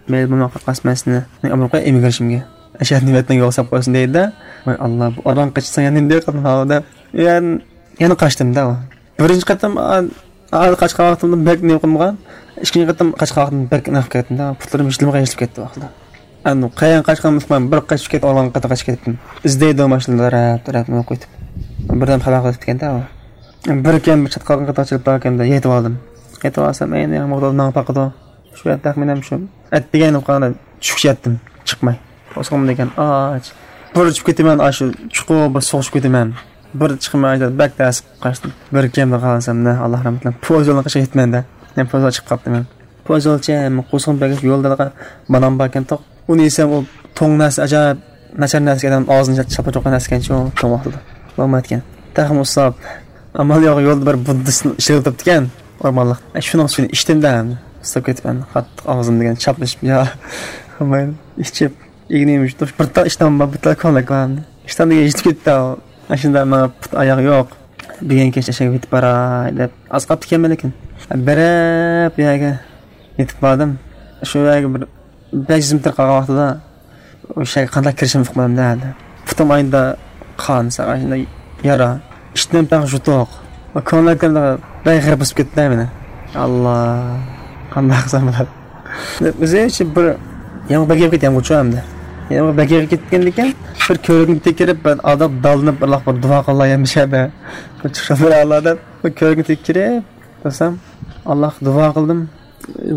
مەيلى بولماي قالسا، مەن سېنى ئامېرىكا ئىممىگرېيشنگە، ئەشەدە نىمەتنىڭ يوق ساپ قويسۇن» دەيدۇ-دە. ۋاي ئاللا، بۇ ئاران قېچىساڭ يەنە نېمە دەپ قالدىم دەپ. يەنە، يەنە قاچتىم-دە. بىرىنچى قېتىم، ئا، ئا، قاچقان ۋاقتىمدا بەك نېمە قىلمىغان. ئىككىنچى قېتىم قاچقان ۋاقتىمدا بەك نېمە قىلىپ كەتتىم-دە. پۇتلىرىم يىرتىلىپ كەتتى ۋاقتىدا. ئەنە قايان قاچقانمىسىمان، بىر قاچىپ كېتىپ، ئالغان قېتىم قاچىپ كەتتىم. ئىزدەيدۇ ماشىنىلار ھەپ تەرەپنى قويۇپ. بىردەم خەۋەر قىلىپ كەتكەندە ئۇ. بىر كەم بىر چاتقالغان قېتىم چىقىپ باركەندە يېتىپ ئالدىم. يېتىپ ئالسام، ئەينى مۇغدال ماڭا باقىدۇ. شۇ تەخمىنەم شۇ. ئەتىگەن قاراپ چۈشكىچە ياتتىم، چىقماي. ئوسۇغۇم دېگەن ئاچ. بىر چۈشۈپ كېتىمەن، ئاشۇ چوقۇم بىر سوغۇشۇپ كېتىمەن. بىر چىقماي بەك تەس قاچتىم. بىر كەمدە قالسام، نە، ئاللا رەھمەت قىلسۇن. پوزىلنى قىشقا يېتىمەن-دە. مەن پوزا چىقىپ قاپتىمەن. پوزىلچە، قورسىقىم بەك، يولدا بانان باركەن توق. ئۇنى يېسەم، ئۇ توڭ نەرسە، ئاجايىپ ناچار نەرسە، ئادەم ئاغزىنى چاپلىتىدىغان نەرسىكەنچۇ، توڭ ۋاقتىدا. بولمايدىكەن. تېخىمۇ ئۇسساپ، ئامال يوق، يولدا بىر بۇددىستنى ئىشلىتىپ تۇرۇپتىكەن، ئورمانلىق. ئە، شۇنىڭ سۈيىنى ئىچتىم-دە، ئەمدى. ئۇسساپ كېتىپ، ئەمدى قاتتىق ئاغزىم دېگەن چاپلىشىپ، يا، بولمايدۇ. ئىچىپ، ئىگىنى يۇمشىتىپ، بىر تال ئىشتان بار، بىر تال كۆڭلەك بار ئەمدى. ئىشتان دېگەن يېتىپ كېتىپتۇ. ئاشۇنداق ماڭا پۇت ئاياغ يوق. بۈگۈن كەچ ئەشەگە يېتىپ باراي دەپ، ئاز قاپتىكەنمەن لېكىن. بېرىپ، بۇ يەرگە يېتىپ باردىم. شۇ يەرگە بىر بەش يۈز مېتىر قالغان ۋاقتىدا، ئۇ شەيگە قانداق كىرىشىمنى ئۇقمىدىم-دە. پۇتۇم ئاينىدا قان، ساغا شۇنداق يارا. ئىشتىن بەك يۇتۇق. كۆڭلەكلىرىمدە بەك غەرق بېسىپ كەتتى مېنى. ئاللا، قانداق قىلسام بولار؟ ئۆزى بىر يامغۇر بەك يېغىپ كەتكەن ئەمدى. يامغۇر بەك يېغىپ كەتكەندىكىن، بىر كۆۋرۈكنى تېكىرىپ، بىر ئاداپ دالىنىپ، بىرلاق بىر دۇئا قىلاي يەنە شەدە. بىر چىقىشلار بىر ئاللا دەپ، بىر كۆۋرۈكنى تېكىرىپ تۇرسام، ئاللاغا دۇئا قىلدىم.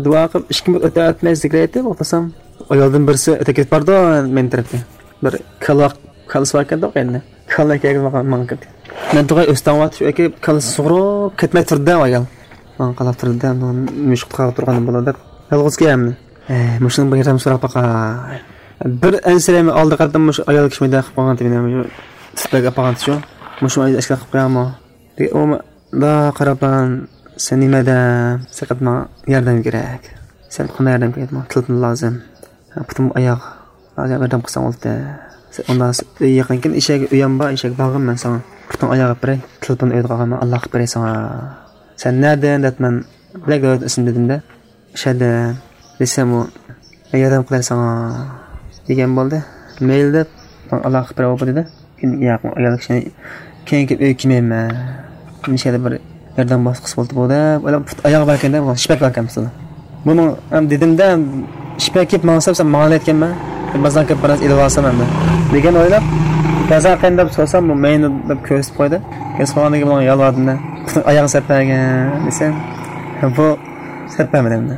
دۇئا قىلىپ، ئىككى مىنۇت ئۆتە ئۆتمەي زىكىر ئېيتىپ ئولتۇرسام، ئايالدىن بىرسى ئۆتۈپ كېتىپ بارىدۇ مېنىڭ تەرەپكە. بىر كالا، كالىسى باركەن-دە ئەمدى. كالا كەلگەن ماڭا، ماڭا كىردى. مەن تۇرغاي ئۆستەڭ ۋاقىت شۇ ئەكە كالىسى سۇغۇرۇپ كەتمەي تۇردى ئايال. ماڭا قاراپ تۇردى، مۇشۇ قۇتقا تۇرغان بولىدۇ دەپ. يالغۇز كەلمىدى. ئە، مۇشۇنىڭ بىر ياردەم سوراپ باقاي. بىر ئەنسىرەيمەن، ئالدى قېتىم مۇشۇ ئايال كىشى مۇنداق قىلىپ قويغانتى مېنى، مۇشۇ تۇتۇپ بەك ئاپارغانتى شۇ. مۇشۇ ئەسكەر قىلىپ قويامۇ؟ ئۇمۇ، دا قاراپان، سەن نېمە ئادەم؟ سەن ماڭا ياردەم كېرەك. سەن قانداق ياردەم كېرەك؟ ماڭا تېلېفون لازىم. پۇتۇم ئاياغ. ھازىر ياردەم قىلساڭ بولدى. ئۇنداق ئۆي يېقىنكەن، ئىشەك ئۆيەم بار، ئىشەك بارغىن مەن ساڭا. پۇتۇڭ ئاياغ ئېلىپ بېرەي. تېلېفون ئۆيدە قالغان، مەن ئاللا قىلىپ بېرەي ساڭا. سەن نەدىن دەپ مەن بىلەك دۆلەت ئىسمى دېدىم-دە. شەدە دېسەم ئۇ، ياردەم قىلاي ساڭا دېگەن بولدى. مەيلى دەپ، ماڭا ئالاقە قىلىپ بېرەي بولدى دېدى. كېيىن ياق، ئايال كىشىنى كېيىن كېلىپ ئۆيگە كېلمەيمەن. نېمىشقىدە بىر ياردەم ۋاسىتىسى بولدى بۇ دەپ ئويلاپ، پۇت ئاياغ باركەن دەپ، شىپەك باركەن بۇ. بۇنىڭ ھەم دېدىم-دە، شىپەك كېلىپ ماڭسا، سەن ماڭا دەيدىكەنمەن. بازار كېلىپ بىر نەرسە ئېلىپ ئالسام ئەمدى. دېگەن ئويلاپ، بازار قېنى دەپ سورىسام، بۇ مەينى دەپ كۆرسىتىپ قويدى. كۆرسىتىپ قويغاندىن كېيىن ماڭا يالۋاردىم-دە. پۇتىڭ ئاياغنى سەپ بەرگىن دېسەم، بۇ سەپ بەرمىدى ئەمدى.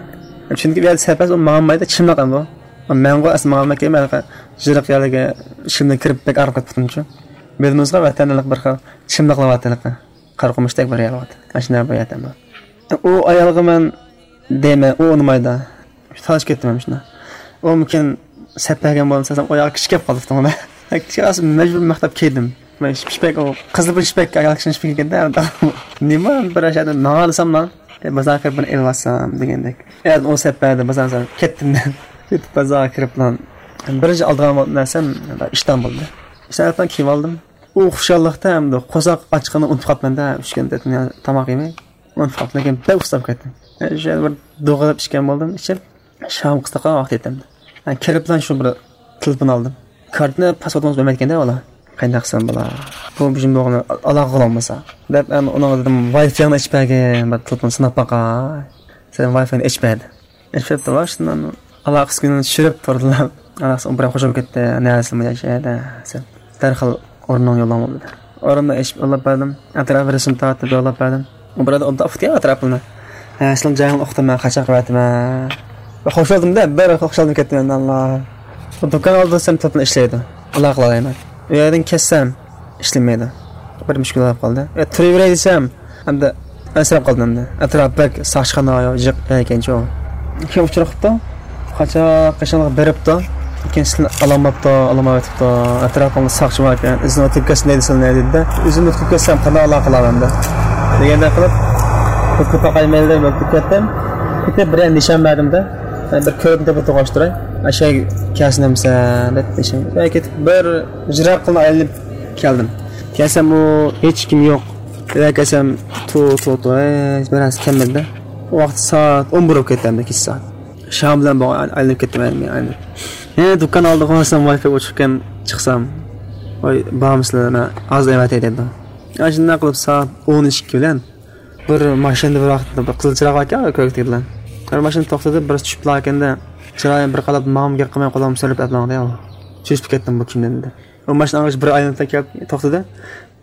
چۈنكى بۇ يەردە سەپ بەرسە، ئۇ ماڭالمايدۇ، چىملىق ئەمدى ئۇ. مەنغۇ ئەسلى ماڭالماي كېلىپ، ھېلىقى جىرىق يەرلىكى ئىشىكىمدىن كىرىپ بەك ئاغرىپ كەتتى پۇتۇمچۇ. بىلدىڭىزغۇ ۋەتەندە بىر خىل چىملىقلىۋاتىدۇ ھېلىقى. قارىقۇمۇشتەك بىر يەر بار. ئاشۇنداق بىر يەردە بار. ئۇ ئايالغا مەن دەيمەن، ئۇ ئۇنىمايدۇ. تالىشىپ كەتتىم مەن شۇنداق. ئۇمىكىن سەپ بەرگەن بولمىسا، ئۇ ياغا كىشى كەپ قالدى پۇتۇڭدا. كىشى قالسا مەجبۇر مەختەپ كىيدىم. مەن شىپەك، ئۇ قىزىل بىر شىپەك، ئايال كىشىنىڭ شىپىكى ئىكەن-دە. نېمە بىر ئاشۇ يەردە ماڭالىسام ماڭ. بازارغا كىرىپ بىر ئېلىۋالسام دېگەندەك. ئەتە ئۇ سەپ بەردى، بازارغا كەتتىم مەن. كېتىپ بازارغا كىرىپلا بىرىنچى ئالىدىغان نەرسەم ئىشتان بولدى. ئىشتان كىيىۋالدىم. ئۇ خۇشاللىقتا ئەمدى قورساق ئاچقىنىنى ئۇنتۇپ قاپتىمەن-دە، ئۈچ كۈن، تۆت كۈن تاماق يېمەي. ئۇنتۇپ قاپتىمەن، لېكىن بەك ئۇسساپ كەتتىم. شۇ يەردە بىر دوغىلاپ ئىچكەن بولدۇم، ئىچىپ، شام قىستاققا ۋاقىت يېتەمدى. كىرىپلا شۇ بىر تېلېفون ئالدىم. كارتىنى، پاسپورتىڭىز بەرمەيدىكەن-دە ئۇلار. قانداق قىلسام بولا؟ بۇ بىزنىڭ بولغىنى ئالاقە قىلالمىسا. دەپ، ئەمدى ئۇنىڭغا دېدىم، ۋاي فاينى ئېچىپ بەرگىن، بىر تېلېفون سىناپ باقاي. سەن ۋاي فاينى ئېچىپ بەردى. ئېچىپ بېرىپتۇ، شۇنداق ئالاقە ئۈسكۈنىنى چۈشۈرۈپ تۇردىلا. ئالاقىسى بىراق خوش بولۇپ كەتتى. نەرسىمۇ ياشايدۇ، سەن دەرھال ئورنۇڭ يوللاڭ بولدى. ئورنۇمنى ئېچىپ يوللاپ بەردىم. ئەتراپى رەسىم تارتىپ يوللاپ بەردىم. ئۇ بىرادا ئوبدان ئۇقتى ئەتراپىنى. ھە، سىلىڭ جايىڭنى ئۇقتۇم مەن، قاچاق بەردىم ھە. خوش بولدۇمدا، بىر خوش بولدۇم كەتتىم ئەمدى، ئاللا. بۇ دۇكان ئالدىدا سەن تېلېفون ئىشلەيدۇ. ئالاقە قىلالايمەن. ئۇ يەردىن كەتسەم، ئىشلىمەيدۇ. بىر مۈشكۈل بولۇپ قالدى. ئە، تۇرۇۋېرەي دېسەم، ئەمدى ئەنسىرەپ قالدىم ئەمدى. ئەتراپ بەك ساقچىخانا، جىق ئىكەنچۇ. كېيىن ئۇچۇر قىپتۇ. قاچاق قېشىمغا بېرىپتۇ. لېكىن سىلىنى ئالالماپتۇ، ئالالمايۋېتىپتۇ. ئەتراپىمدا ساقچى باركەن، ئىزىنى ئۆتۈپ كەتسۇن دەيدۇ سىلىنى دېدى-دە. ئۆزۈم ئۆتۈپ كەتسەم قانداق ئالاقە قىلارمەن دە. دېگەندەك قىلىپ، ئۆتۈپ باقاي مەيلى دەپ ئۆتۈپ كەتتىم. كېتىپ بىرەر نىشان بەردىم-دە. بىر كۆرۈنۈپ تۇرغاچ تۇراي. ئاشۇ كەلسىنەمسەن دەپ نىشان. كېتىپ بىر يىراق قىلىپ ئايلىنىپ كەلدىم. كەلسەم ئۇ ھېچ كىم يوق. يەنە كەلسەم تو، تو، تو، ھېچ بىر نەرسە كەلمىدى-دە. ۋاقىت سائەت ئون بىر بولۇپ كەتتى ئەمدى كېچە سائەت. شام بىلەن بولغان ئايلىنىپ كەتتىم ئەمدى ئايلىنىپ. يەنە دۇكان ئالدىغا بارسام ۋاي فاي ئۆچۈركەن چىقسام. ۋاي بارمىسىلەر مەن ھازىر ئەۋەتەي دەيدۇ. ئاشۇنداق قىلىپ سائەت ئون ئىككى بىلەن بىر ماشىنىدا بىر ۋاقىتتا بىر قىزىل چىراغ باركەن، كۆكتەك بىلەن. بىر ماشىنا توختىدى، بىرسى چۈشۈپ باركەندە، چىرايىم بىر قاراپ ماڭىمۇ گەپ قىلماي قولۇمنى سۆرەپ ئەپ ماڭدى. چۈشۈپ كەتتىم بۇ كىمدىن دېدى. ئۇ ماشىنا ئاڭغىچە بىر ئايلىنىپ كەپ توختىدى.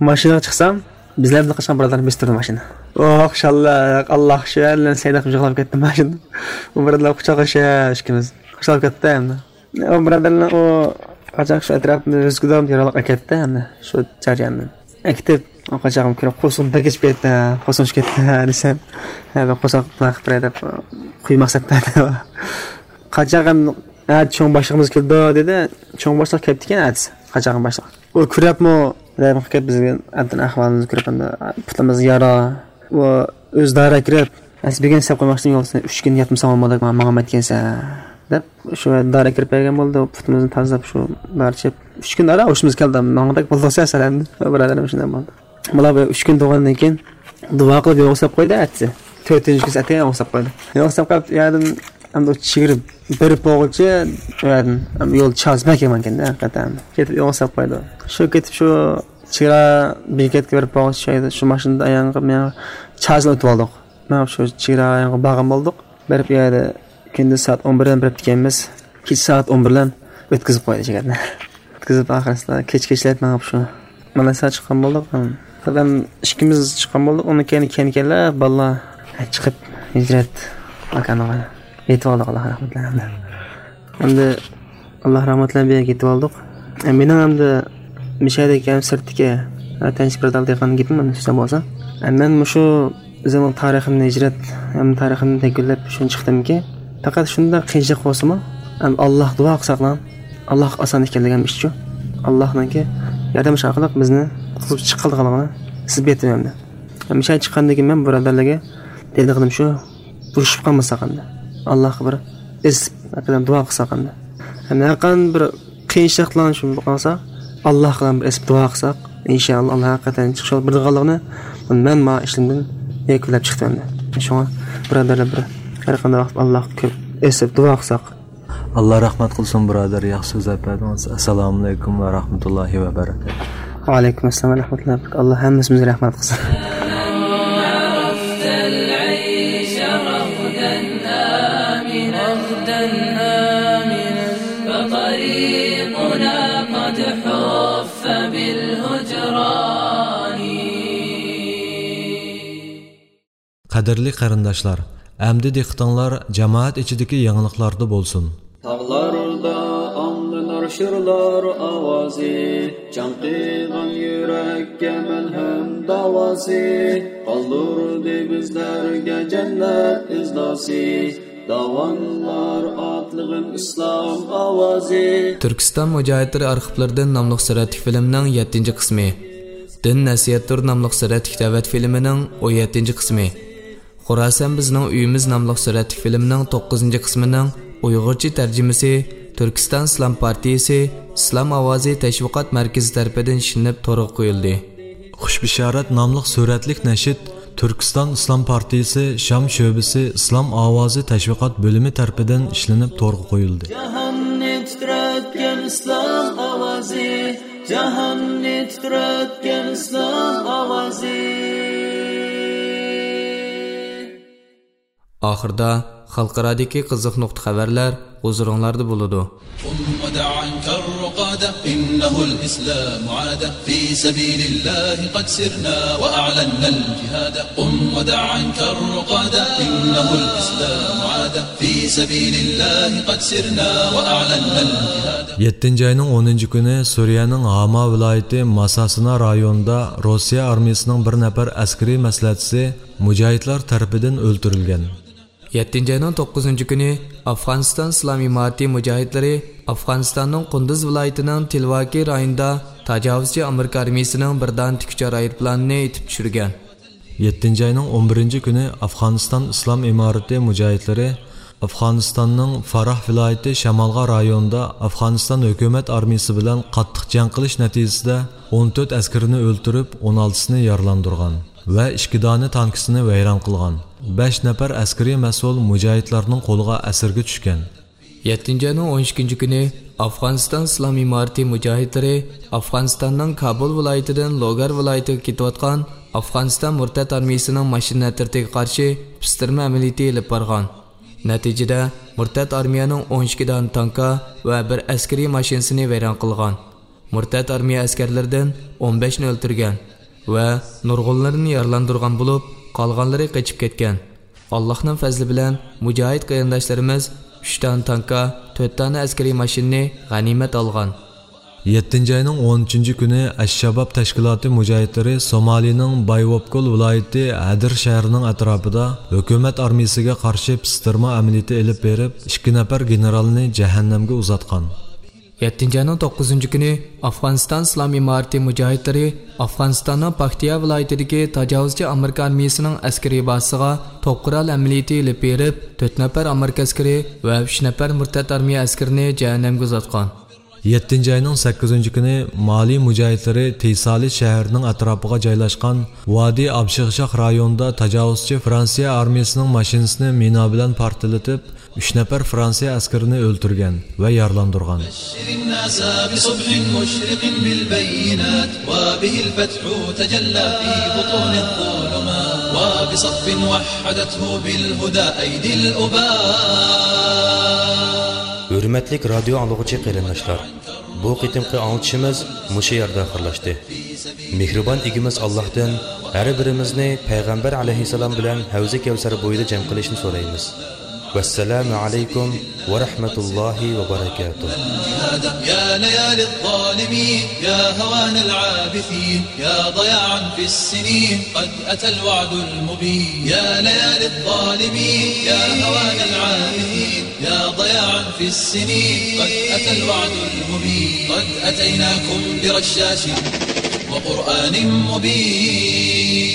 ماشىنىغا چىقسام، بىزلەر بىلەن قاچقان بۇرادەرنى بېسىپتۇردى ماشىنا. ئوھ، خۇشاللىق، ئاللا خۇشال، سەيدە قىلىپ يىغلاپ كەتتىم ماشىنىدا. ئۇ بۇرادەرلەر قۇچاقلىشىپ ئىككىمىز. خۇشال كەتتى ئەمدى. ئۇ بۇرادەرلەر ئۇ قاچاق شۇ ئەتراپنى ئۆزگىدە يارىلىق ئەكەتتى ئەمدى شۇ جەرياندا. ئەكېتىپ، ئۇ قاچاقنىڭ كۆرۈپ قورسىقىم بەك ئېچىپ كەتتى، قورسىقىم ئېچىپ كەتتى دېسەم، ھە، بىر قورساق نېمە قىلىپ بېرەي دەپ قويماق سەپتە. قاچاق ھەم، ھە، چوڭ باشلىقىمىز كېلىدۇ دېدى. چوڭ باشلىق كەپتىكەن ئەتىسى، قاچاق باشلىق. ئۇ كۆرۈپمۇ، رەھىم قىلىپ بىزگە ئەمدى ئەھۋالىمىزنى كۆرۈپ، ئەمدى پۇتىمىزغا يارا. ئۇ ئۆزى دارا كىرىپ، ئەسلى بۈگۈن سەپ قويماقچى يولدا سەن ئۈچ كۈن ياتمىساڭ بولمايدۇ، ماڭا ماڭمايدىكەنسەن دەپ، شۇ دارا كىرىپ بەرگەن بولدى. پۇتىمىزنى تازىلاپ، شۇ دارا چېپ، ئۈچ كۈن ئارا ھوشىمىز كەلدى. ماڭغۇدەك بولدۇق سەن ئەمدى. بۇرادەرلىرىم شۇنداق بولدى. مانا بۇ ئۈچ كۈن تۇرغاندىن كېيىن دۇئا قىلىپ يولغا سەپ قويدى ئەتىسى. تۆتىنچى كۈنى ئەتە يولغا سەپ قويدى. يولغا سەپ قويۇپ، ئۇ يەردىن ئەمدى ئۇ چېگرا بېرىپ بولغۇچە، ئۇ يەردىن ئەمدى يول چازما كەلگەنكەن-دە، ھەقىقەتەن. كېتىپ يولغا سەپ قويدى. شۇ كېتىپ شۇ چېگرا بېكەتكە بېرىپ بولغۇچە، شۇ يەردە شۇ ماشىنىدا ئاياغقا مېڭىپ چازما ئۆتۈپ ئالدۇق. مېڭىپ شۇ چېگرا يېنىغا بارغان بولدۇق. بېرىپ ئۇ يەردە كۈندۈز سائەت ئون بىردىن بېرىپ دېگەنمىز، كېچە سائەت ئون بىردىن ئۆتكۈزۈپ قويدى شۇ يەردە. ئۆتكۈزۈپ ئاخىرسىدا كېچە كېچىلەپ مېڭىپ شۇ مالايسىياغا چىققان بولدۇق. دادام ئىككىمىز چىققان بولدۇق. ئۇنىڭ كەينى كەينى كەينىلەر بالىلار چىقىپ ھىجرەت ماكانىغا يېتىپ ئالدۇق، ئاللا رەھمەتلەر. ئەمدى ئاللا رەھمەتلەر بىلەن يېتىپ ئالدۇق. ئە، مېنىڭ ئەمدى مىشەدىكى ھەم سىرتتىكى ۋەتەندىشى بۇرادەرلەر دېگەن گېپىم ئەمدى سۆزلەم بولسا. ئە، مەن مۇشۇ ئۆزۈمنىڭ تارىخىمنى ھىجرەت ھەم تارىخىمنى دەكۈنلەپ شۇنى چىقتىمكى، پەقەت شۇنداق قىيىنچىلىق بولسىمۇ، ئەم، ئاللاھقا دۇئا قىلساقلا، ئاللاھقا ئاسان ئىكەنلىكىم ئىشچۇ. ئاللاھنىڭكى ياردىمى ئارقىلىق بىزنى قۇتقۇزۇپ چىققانلىقىنى سىزگە ئېيتىمەن. ھەم شۇ چىققاندىن كېيىن مەن بۇرادەرلەرگە دەيدىغىنىم شۇ، بۇرۇشۇپ قالمىساق ئەمدى. ئاللاھقا بىر ئېسىپ، ھەقىقەتەن دۇئا قىلساق ئەمدى. ھەم ھەرقانداق بىر قىيىنچىلىقلار شۇ قالسا، ئاللاھقا بىر ئېسىپ دۇئا قىلساق، ئىنشائاللا، ئاللا ھەقىقەتەن چىقىش يولى بىلىدىغانلىقىنى مەن مانا ئىشلىرىمدىن يەكۈنلەپ چىقتىم ئەمدى. شۇڭا بۇرادەرلەر بىر ھەرقانداق ۋاقىت ئاللاھقا كۆپ ئېسىپ دۇئا قىلساق. ئاللا رەھمەت قىلسۇن، بۇرادەر، ياخشى سۆزلەپ بەردىڭىز. ئەسسالامۇئەلەيكۇم ۋە رەھمەتۇللاھى ۋە بەرەكاتۇھ. ۋەئەلەيكۇم ئەسسالام ۋە رەھمەتۇللاھى ۋە بەرەكاتۇھ. ئاللا ھەممىمىزگە رەھمەت قىلسۇن. عرفت العيش رغدا آمنا، رغدا آمنا، فطريقنا قد حف بالهجران. قەدىرلىك قېرىنداشلار، ئەمدى دىققىتىڭلار جامائەت ئىچىدىكى يېڭىلىقلاردا بولسۇن. تاغلاردا ئاڭلىنار شىرلار ئاۋازى، چاڭقىغان يۈرەككە مەلھەم داۋاسى، قالدۇردى بىزلەرگە جەننەت ئىزناسى، داۋانلار ئاتلىغىن ئىسلام ئاۋازى. تۈركىستان مۇجاھىدلىرى ئارخىپلىرىدىن ناملىق سۈرەتلىك فىلىمنىڭ يەتتىنچى قىسمى. دىن نەسىھەتتۇر ناملىق سۈرەتلىك دەۋەت فىلىمىنىڭ ئون يەتتىنچى قىسمى. خوراسان بىزنىڭ ئۆيىمىز ناملىق سۈرەتلىك فىلىمنىڭ توققۇزىنچى قىسمىنىڭ ئۇيغۇرچە تەرجىمىسى تۈركىستان ئىسلام پارتىيىسى ئىسلام ئاۋازى تەشۋىقات مەركىزى تەرىپىدىن ئىشلىنىپ تورغا قويۇلدى. خۇش بىشارەت ناملىق سۈرەتلىك نەشىد تۈركىستان ئىسلام پارتىيىسى شام شۆبىسى ئىسلام ئاۋازى تەشۋىقات بۆلۈمى تەرىپىدىن ئىشلىنىپ تورغا قويۇلدى. جاھاننى تىترەتكەن ئىسلام ئاۋازى، جاھاننى تىترەتكەن ئىسلام ئاۋازى. ئاخىردا خەلقئارادىكى قىزىق نۇقتا خەۋەرلەر ھۇزۇرۇڭلاردا بولىدۇ. قم ودع عنك الرقاد، إنه الإسلام عاد، في سبيل الله قد سرنا وأعلنا الجهاد. قم ودع عنك الرقاد، إنه الإسلام عاد، في سبيل الله قد سرنا وأعلنا الجهاد. يەتتىنچى ئاينىڭ ئونىنچى كۈنى سۈرىيەنىڭ ھاما ۋىلايىتى ماساسىنا رايونىدا روسىيە ئارمىيىسىنىڭ بىر نەپەر ئەسكىرىي مەسلىھەتچىسى مۇجاھىدلار تەرىپىدىن ئۆلتۈرۈلگەن. يەتتىنچى ئاينىڭ توققۇزىنچى كۈنى ئافغانىستان ئىسلام ئىمارىتى مۇجاھىدلىرى ئافغانىستاننىڭ قۇندۇز ۋىلايىتىنىڭ تىلۋاكى رايونىدا تاجاۋۇزچى ئامېرىكا ئارمىيىسىنىڭ بىر دانە تىكۇچار ئايروپىلانىنى ئېتىپ چۈشۈرگەن. يەتتىنچى ئاينىڭ ئون بىرىنچى كۈنى ئافغانىستان ئىسلام ئىمارىتى مۇجاھىدلىرى ئافغانىستاننىڭ فاراھ ۋىلايىتى شامالغا رايونىدا ئافغانىستان ھۆكۈمەت ئارمىيىسى بىلەن قاتتىق جەڭ قىلىش نەتىجىسىدە ئون تۆت ئەسكىرىنى ئۆلتۈرۈپ، ئون ئالتىسىنى يارىلاندۇرغان ۋە ئىككى دانە تانكىسىنى ۋەيران قىلغان. بەش نەپەر ئەسكىرىي مەسئۇل مۇجاھىدلارنىڭ قولىغا ئەسىرگە چۈشكەن. يەتتىنچى ئاينىڭ ئون ئىككىنچى كۈنى ئافغانىستان ئىسلام ئىمارىتى مۇجاھىدلىرى ئافغانىستاننىڭ كابۇل ۋىلايىتىدىن لوگار ۋىلايىتىگە كېتىۋاتقان ئافغانىستان مۇرتەت ئارمىيىسىنىڭ ماشىنا ئەترىتىگە قارشى پىستىرما ئەمەلىيىتى ئېلىپ بارغان. نەتىجىدە، مۇرتەت ئارمىيەنىڭ ئون ئىككى دانە تانكا ۋە بىر ئەسكىرىي ماشىنىسىنى ۋەيران قىلغان. مۇرتەت ئارمىيە ئەسكەرلىرىدىن ئون بەشنى ئۆلتۈرگەن ۋە نۇرغۇنلىرىنى يارىلاندۇرغان بولۇپ، قالغانلىرى قېچىپ كەتكەن. ئاللاھنىڭ پەزلى بىلەن مۇجاھىد قېرىنداشلىرىمىز ئۈچ دانە تانكا، تۆت دانە ئەسكىرىي ماشىنىنى غەنىيمەت ئالغان. يەتتىنچى ئاينىڭ ئون ئۈچىنچى كۈنى ئەششاباب تەشكىلاتى مۇجاھىدلىرى سومالىنىڭ بايۋوبكول ۋىلايىتى ھەدىر شەھىرىنىڭ ئەتراپىدا ھۆكۈمەت ئارمىيىسىگە قارشى پىستىرما ئەمەلىيىتى ئېلىپ بېرىپ، ئىككى نەپەر گېنېرالنى جەھەننەمگە ئۇزاتقان. يەتتىنچى ئاينىڭ توققۇزىنچى كۈنى ئافغانىستان ئىسلام ئىمارىتى مۇجاھىدلىرى ئافغانىستاننىڭ پاكتىيا ۋىلايىتىدىكى تاجاۋۇزچى ئامېرىكا ئارمىيىسىنىڭ ئەسكىرىي بازىسىغا توپ قورال ئەمەلىيىتى ئېلىپ بېرىپ، تۆت نەپەر ئامېرىكا ئەسكىرى ۋە ئۈچ نەپەر مۇرتەت ئارمىيە ئەسكىرىنى جەھەننەمگە ئۇزاتقان. يەتتىنچى ئاينىڭ سەككىزىنچى كۈنى مالى مۇجاھىدلىرى تىسالى شەھىرىنىڭ ئەتراپىغا جايلاشقان ۋادى ئابشىغشاق رايونىدا تاجاۋۇزچى فرانسىيە ئارمىيىسىنىڭ ماشىنىسىنى مىنا بىلەن پارتلىتىپ، ئۈچ نەپەر فرانسىيە ئەسكىرىنى ئۆلتۈرگەن ۋە يارىلاندۇرغان. بشر الناس بصبح مشرق بالبينات، وبه الفتح تجلى في بطون الظلمات، وبصف وحدته بالهدى أيدي الأباء. ھۆرمەتلىك رادىيو ئاڭلىغۇچى قېرىنداشلار، بۇ قېتىمقى ئاڭلىتىشىمىز مۇشۇ يەردە ئاخىرلاشتى. مېھرىبان ئىگىمىز ئاللاھتىن ھەر بىرىمىزنى پەيغەمبەر ئەلەيھىسسالام بىلەن ھەۋزى كەۋسەر بويىدا جەم قىلىشنى سورايمىز. ۋەسسالامۇ ئەلەيكۇم ۋە رەھمەتۇللاھى ۋە بەرەكاتۇھ. يا ليالي الظالمين، يا هوان العابثين، يا ضياعا في السنين، قد أتى الوعد المبين. يا ليالي الظالمين، يا هوان العابثين، يا ضياعا في السنين، قد أتى الوعد المبين. قد أتيناكم برشاش وقرآن مبين.